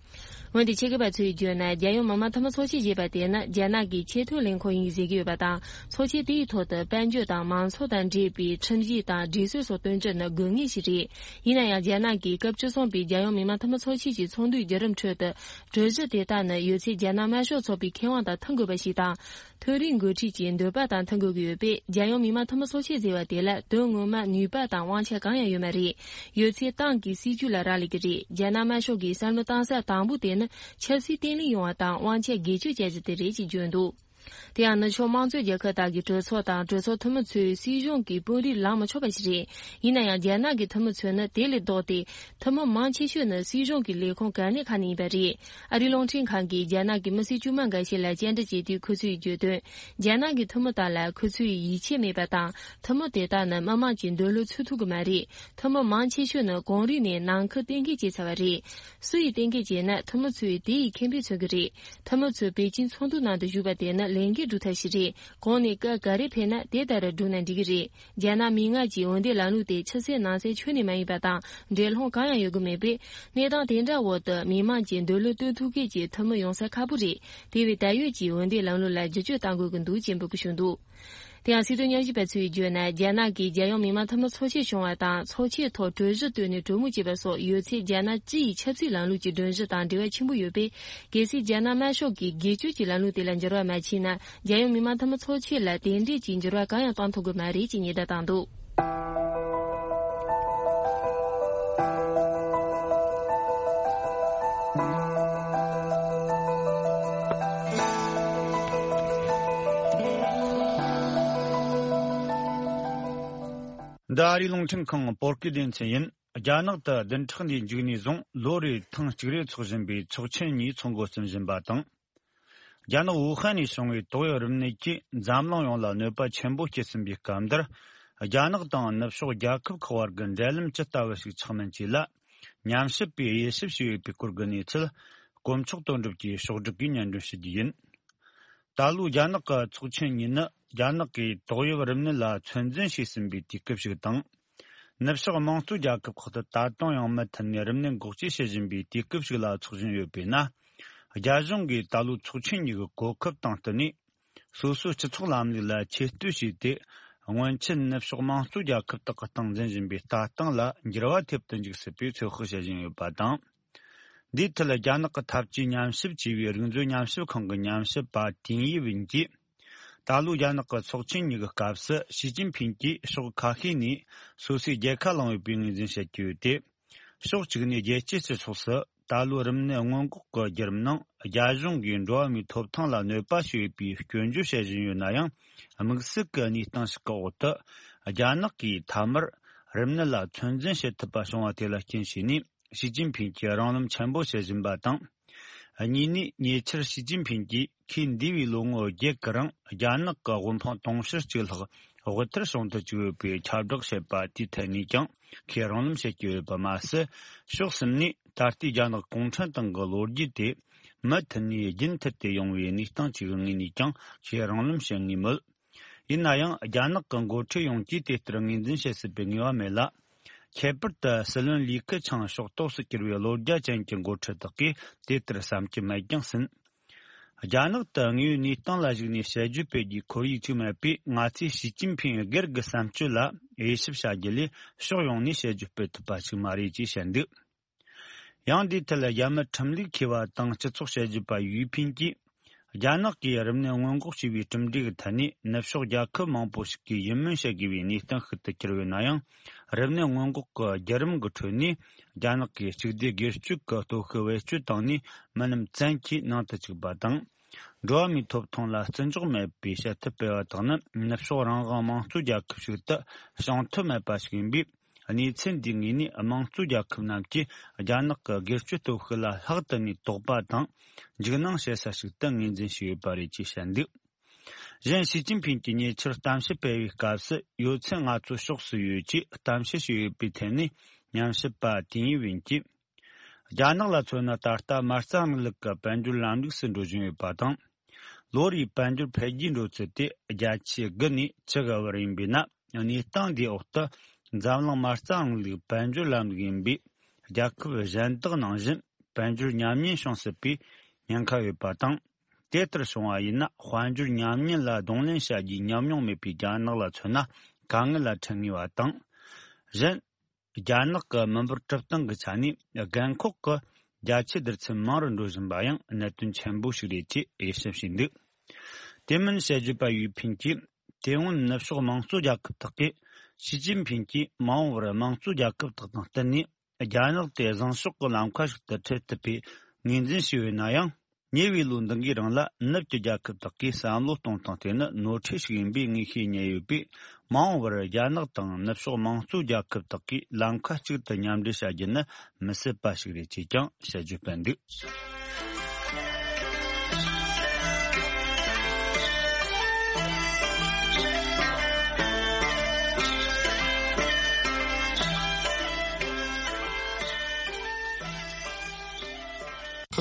འོན་ཏེ་ཆེད་མཁས་པ་ཚོས་བརྗོད་ན། རྒྱལ་ཡོངས་མི་དམངས་འཐུས་མི་ཚོགས་ཆེན་ཞེས་པ་དེ་ནི་རྒྱ་ནག་གི་ཆེས་མཐོའི་ལས་ཁུངས་ཡིན་ཟེར་གྱི་ཡོད་པ་དང་། ཚོགས་ཆེན་དེའི་ཐོག་ཏུ་དཔལ་འབྱོར་དང་མང་ཚོགས་དང་འབྲེལ་བའི་ཁྲིམས་གཞི་དང་སྒྲིག་སྲོལ་སོགས་བཏོན་རྒྱུ་ནི་དགོས་ངེས་ཤིག་རེད། ཡིན་ན་ཡང་། རྒྱ་ནག་གིས་སྐབས་བཅུ་གསུམ་པའི་རྒྱལ་ཡོངས་མི་དམངས་འཐུས་མི་ཚོགས་ཆེན་གྱི་ཚོགས་འདུའི་བརྒྱུད་རིམ་ཁྲོད་དུ། གྲོས་གཞི་དེ་དག་ནི་ཡོད་ཚད་རྒྱ་ནག་དམར་ཤོག་ཚོགས་པའི་ཁེ་དབང་དང་མཐུན་དགོས་པ་ཞིག་དང་། མཐོ་རིམ་འགོ་ཁྲིད་ཀྱི་འདོད་པ་དང་མཐུན་དགོས་ཀྱི་ཡོད་པས། རྒྱལ་ཡོངས་མི་དམངས་འཐུས་མི་ཚོགས་ཆེན་ཟེར་བ་དེ་ལ་དོན་ངོ་མ་ནུས་པ་དང་དབང་ཆ་གང་ཡང་ཡོད་མ་རེད། ཡོད་ཚད་ཏང་གི་སྲིད་ཇུས་ལ་རག་ལས་ཀྱི་རེད། རྒྱ་ནག་དམར་ཤོག་གིས་བསམ་བློ་བཏང་ས་དང་པོ་དེ་ནི་ཆབ་སྲིད་བརྟན་ལྷིང་ཡོང་བ་དང་དབང་ཆ་སྒེར་གཅོད་བྱ་རྒྱུ་དེ་རེད་ཅེས་བརྗོད་འདུག། དེ་ཡང་ནུབ་ཕྱོགས་དམངས་གཙོའི་རྒྱལ་ཁབ་དག་གི་གྲོས་ཚོགས་དང་གྲོས་ཚོགས་འཐུས་མི་ཚོས་སྲིད་གཞུང་གི་དཔོན་རིགས་ལངས་མི་ཆོག་པ་ཞིག་རེད། ཡིན་ན་ཡང་། རྒྱ་ནག་གི་འཐུས་མི་ཚོས་ནི་དེ་ལས་ལྡོག་སྟེ། འཐུས་མི་མང་ཆེ་ཤོས་ནི་སྲིད་གཞུང་གི་ལས་ཁུངས་གལ་གནད་ཁག་ནས་ཡིན་པ་རེད། ཨ་རིའི་རླུང་འཕྲིན་ཁང་གིས་རྒྱ་ནག་གི་མི་སེར་དཀྱུས་མ་འགའ་ཤས་ལ་བཅར་འདྲི་བྱས་དུས། ཁོ་ཚོས་བརྗོད་དོན། རྒྱ་ནག་གི་འཐུས་མི་དག་ལ་ཁོ་ཚོས་ཡིད་ཆེས་མེད་པ་དང་། འཐུས་མི་དེ་དག་ནི་མི་དམངས་ཀྱི་འདོད་བློ་ཚུད་ཐུབ་ཀྱི་མ་རེད། འཐུས་མི་མང་ཆེ་ཤོས་ནི་གོང་རིམ་ནས་ནང་ཁུལ་གཏན་འཁེལ་བྱས་ཚར་བ་རེད། སུ་ཡིས་གཏན་འཁེལ་བྱས་ན། འཐུས་མི་ཚོས་དེ་ཡི་ཁེ་ཕན་མཚོན་གྱི་རེད། འཐུས་མི་ཚོས་པེ་ཅིན་ཚོགས་འདུ་ནང་དུ་བཞུགས་པ་དེ་ནི་ལས་འགན་སྒྲུབ་ཐབས་ཤིག་རེད། གོང་ནས་སྐད་ག་རེ་ཕེབས་ན་དེ་ལྟར་བསྒྲུབས་ན་འགྲིག་གི་རེད། རྒྱ་ནག་མི་དམངས་ཀྱི་འོས་འདེམས་ལམ་ལུགས་དེ་ཕྱི་གསལ་ནང་གསལ་ཁྱོན་ནས་མ་ཡིན་པ་དང་། འགྲན་སློང་གང་ཡང་ཡོད་ཀྱི་མེད་པས། གནས་སྟངས་དེ་འདྲ་འོག་ཏུ་མི་དམངས་ཀྱི་འདོད་བློ་སྟོན་ཐུབ་མཁན་གྱི་འཐུས་མི་ཡོང་ས་ཁག་པོ་རེད། དེ་བས་ད་ཡོད་ཀྱི་འོས་འདེམས་ལམ་ལུགས་ལ་བསྒྱུར་བཅོས་གཏང་དགོས་ཀྱི་འདུག་ཅེས་འབོད་སྐུལ་ཞུས་འདུག། དེ་ཡང་། སྲིད་དོན་ཉམས་ཞིབ་པ་ཚོས་བརྗོད་ན། རྒྱ་ནག་གིས་རྒྱལ་ཡོངས་མི་དམངས་འཐུས་མི་ཚོགས་ཆེན་བྱུང་བ་དང་། ཚོགས་ཆེན་ཐོག་གྲོས་གཞི་བཏོན་ནས་གྲོས་མོལ་བྱས་པ་སོགས་ཡོད་ཚད་རྒྱ་ནག་སྤྱི་ཡི་ཆབ་སྲིད་ལམ་ལུགས་ཀྱི་སྒྲོམ་གཞི་དང་འབྲེལ་བ་ཆེན་པོ་ཡོད་པས། གལ་སྲིད་རྒྱ་ནག་དམར་ཤོག་གིས་སྒེར་གཅོད་ཀྱི་ལམ་ལུགས་དེ་ལ་འགྱུར་བ་མ་ཕྱིན་ན། རྒྱལ་ཡོངས་མི་དམངས་འཐུས་མི་ཚོགས་ཆེན་ལ་དེ་འདྲས་ཀྱི་འགྱུར་བ་གང་ཡང་གཏོང་ཐུབ་ཀྱི་མ་རེད་ཅེས་ཉེན་བརྡ་བཏང་འདུག། འདི་ཨ་རིའི་རླུང་འཕྲིན་ཁང་བོད་སྐད་སྡེ་ཚན་ཡིན། རྒྱ་ནག་ཏུ་བདུན་ཕྲག་འདིའི་མཇུག་ནས་བཟུང་ལོ་རེར་ཐེངས་གཅིག་རེ་འཚོགས་བཞིན་པའི་ཚོགས་ཆེན་གཉིས་འཚོགས་འགོ་བརྩམས་བཞིན་པ་དང་། རྒྱ་ནག་ཝུ་ཧན་ནས་བྱུང་བའི་ཏོག་དབྱིབས་རིམས་ནད་ཀྱིས་འཛམ་གླིང་ཡོངས་ལ་གནོད་པ་ཆེན་པོ་སྐྱེལ་ཟིན་པའི་སྐབས་འདིར། རྒྱ་ནག་དང་ནུབ་ཕྱོགས་རྒྱལ་ཁབ་ཁག་བར་གྱི་འབྲེལ་ལམ་ཇི་ལྟ་བུ་ཞིག་ཆགས་མིན་བཅས་ལ་ཉམས་ཞིབ་པས་དབྱེ་ཞིབ་བྱས་ཡོད་པའི་སྐོར་གྱི་གནས་ཚུལ། དཀོན་མཆོག་དོན་གྲུབ་ཀྱིས་ཕྱོགས་སྒྲིག་གིས་སྙན་སྒྲོན་ཞུ་རྒྱུ་ཡིན། ད་ལོའི་རྒྱ་ནག་གི་ཚོགས་ཆེན་གཉིས་ནི་རྒྱ་ནག་གིས་ཏོག་དབྱིབས་རིམས་ནད་ལ་ཚོད་འཛིན་བྱས་ཟིན་པའི་དུས་སྐབས་ཤིག་དང་། ནུབ་ཕྱོགས་དམངས་གཙོ་རྒྱལ་ཁབ་ཁག་ཏུ་ད་དུང་ཡང་མུ་མཐུད་ནས་རིམས་ནད་འགོག་བཅོས་བྱེད་བཞིན་པའི་དུས་སྐབས་ཤིག་ལ་འཚོགས་བཞིན་ཡོད་པས་ན། རྒྱ་གཞུང་གིས་ད་ལོའི་ཚོགས་ཆེན་གཉིས་ཀྱི་གོ་སྐབས་དང་བསྟུན་ནས། སོ་སོའི་སྤྱི་ཚོགས་ལམ་ལུགས་ལ་ཆེད་བསྟོད་བྱས་ཏེ། སྔོན་ཆད་ནུབ་ཕྱོགས་དམངས་གཙོ་རྒྱལ་ཁབ་དག་གི་སྟངས་འཛིན་བཞིན་པའི་ལྟ་སྟངས་ལ་འགྱུར་བ་ཐེབས་དུ་འཇུག་སྲིད་པའི་ཚོད་དཔག་བྱེད་བཞིན་ཡོད་པ་དང་། འདིའི་ཐད་རྒྱ་ནག་གི་འཐབ་ཇུས་ཉམས་ཞིབ་ཅེས་པའི་རིག་མཛོད་ཉམས་ཞིབ་ཁང་གི་ཉམས་ཞིབ་པ་ཏིང་ཡི་ཝིན་གྱིས། ད་ལོའི་རྒྱ་ནག་གི་ཚོགས་ཆེན་གཉིས་ཀྱི་སྐབས་སུ་ཞི་ཅིན་ཕིང་གིས་ཕྱོགས་ཁ་ཤས་ནས་སོ་སོའི་རྒྱལ་ཁ་བླངས་ཡོད་པའི་ངོས་འཛིན་བྱེད་ཀྱི་ཡོད་དེ། ཕྱོགས་གཅིག་ནས་རྒྱལ་སྤྱིའི་སྤྱི་ཚོགས་སུ་ད་ལོའི་རིམས་ནད་སྔོན་འགོག་གི་བརྒྱུད་རིམ་ནང་རྒྱ་གཞུང་གིས་འགྲོ་བ་མིའི་ཐོབ་ཐང་ལ་གནོད་པ་བྱས་ཡོད་པའི་སྐྱོན་བརྗོད་བྱེད་བཞིན་ཡོད་ན་ཡང་། དམིགས་བསལ་གྱི་གནས་སྟངས་ཤིག་གི་འོག་ཏུ། རྒྱ་ནག་གིས་མཐའ་མར་རིམས་ནད་ལ་ཚོད་འཛིན་བྱེད་ཐུབ་པ་བྱུང་བ་དེ་ལ་རྐྱེན་བྱས་ནས། ཞི་ཅིན་ཕིང་གིས་རང་ལམ་ཆེན་པོ་བྱེད་བཞིན་པ་དང་། གཉིས་ནས་ཉེ་ཆར་ཞི་ཅིན་ཕིང་གིས་ཁོས་འདས་པའི་ལོ་ངོ་བརྒྱད་ཀྱི་རིང་རྒྱ་ནག་གི་དབུལ་ཕོངས་དུང་ཕྱུར་གཅིག་ལྷག་དབུལ་ཐར་བྱུང་དུ་བཅུག་ཡོད་པའི་ཁྱབ་བསྒྲགས་བྱས་པ་དེའི་ཐད་ནས་ཀྱང་ཁོས་རང་ལམ་བྱེད་ཀྱི་ཡོད་པ་མ་ཟད། ཕྱོགས་གསུམ་ནས་ད་ལྟའི་རྒྱ་ནག་གུང་ཁྲན་ཏང་གི་ལོ་རྒྱུས་དེ་མུ་མཐུད་ནས་རྒྱུན་མཐུད་དེ་ཡོང་བའི་གནས་སྟངས་ཅིག་གི་ངོས་ནས་ཀྱང་ཁོས་རང་ལམ་བྱེད་ངེས་མོད། ཡིན་ན་ཡང་རྒྱ་ནག་གི་འགོ་ཁྲིད་ཡོངས་ཀྱིས་དེ་ལྟར་ངོས་འཛིན་བྱེད་སྲིད་པའི་ངེས་པ་མེད་ལ། ཁྱད་པར་དུ་སྲིད་བློན་ལི་ཁེ་ཆང་ཕྱོགས་གཏོགས་སུ་གྱུར་བའི་བློ་རྒྱ་ཅན་གྱི་འགོ་ཁྲིད་དག་གིས་དེ་ལྟར་བསམ་གྱི་མེད་ཀྱང་སྲིད། རྒྱ་ནག་ཏུ་དངོས་ཡོད་གནས་སྟངས་ལ་གཞིགས་ནས་དཔྱད་བརྗོད་སྤེལ་རྒྱུའི་ཁོར་ཡུག་ཅིག་མེད་པས། ང་ཚོས་ཞི་ཅིན་ཕིང་སྒེར་གྱི་བསམ་སྤྱོད་ལ་དབྱེ་ཞིབ་བྱ་རྒྱུ་ལས་ཕྱོགས་ཡོངས་ནས་དཔྱད་བརྗོད་སྤེལ་ཐུབ་པ་ཞིག་མ་རེད་ཅེས་བཤད་འདུག། ཡང་འདིའི་ཐད་རྒྱ་མི་ཁྲིམས་ལུགས་མཁས་པ་དང་སྤྱི་ཚོགས་དཔྱད་བརྗོད་པ་ཡུས་ཕིན་གྱིས། རྒྱ་ནག་གིས་རིམས་ནད་སྔོན་འགོག་བྱས་པའི་གྲུབ་འབྲས་ཀྱི་ཐད་ནས་ནུབ་ཕྱོགས་རྒྱལ་ཁབ་མང་པོ་ཞིག་གིས་ཡིད་སྨོན་བྱེད་དགོས་པའི་གནས་སྟངས་ཤིག་ཏུ་གྱུར་ཡོད་ན་ཡང་། རིམས་ནད་སྔོན་འགོག་གི་བརྒྱུད་རིམ་གྱི་ཁྲོད་ནས་རྒྱ་ནག་གིས་གཅིག་སྡུད་སྒེར་གཅོད་ཀྱི་སྟོབས་ཤུགས་བེད་སྤྱོད་བཏང་ནས་མི་རྣམས་བཙན་གྱིས་ནང་དུ་བཅུག་པ་དང་། འགྲོ་བ་མིའི་ཐོབ་ཐང་ལ་བརྩི་འཇོག་མེད་པའི་བྱེད་ཐབས་སྤེལ་བ་དག་ནི་ནུབ་ཕྱོགས་རང་དབང་དམངས་གཙོ་རྒྱལ་ཁབ་ཞིག་ཏུ་བྱུང་ཐབས་མེད་པ་ཞིག་ཡིན་པས། གནས་ཚུལ་འདིའི་ངོས་ནས་དམངས་གཙོ་རྒྱལ་ཁབ་རྣམས་ཀྱིས་རྒྱ་ནག་གི་སྒེར་གཅོད་སྟོབས་ཤུགས་ལ་ལྷག་ཏུ་ནས་དོགས་པ་དང་འཇིགས་སྣང་བྱེད་ས་ཞིག་ཏུ་ངོས་འཛིན་བྱས་ཡོད་པ་རེད་ཅེས་བཤད་འདུག། གཞན་ཞི་ཅིན་ཕིང་གིས་ཉེ་ཆར་གཏམ་བཤད་སྤེལ་བའི་སྐབས་སུ་ཡོད་ཚད་ང་ཚོ་ཕྱོགས་སུ་ཡོད་ཅེས་གཏམ་བཤད་བྱས་ཡོད་པའི་ཐད་ནས་ཉམས་ཞིབ་པ་ཏིང་ཡི་ཝིན་གྱིས། རྒྱ་ནག་ལ་མཚོན་ན་ད་ལྟ་མ་རྩ་རིང་ལུགས་ཀྱི་དཔལ་འབྱོར་ལམ་ལུགས་སུ་འགྲོ་བཞིན་ཡོད་པ་དང་། ལོ་རེའི་དཔལ་འབྱོར་འཕེལ་རྒྱས་འགྲོ་ཚུལ་དེ་བརྒྱ་ཆའི་དགུ་ནས་བཅུ་གི་བར་ཡིན་པས་ན། གནས་སྟངས་འདིའི་འོག་ཏུ་འཛམ་གླིང་མ་རྩ་རིང་ལུགས་དཔལ་འབྱོར་ལམ་ལུགས་ཡིན་པས། རྒྱལ་ཁབ་གཞན་དག་ནང་བཞིན་དཔལ་འབྱོར་ཉམས་ཉེན་བྱུང་སྲིད་པའི་ཉེན་ཁ་ཡོད་པ་དང་། དེ་ལྟར་བྱུང་བ་ཡིན་ན་དཔལ་འབྱོར་ཉམས་ཉེན་ལ་གདོང་ལེན་བྱ་རྒྱུའི་ཉམས་མྱོང་མེད་པའི་རྒྱ་ནག་ལ་མཚོན་ན་དཀའ་ངལ་ལ་འཕྲད་ངེས་པ་དང་། གཞན། རྒྱ་ནག་གི་མི་འབོར་གྲུབ་སྟངས་ཀྱི་ཆ་ནས་རྒན་འཁོགས་ཀྱི་རྒྱ་ཆེའི་བསྡུར་ཚད་མང་རུ་འགྲོ་བཞིན་པ་ཡང་གནད་དོན་ཆེན་པོ་ཞིག་རེད་ཅེས་དབྱེ་ཞིབ་བྱས་འདུག། དེ་མིན་དཔྱད་བརྗོད་པ་ཡུས་ཕིན་གྱིས། དེ་སྔོན་ནུབ་ཕྱོགས་དམངས་གཙོ་རྒྱལ་ཁབ་དག་གིས་ཞི་ཅིན་ཕིང་གིས་མ་འོངས་པར་དམངས་གཙོ་རྒྱལ་ཁབ་དག་དང་བསྟུན་ནས་རྒྱ་ནག་དེ་བཟང་ཕྱོགས་ཀྱི་ལམ་ཁ་ཞིག་ཏུ་ཁྲིད་ཐུབ་པའི་ངོས་འཛིན་བྱས་ཡོད་ན་ཡང་། ཉེ་བའི་ལོ་འདི་འགའི་རིང་ལ་ནུབ་ཀྱི་རྒྱལ་ཁབ་དག་གིས་བསམ་བློ་གཏོང་སྟངས་དེ་ནི་ནོར་འཁྲུལ་ཞིག་ཡིན་པའི་ངེས་ཤེས་རྙེད་ཡོད་པས། མ་འོངས་པར་རྒྱ་ནག་དང་ནུབ་ཕྱོགས་དམངས་གཙོ་རྒྱལ་ཁབ་དག་གིས་ལམ་ཁ་གཅིག་ཏུ་མཉམ་འབྲེལ་བྱ་རྒྱུ་ནི་མི་སྲིད་པ་ཞིག་རེད་ཅེས་ཀྱང་དཔྱད་བརྗོད་སྤེལ་འདུག།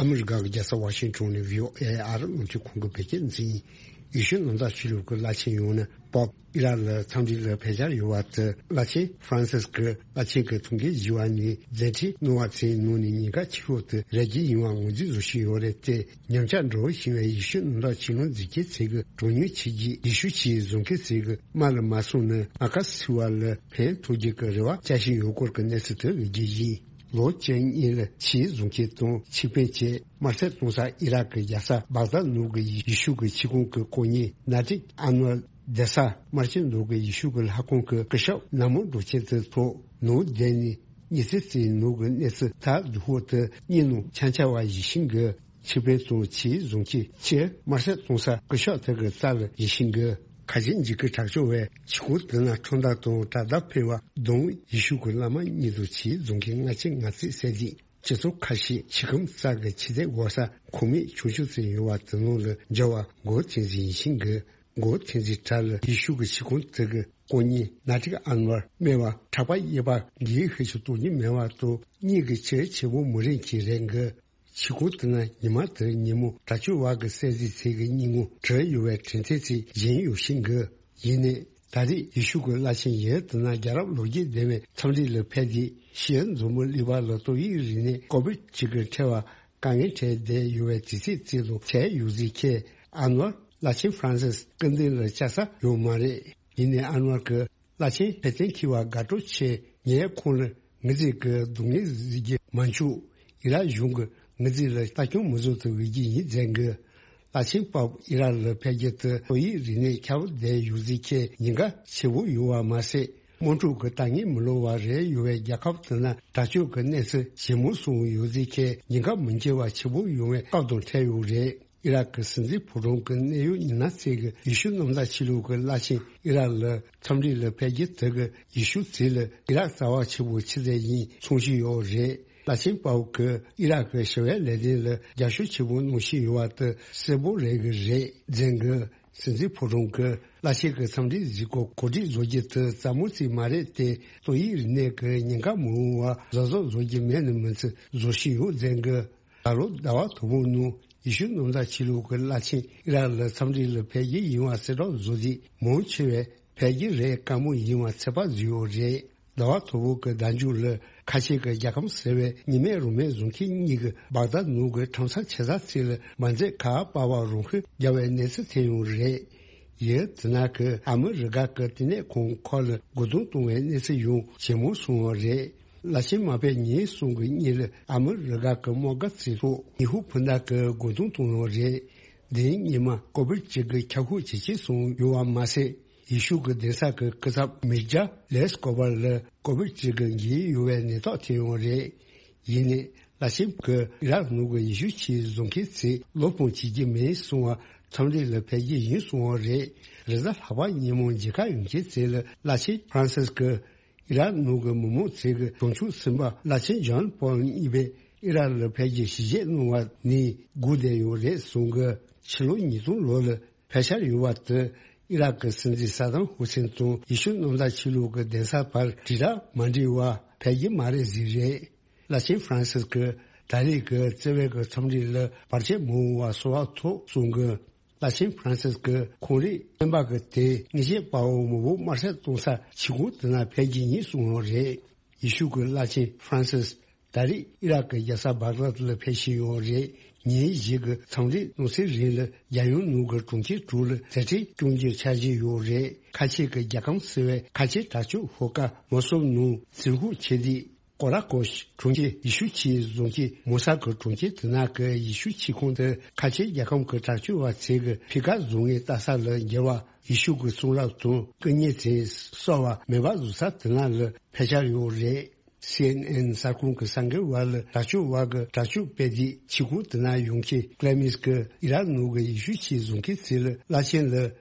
ཨ་མི་རི་ཀ་གི་རྒྱལ་ས་ཝ་ཤིང་ཊོན་ནས་བྷི་ཨོ་ཨེ་ཨ་རི་རླུང་འཕྲིན་ཁང་གི་བོད་སྐད་སྡེ་ཚན་ཡིན། ཡེ་ཤུ་གནམ་བདག་ཆོས་ལུགས་ཀྱི་བླ་ཆེན་ཡང་ན་པོབ་ཨི་རག་ལ་འཚམས་འདྲི་ལ་ཕེབས་འཆར་ཡོད་པ་དེ། བླ་ཆེན་ཧྥ་རན་སིས་ཀྱི་བླ་ཆེན་གྱི་ཐུགས་འགན་བཞེས་པ་ནས་མཛད་འཕྲིན་གནང་བ་ཚེ་ནང་ནས་ཉེན་ཁ་ཆེ་ཤོས་དེ་རེ་སྒུག་ཡིན་པ་ངོས་འཛིན་བཟོ་བཞིན་ཡོད་རེད་དེ། ཉམས་ཆག་འགྲོ་བཞིན་པའི་ཡེ་ཤུ་གནམ་བདག་ཆོས་ལུགས་འཛིན་མཁན་ཚོ་གི་གྲངས་ཉུང་ཆོས་བརྒྱུད་ཡེ་ཤུ་ཆོས་བཟུང་མཁན་ཚོ་གི་དམག་ལ་མ་སོང་ན་ཨ་ཀ་སི་ཐི་བ་ལ་ཕན་ཐོགས་རྒྱུ་གི་རེ་བ་བྱ་བཞིན་ཡོད་སྐོར་གྱི་གནས་ཚུལ་དེ་ཡོད་རྒྱུ་ཡིན། ལོ་བཅུ་གཉིས་ལ་ཆོས་བཟུང་མཁན་དང་ཆོས་དཔོན་བཅས་དམར་གསོད་གཏོང་ས་ཨི་རག་གི་རྒྱལ་ས་བག་དྷ་ནང་གི་ཡེ་ཤུ་གི་ཆོས་ཁང་གི་དཀོན་གཉེར་ནཱ་ཏིག་ཨན་ཝར་སྡོད་ས་དམར་ཆེན་ནང་གི་ཡེ་ཤུ་གི་ལྷ་ཁང་གི་སྐུ་ཞབས་ནང་མི་འགྲོ་མཁན་དེ་ཚོ་ནང་བསྡད་ནས་ཉི་ཚེ་ཙམ་ནང་གི་གནས་ཚུལ་ཐག་བསྡུ་ཧོ་དེ་གཉིས་ནང་ཆ་འཆར་བ་ཡིད་བཞིན་གི་ཆོས་དཔོན་དང་ཆོས་བཟུང་མཁན་ཕྱིར་དམར་གསོད་གཏོང་ས་སྐུ་ཞབས་དེ་གི་རྩ་ལ་ཡིད་བཞིན་གི་ཁ་ཆེམས་འཇིགས་སྐུལ་དྲག་སྤྱོད་པས་ཆོས་ཁང་དེ་ན་ཁྲོམ་བདག་དང་དྲ་བདག་ཕེབས་པ་དང་ཡེ་ཤུ་གི་བླ་མ་གཉིས་དང་ཆོས་བཟུང་མཁན་ལྔ་བཅུ་ང་གཅིག་བསད་རྗེས། སྤྱི་ཚོགས་ཁ་ཤས་ཆོས་ཁང་རྩ་གི་ཆོས་དད་འོག་ས་ཁོངས་མི་ཆུང་ཆུང་ཙམ་ཡོད་པ་དེ་ནང་ལ་འབྱོར་བ་འགོ་ཐེངས་ཟིན་ཡིན་ཤིང་གི་འགོ་ཐེངས་ཟིན་གྲལ་ལ་ཡེ་ཤུ་གི་ཆོས་ཁང་དེ་གི་དཀོན་གཉེར་ནཱ་ཏིག་ཨན་ཝར་སྨྲས་པ་གྲགས་པ་དབྱེ་བ་འགའི་ཤེས་ཆུ་གཏོང་རྒྱུ་མེད་པ་དང་གཉིས་ཀྱི་ཆེ་ཆེ་བོ་མི་རིང་གི་རེད་གི། ཕྱི་ཁོང་དེ་ན་ཉི་མ་དེར་ཉིན་མོ་དྲག་སྤྱོད་བ་གི་གསལ་གཟིགས་ཚིག་གི་སྙིང་ངོ་བྲི་ཡོད་པའི་དྲན་ཐེངས་ཚིག་བཞིན་ཡོད་ཤིང་གི། ཡིན་ནས་ད་རེས་ཡེ་ཤུ་གི་བླ་ཆེན་ཡུལ་དེ་ན་རྒྱལ་རབས་ལོ་རྒྱུས་ལྡན་པའི་འཚམས་འདྲི་ལ་ཕེབས་ཏེ་ཤེས་ཡོན་མཛོ་མོ་གླིང་བ་ལ་ཏོག་དབྱིབས་རིམས་ནད་ཀོ་བིད་གཅིག་གི་འཕྲད་པ་དཀའ་ངལ་འཕྲད་བསྡད་ཡོད་པའི་དུས་ཚིགས་ཚིག་ལ་འཚམས་ཡོད་ཟིག་ཁྱེད་ཨ་ནོར་བླ་ཆེན་ཧྥ་རན་སིས་སྐུ་མདུན་ལ་བཅར་ས་ཡོད་མ་རེད། ཡིན་ནས་ཨ་ནོར་གི་བླ་ཆེན་ཕེ་ཏན་ཁི་བ་དགའ་སྤྲོ་ཆེ། ངས་ཁོང་ལ་ངི་ཟིག་གི་སྡུག་བསྔལ་གཟིགས་རྒྱུ་མ་འཆུག་ཨི་རག་གཞུང་གི་ངི་ཟིག་ལ་ལྟ་སྐྱོང་མི་བཟོ་ཐུབ་འོས་རྒྱུ་ཡིན་མཛད་གི། བླ་ཆེན་པབ་ཨི་རག་ལ་ཕེབས་རྒྱུ་དེ་ཏོག་དབྱིབས་རིམས་ནད་ཁྱབ་བསྡད་ཡོད་ཟིག་ཁྱེད་ཉེན་ཁ་ཆེ་བོ་ཡོད་བ་མ་ཟད་དམག་འཁྲུག་གི་ལྟ་ངན་མི་ལོ་བ་རེད་ཡོད་པའི་རྒྱལ་ཁབ་དེ་ན་དྲག་སྤྱོད་ཀྱི་གནས་ཚུལ་ཇེ་མང་སོང་ཡོད་ཟིག་ཁྱེད་ཉེན་ཁ་མི་འགྱུར་བ་ཆེ་བོ་ཡོང་བའི་སྐབས་དང་འཕྲད་ཡོད་རེད། ཨི་རག་གི་སྲིད་འཛིན་ཕོ་བྲང་གི་གནད་ཡོད་མི་སྣ་ཚོས་ཀྱི་ཡེ་ཤུ་གནམ་བདག་ཆོས་ལུགས་ཀྱི་བླ་ཆེན་ཨི་རག་ལ་འཚམས་འདྲི་ལ་ཕེབས་རྒྱུ་དེ་གི་ཡེ་ཤུ་ཚིག་ལ་ཨི་རག་རྩ་བ་ཆེ་བོ་ཆི་ཟེར་ཡིན་མཚོན་གྱི་ཡོད་རེད། བླ་ཆེན་པའོ་གི་ཨི་རག་གི་ཞི་བའི་ལས་དོན་ལ་རྒྱབ་སྐྱོར་ཆེ་བོ་གནང་བཞིན་ཡོད་པ་དེ་གསལ་པོ་རེད་གི་རེད་མཛད་གི། སྲིད་འཛིན་ཕོ་བྲང་གི་བླ་ཆེན་གྱི་འཚམས་འདྲི་གཟིགས་སྐོར་གོ་སྒྲིག་བཟོ་རྒྱུ་དེ་རྩ་མོ་རྩིས་མ་རེད་དེ་ཏོག་དབྱིབས་རིམས་ནད་ཀྱི་ཉེན་ཁ་མི་འོང་བ་གཟབ་གཟབ་བཟོ་རྒྱུ་མེད་ན་མི་ཚེ་བཟོ་བཞིན་ཡོད་མཛད་གི། ད་ལོ་ཟླ་བ་དང་པོ་ནང་ཡེ་ཤུ་གནམ་བདག་ཆོས་ལུགས་ཀྱི་བླ་ཆེན་ཨི་རག་ལ་འཚམས་འདྲི་ལ་ཕེབས་རྒྱུ་ཡིན་བ་གསལ་བསྒྲགས་བཟོ་དུས་མང་ཆེ་བས་ཕེབས་རྒྱུ་རེད་དཀའ་མོ་ཡིན་བ་ཚོད་དཔག་བཟོས་ཡོད་རེད། ཟླ་བ་དང་པོ་གི་ཟླ་མཇུག་ལ་ཁ་ཆེ་གི་རྒྱལ་ཁམས་ཟེར་བའི་ཉི་མའི་རུ་མའི་བཟུང་མཁན་གཉིས་ཀྱིས་སྦག་དཱད་ནང་གི་ཁྲོམ་ས་ཆེ་ས་ཚིག་ལ་མ་འཛེམ་ཁ་པར་བ་རང་ཤུགས་རྒྱག་པའི་གནས་ཚུལ་ཐོན་ཡོད་རེད། ཡུལ་དེ་ན་གི་ཨ་མི་རི་ཀ་གི་བསྟི་གནས་ཁང་ཁག་ལ་རྒོལ་རྡུང་གཏོང་བའི་གནས་ཚུལ་ཡང་ཇེ་མང་སོང་བ་རེད། བླ་ཆེན་མ་ཕེབས་ཉིན་གསུམ་གྱི་གཉིས་ལ་ཨ་མི་རི་ཀ་གི་དམག་སྒར་ཚིག་ཐོག་ཉི་ཧོང་བུ་ན་གི་རྒོལ་རྡུང་གཏོང་ཡོད་རེད། འདིའི་སྔོན་མ་ཀོ་བིད་གཅིག་གི་ཁྱབ་ཤུགས་ཇེ་ཆེ་སོང་ཡོད་པ་མ་ཟད། ཡེ་ཤུ་གི་གདན་ས་གི་སྐུ་ཚབ་མི་རྒྱ་ལེས་ཀོ་བར་ལ་ཀོ་བིད་གཅིག་གི་འགོས་ཡོད་པའི་ནད་རྟགས་ཐོན་ཡོད་རེད། ཡིན་ནའི་བླ་ཆེན་གྱིས་ཨི་རག་ནང་གི་ཡེ་ཤུ་ཆོས་བཟུང་མཁན་ཚོས་བློ་ཕམ་བྱེད་ཀྱི་མེད་གསུང་བ་འཚམས་འདྲི་ལ་ཕེབས་ཀྱི་ཡིན་གསུང་བ་རེད། རེས་གཟའ་ལྷག་པ་ཉིན་མོ་མཇལ་ཁ་ཡོང་མཁན་ཚོ་ལ་བླ་ཆེན་ཧྥ་རན་སིས་ཀྱིས་ཨི་རག་ནང་གི་མི་མང་ཚོས་ཀྱི་གྲོས་ཆོད་ཟིན་པ་བླ་ཆེན་ཇོན་པོལ་གཉིས་པས་ཨི་རག་ལ་ཕེབས་རྒྱུ་ཞལ་བཞེས་གནང་བ་ནས་སྒུག་བསྡད་ཡོད་རེད་གསུང་གི། ཕྱི་ལོ་ཉིས་སྟོང་ལོ་ལ་ཕེབས་འཆར་ཡོད་པ་དེ་ཨི་རག་གི་སྲིད་འཛིན་ས་དམ་ཧུ་སེན་དང་ཡེ་ཤུ་གནམ་བདག་ཆོས་ལུགས་ཀྱི་གདན་ས་བར་དྲིལ་བསྒྲགས་མ་འགྲིག་པར་ཕེབས་རྒྱུ་མ་རེད་ཟེར་རེད། བླ་ཆེན་ཧྥ་རན་སིས་ཀྱིས་ད་རེས་ཀྱི་བརྩེ་བའི་གི་འཚམས་འདྲི་ལ་བར་ཆད་མི་འོང་བ་གསོལ་བ་ཐོབ་གསུང་གི། བླ་ཆེན་ཧྥ་རན་སིས་ཀྱིས་ཁོང་རང་བསྟན་པ་གི་དེ་ངེས་ཤེས་དཔའ་བོ་མི་བོ་དམར་གསོད་གཏོང་ས་ཆི་ཁོང་དེ་ན་ཕེབས་ཀྱི་ཡིན་གསུངས་ཡོད་རེད། ཡེ་ཤུ་གི་བླ་ཆེན་ཧྥ་རན་སིས་ད་རེས་ཨི་རག་གི་རྒྱལ་ས་བྷག་དྷ་ལ་ཕེབས་བཞིན་ཡོད་རེད། ཉིན་བཞི་གི་འཚམས་འདྲི་གནང་སའི་རིང་ལ་རྒྱལ་ཡོངས་ནང་གི་གྲོང་ཁྱེར་དྲུག་ལ་མཛད་འཕྲིན་སྐྱོང་རྒྱུ་འཆར་གཞི་ཡོད་རེད། ཁ་ཆེ་གི་རྒྱལ་ཁམས་ཟེར་བའི་ཁ་ཆེ་དྲག་སྤྱོད་ཤོག་ཁག་མོ་སུལ་ནང་ཟིལ་ཤུགས་ཆེ་དུས། ཀོ་ར་ཀོཤ་གྲོང་ཁྱེར་ཡེ་ཤུ་ཆོས་བཟུང་མཁན་མོ་ས་གི་གྲོང་ཁྱེར་དེ་ན་གི་ཡེ་ཤུ་ཆོས་ཁང་དེ་ཁ་ཆེ་རྒྱལ་ཁམས་ཀྱི་དྲག་སྤྱོད་པ་ཚོས་ཀྱི་ཕི་ཁ་བཟོ་མཁན་ལྟ་ས་ལ་འགྱུར་བ་ཡེ་ཤུ་གི་གསུང་རབ་དང་སྐུ་ཉིད་ཚོས་གསོལ་བ་མེ་འབར་བཟོ་ས་དེ་ན་ལ་ཕེབས་འཆར་ཡོད་རེད། སི་ཨེན་ཨེན་གསར་ཁང་གི་གསར་འགོད་པ་ལ་དྲག་སྤྱོད་པ་གི་དྲག་སྤྱོད་སྤེལ་དུས་ཆོས་ཁང་དེ་ན་ཡོང་མཁན་ཀླེ་མིས་ཀྱིས་ཨི་རག་ནང་གི་ཡེ་ཤུ་ཆོས་བཟུང་མཁན་ཚོ་ལ་བླ་ཆེན་ལ་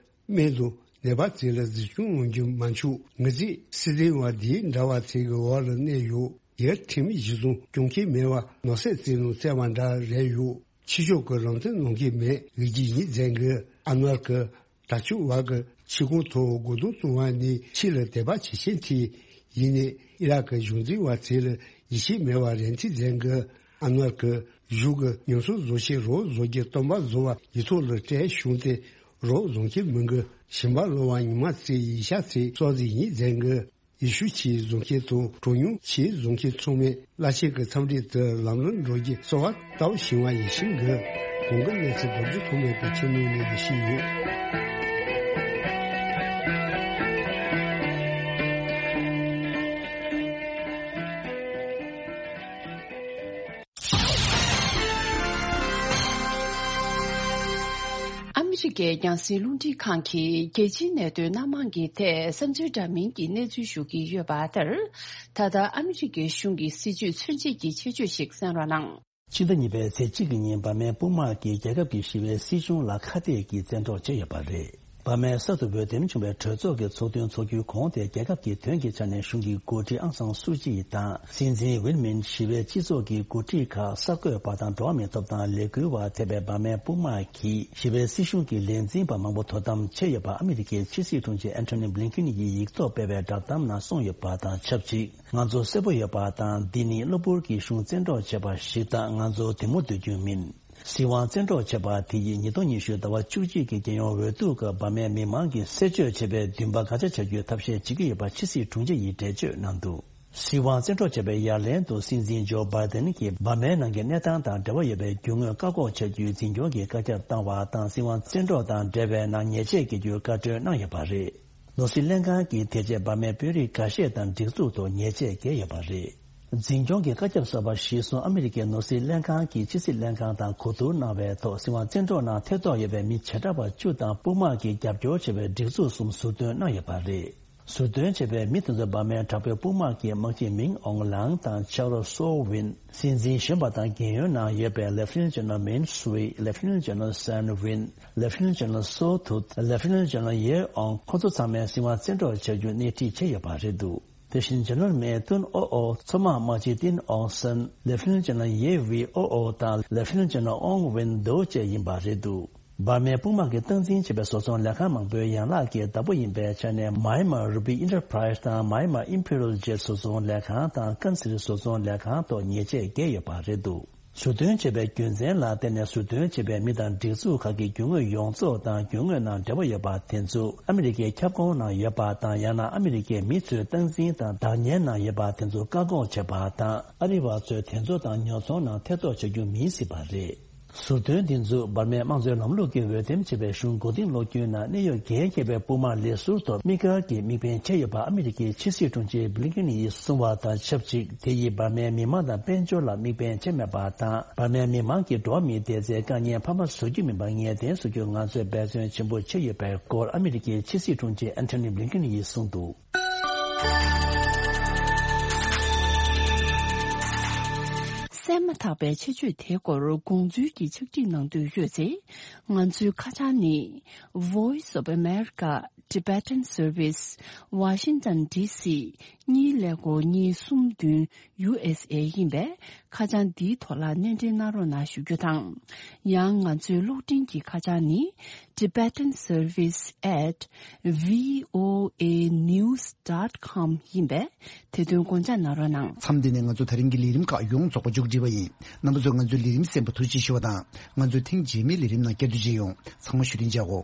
སྨན་དང་ནད་པ་ཚོ་ལ་འཛིན་སྐྱོང་གནང་རྒྱུ་མ་འཆུག་ངེད་ཚོས་སྲིད་དོན་བ་འདིའི་འདྲ་བ་ཚོ་གི་འོག་ལ་གནས་ཡོད། ཡར་ཁྲིམས་གཞི་བཟུང་སྐྱོང་མཁན་མེད་པ་ནོར་སྲིད་རྩིས་ནང་བཙལ་བ་འདྲ་རེད་ཡོད། ཕྱི་ཕྱོགས་ཀྱི་ལམ་སྟོན་གནང་གི་མེད་འོས་རྒྱུ་ཡིན་མཛད་གི། ཨ་ནོར་གྱི་དྲག་སྤྱོད་བ་གི་ཆོས་ཁང་ཐོག་རྒོལ་རྡུང་གཏོང་བ་ནི་ཕྱི་ལ་དད་པ་བྱེད་ཆེན་ཐིག་ཡིན་ནས་ཨི་རག་གི་གཞུང་འཛིན་བ་ཚོ་ལ་ཡིད་ཆེས་མེད་པ་རེད་འཐིག་མཛད་གི། ཨ་ནོར་གྱི་གཞུང་གི་ཉམས་གསོ་བཟོ་ཆེད་རོགས་བཟོ་རྒྱུ་སྟོན་པ་བཟོ་བ་ཡིག་ཐོག་ལ་སྤྲད་བྱུང་སྟེ་རོགས་བཟོ་མཁན་མི་འགའ་ཞིང་པ་ལོ་བ་ཉི་མ་ཚོའི་ཡིག་ཤག་ཚོའི་སྲོག་ཟིན་ཡིན་མཛད་གི། ཡེ་ཤུ་ཆོས་བཟུང་མཁན་དང་གྲངས་ཉུང་ཆོས་བཟུང་མཁན་ཚང་མས་བླ་ཆེན་གྱི་འཚམས་འདྲི་དེ་ལམ་ལྷོང་འགྲོ་རྒྱུ་གསོལ་བ་བཏབ་བཞིན་པ་ཡིན་ཤིང་གི། གོང་གི་གནས་ཚུལ་རྡོ་རྗེ་ཐོགས་མེད་ཀྱི་ཆེད་དུ་ནས་ཞུས་ཡོད། ཨ་མི་རི་ཀའི་རྒྱང་སྲིང་རླུང་འཕྲིན་ཁང་གིས་རྒྱལ་སྤྱིའི་གནད་དོན་སྣ་མང་གི་ཐད་བསམ་ཚུལ་འདྲ་མིན་གྱི་གནས་ཚུལ་ཞུ་གི་ཡོད་པ་ལྟར། ད་ལྟ་ཨ་མི་རི་ཀའི་གཞུང་གི་སྲིད་བྱུས་མཚོན་བྱེད་ཀྱི་ཆེད་བརྗོད་ཞིག་གསན་རོགས་གནང་། ཕྱི་ཟླ་གཉིས་པའི་ཚེས་གཅིག་གི་ཉིན་འབར་མའི་དཔུང་དམག་གིས་རྒྱལ་ཁབ་ཀྱི་ཞི་བའི་སྲིད་གཞུང་ལ་ཁ་གཏད་ཀྱིས་བཙན་འཕྲོག་བྱས་ཡོད་པ་རེད། འབར་མའི་གསར་དུ་འོས་འདེམས་བྱུང་བའི་གྲོས་ཚོགས་ཀྱི་ཚོགས་ཐུན་འཚོགས་རྒྱུའི་གོང་དེ། རྒྱལ་ཁབ་ཀྱི་དོན་གྱི་ཆ་ནས་གཞུང་གི་འགོ་ཁྲིད་ཨང་སང་སུའུ་ཅི་དང་སྲིད་འཛིན་ཝིན་མིན། ཞི་བའི་སྤྱི་ཚོགས་ཀྱི་འགོ་ཁྲིད་ཁག་གསར་འགོད་པ་དང་འགྲོ་བ་མིའི་ཐོབ་ཐང་ལས་འགུལ་བ་ཐེ་བའི་འབར་མའི་དཔུང་དམག་གིས་ཞི་བའི་སྲིད་གཞུང་གི་ལས་འཛིན་པ་མང་པོ་དོ་དམ་བྱས་ཡོད་པ་ཨ་མི་རི་ཀའི་ཕྱི་སྲིད་དྲུང་ཆེ་ཨན་ཐོ་ནི་བྷི་ལིན་ཀིན་ཡིས་ཡིག་ཐོག་སྤེལ་བའི་བསྒྲགས་གཏམ་ནང་གསུངས་ཡོད་པ་དང་ཆབས་ཅིག་ང་ཚོ་གསལ་པོ་ཡོད་པ་དང་། འདི་ནི་གློ་བུར་གྱི་གཞུང་བཙན་འཕྲོག་བྱས་པ་ཞིག་དང་། ང་ཚོ་དེ་མོ་སྡོད་རྒྱུ་མིན། སྲིད་དབང་བཙན་འཕྲོག་བྱས་པ་དེ་ཡིས་ཉིས་སྟོང་ཉི་ཤུ་ཟླ་བ་བཅུ་གཅིག་གི་རྒྱལ་ཡོངས་འོས་བསྡུ་སྐབས་འབར་མའི་མི་མང་གིས་གསད་གཅོད་བྱས་པའི་འདུན་པ་དགག་བྱ་བྱ་རྒྱུའི་ཐབས་ཤེས་བྱེད་ཀྱི་ཡོད་པ་ཕྱི་སྲིད་དྲུང་ཆེ་ཡིས་འགྲེལ་བརྗོད་གནང་འདུག་སྲིད་དབང་བཙན་འཕྲོག་བྱས་པའི་ཡ་ལན་དུ་སྲིད་འཛིན་ཇོ་བྷའི་ཏན་གྱིས་འབར་མའི་ནང་གི་གནས་སྟངས་དང་འབྲེལ་བ་ཡོད་པའི་རྒྱུ་དངོས་བཀག་འགོག་བྱ་རྒྱུའི་འཛིན་སྐྱོང་གི་བཀའ་ཁྱབ་བཏང་བ་དང་། སྲིད་དབང་བཙན་འཕྲོག་དང་འབྲེལ་བའི་ནང་ཉེས་ཆད་འགེལ་རྒྱུའི་བཀའ་འཁྲོལ་གནང་ཡོད་པ་རེད། ནོར་སྲིད་ལྷན་ཁང་གིས་དེ་རྗེས་འབར་མའི་དཔོན་རིགས་འགའ་ཤས་དང་སྒྲིག་འཛུགས་ཐོག་ཉེས་ཆད་འགེལ་ཡོད་པ་རེད། འཛིན་སྐྱོང་གི་བཀའ་ཁྱབ་གསར་པ་གཞིར་བཟུང་ཨ་མི་རི་ཀའི་ནོར་སྲིད་ལྷན་ཁང་གིས་ཕྱི་སྲིད་ལྷན་ཁང་དང་གོ་བསྡུར་གནང་བའི་ཐོག་སྲིད་དབང་བཙན་འཕྲོག་ནང་ཐེ་གཏོགས་ཡོད་པའི་མི་བྱེ་བྲག་པ་བཅུ་དང་དཔུང་དམག་གིས་རྒྱབ་སྐྱོར་བྱས་པའི་སྒྲིག་འཛུགས་གསུམ་ཟུར་འདོན་གནང་ཡོད་པ་རེད། ཟུར་འདོན་བྱས་པའི་མི་དེ་ཚོ་འབར་མའི་དྲག་པོའི་དཔུང་དམག་གི་དམག་སྤྱི་མིང་ཨོང་ལང་དང་ཆག་རོ་སོ་ཝིན། སྲིད་འཛིན་གཞོན་པ་དང་རྒན་ཡོལ་ནང་ཡོད་པའི་ལེ་ཕི་ནན་ཇེ་ནེ་རལ་མིན་སུའེ། ལེ་ཕི་ནན་ཇེ་ནེ་རལ་སན་ཝིན། ལེ་ཕི་ནན་ཇེ་ནེ་རལ་སོ་ཐུད། ལེ་ཕི་ནན་ཇེ་ནེ་རལ་ཡེ་ཨོང་། ཁོ་ཚོ་ཚང་མས་སྲིད་དབང་བཙན་འཕྲོག་བྱ་རྒྱུ་སྣེ་ཁྲིད་བྱས་ཡོད་པ་རེད་འདུག་དེ་བཞིན་ཇེ་ནེ་རལ་མེ་ཏུན་ཨོ་ཨོ། མཚོ་དམག་དམག་སྤྱི་ཏིན་ཨོང་སན། ལེ་ཕི་ནན་ཇེ་ནེ་རལ་ཡེ་ཝི་ཨོ་ཨོ་དང་ལེ་ཕི་ནན་ཇེ་ནེ་རལ་ཨོང་ཝིན་དོ་བཅས་ཡིན་པ་རེད་འདུག་འབར་མའི་དཔུང་དམག་གིས་སྟངས་འཛིན་བྱས་པའི་བཟོ་ཚོང་ལས་ཁང་མང་པོའི་ཡན་ལག་གི་བདག་པོ་ཡིན་པའི་ཆ་ནས། མཱ་ཡན་མར་རུ་བི་ཨིན་ཊར་པ་རའི་སི་དང་མཱ་ཡན་མར་ཨིམ་ཕི་རི་ཡལ་ཇེཊ་བཟོ་ཚོང་ལས་ཁང་དང་ཀན་སི་རི་བཟོ་ཚོང་ལས་ཁང་ཐོག་ཉེས་ཆད་བཀལ་ཡོད་པ་རེད་འདུག་ཟུར་འདོན་བྱས་པའི་རྒྱུ་མཚན་ལ་བརྟེན་ནས། ཟུར་འདོན་བྱས་པའི་མི་དང་སྒྲིག་འཛུགས་ཁག་གི་རྒྱུ་དངོས་ཡོངས་རྫོགས་དང་རྒྱུ་དངོས་ནང་འབྲེལ་བ་ཡོད་པ་དེ་ཚོ་ཨ་མི་རི་ཀའི་ཁྱབ་ཁོངས་ནང་ཡོད་པ་དང་། ཡང་ན་ཨ་མི་རི་ཀའི་མི་ཚོས་སྟངས་འཛིན་དང་བདག་གཉེར་ནང་ཡོད་པ་དེ་ཚོ་བཀག་འགོག་བྱས་པ་དང་། ཨ་རི་བ་ཚོས་དེ་ཚོ་དང་ཉོ་ཚོང་ནང་ཐེ་གཏོགས་བྱ་རྒྱུ་མིན་སྲིད་པ་རེད། ཟུར་འདོན་འདི་ཚོ་འབར་མའི་དམངས་གཙོའི་ལམ་ལུགས་ཀྱི་འོས་འདེམས་བྱས་པའི་གཞུང་མགོ་རྟིང་སློག་རྒྱུའི་ནང་གནད་ཡོད་འགན་འཁྱེར་བའི་དཔུང་དམག་ལས་ཟུར་ཐོག་དམིགས་བཀར་གྱིས་དམིགས་འབེན་བྱས་ཡོད་པ་ཨ་མི་རི་ཀའི་ཕྱི་སྲིད་དྲུང་ཆེ་བྷི་ལིན་ཀིན་ཡིས་གསུངས་པ་དང་ཆབས་ཅིག་དེ་ཡིས་འབར་མའི་མི་མང་དང་དཔལ་འབྱོར་ལ་དམིགས་འབེན་བྱས་མེད་པ་དང་། འབར་མའི་མི་མང་གི་འགྲོ་བ་མིའི་བདེ་རྩའི་དཀའ་ངལ་འཕར་མ་བཟོ་རྒྱུ་མིན་པ་ངེས་གཏན་བཟོ་རྒྱུར་ང་ཚོས་འབད་བརྩོན་ཆེན་པོ་བྱས་ཡོད་པའི་སྐོར་ཨ་མི་རི་ཀའི་ཕྱི་སྲིད་དྲུང་ཆེ་ཨན་ཐོ་ནི་བྷི་ལིན་ཀིན་ཡིས་གསུངས་འདུག་གསན་མ་ཐག་པའི་ཆེད་བརྗོད་དེའི་སྐོར་དགོངས་ཚུལ་གྱི་ཕྱག་བྲིས་གནང་འདོད་ཡོད་ཚེ། ང་ཚོའི་ཁ་བྱང་ནི། Voice of America Tibetan Service, Washington D C གཉིས་ཀླད་ཀོར་གཉིས་གསུམ་བདུན་ཡུ་ཨེས་ཨེ་ཡིན་པས། ཁ་བྱང་འདིའི་ཐོག་ལ་སྣེ་འདྲེན་གནང་རོགས་གནང་ཞུ་རྒྱུ་དང་། ཡང་ང་ཚོའི་གློག་འཕྲིན་གྱི་ཁ་བྱང་ནི། Tibetan Service at V O A news dot com ཡིན་པས། དེ་དོན་དགོངས་འཇགས་གནང་རོགས་གནང་། མཚམས་འདི་ནས་ང་ཚོ་ད་རིང་གི་ལས་རིམ་ཁག་ཡོངས་རྫོགས་པ་མཇུག་སྒྲིལ་བ་ཡིན། རྣམ་པ་ཚོས་ང་ཚོའི་ལས་རིམ་གསན་པར་ཐུགས་རྗེ་ཆེ་ཞུ་བ་དང་། ང་ཚོའི་ཐེངས་རྗེས་མའི་ལས་རིམ་ནང་བསྐྱར་དུ་མཇལ་ཡོང་། ཚང་མ་བཞུགས་རིན་ཆགས་འོ།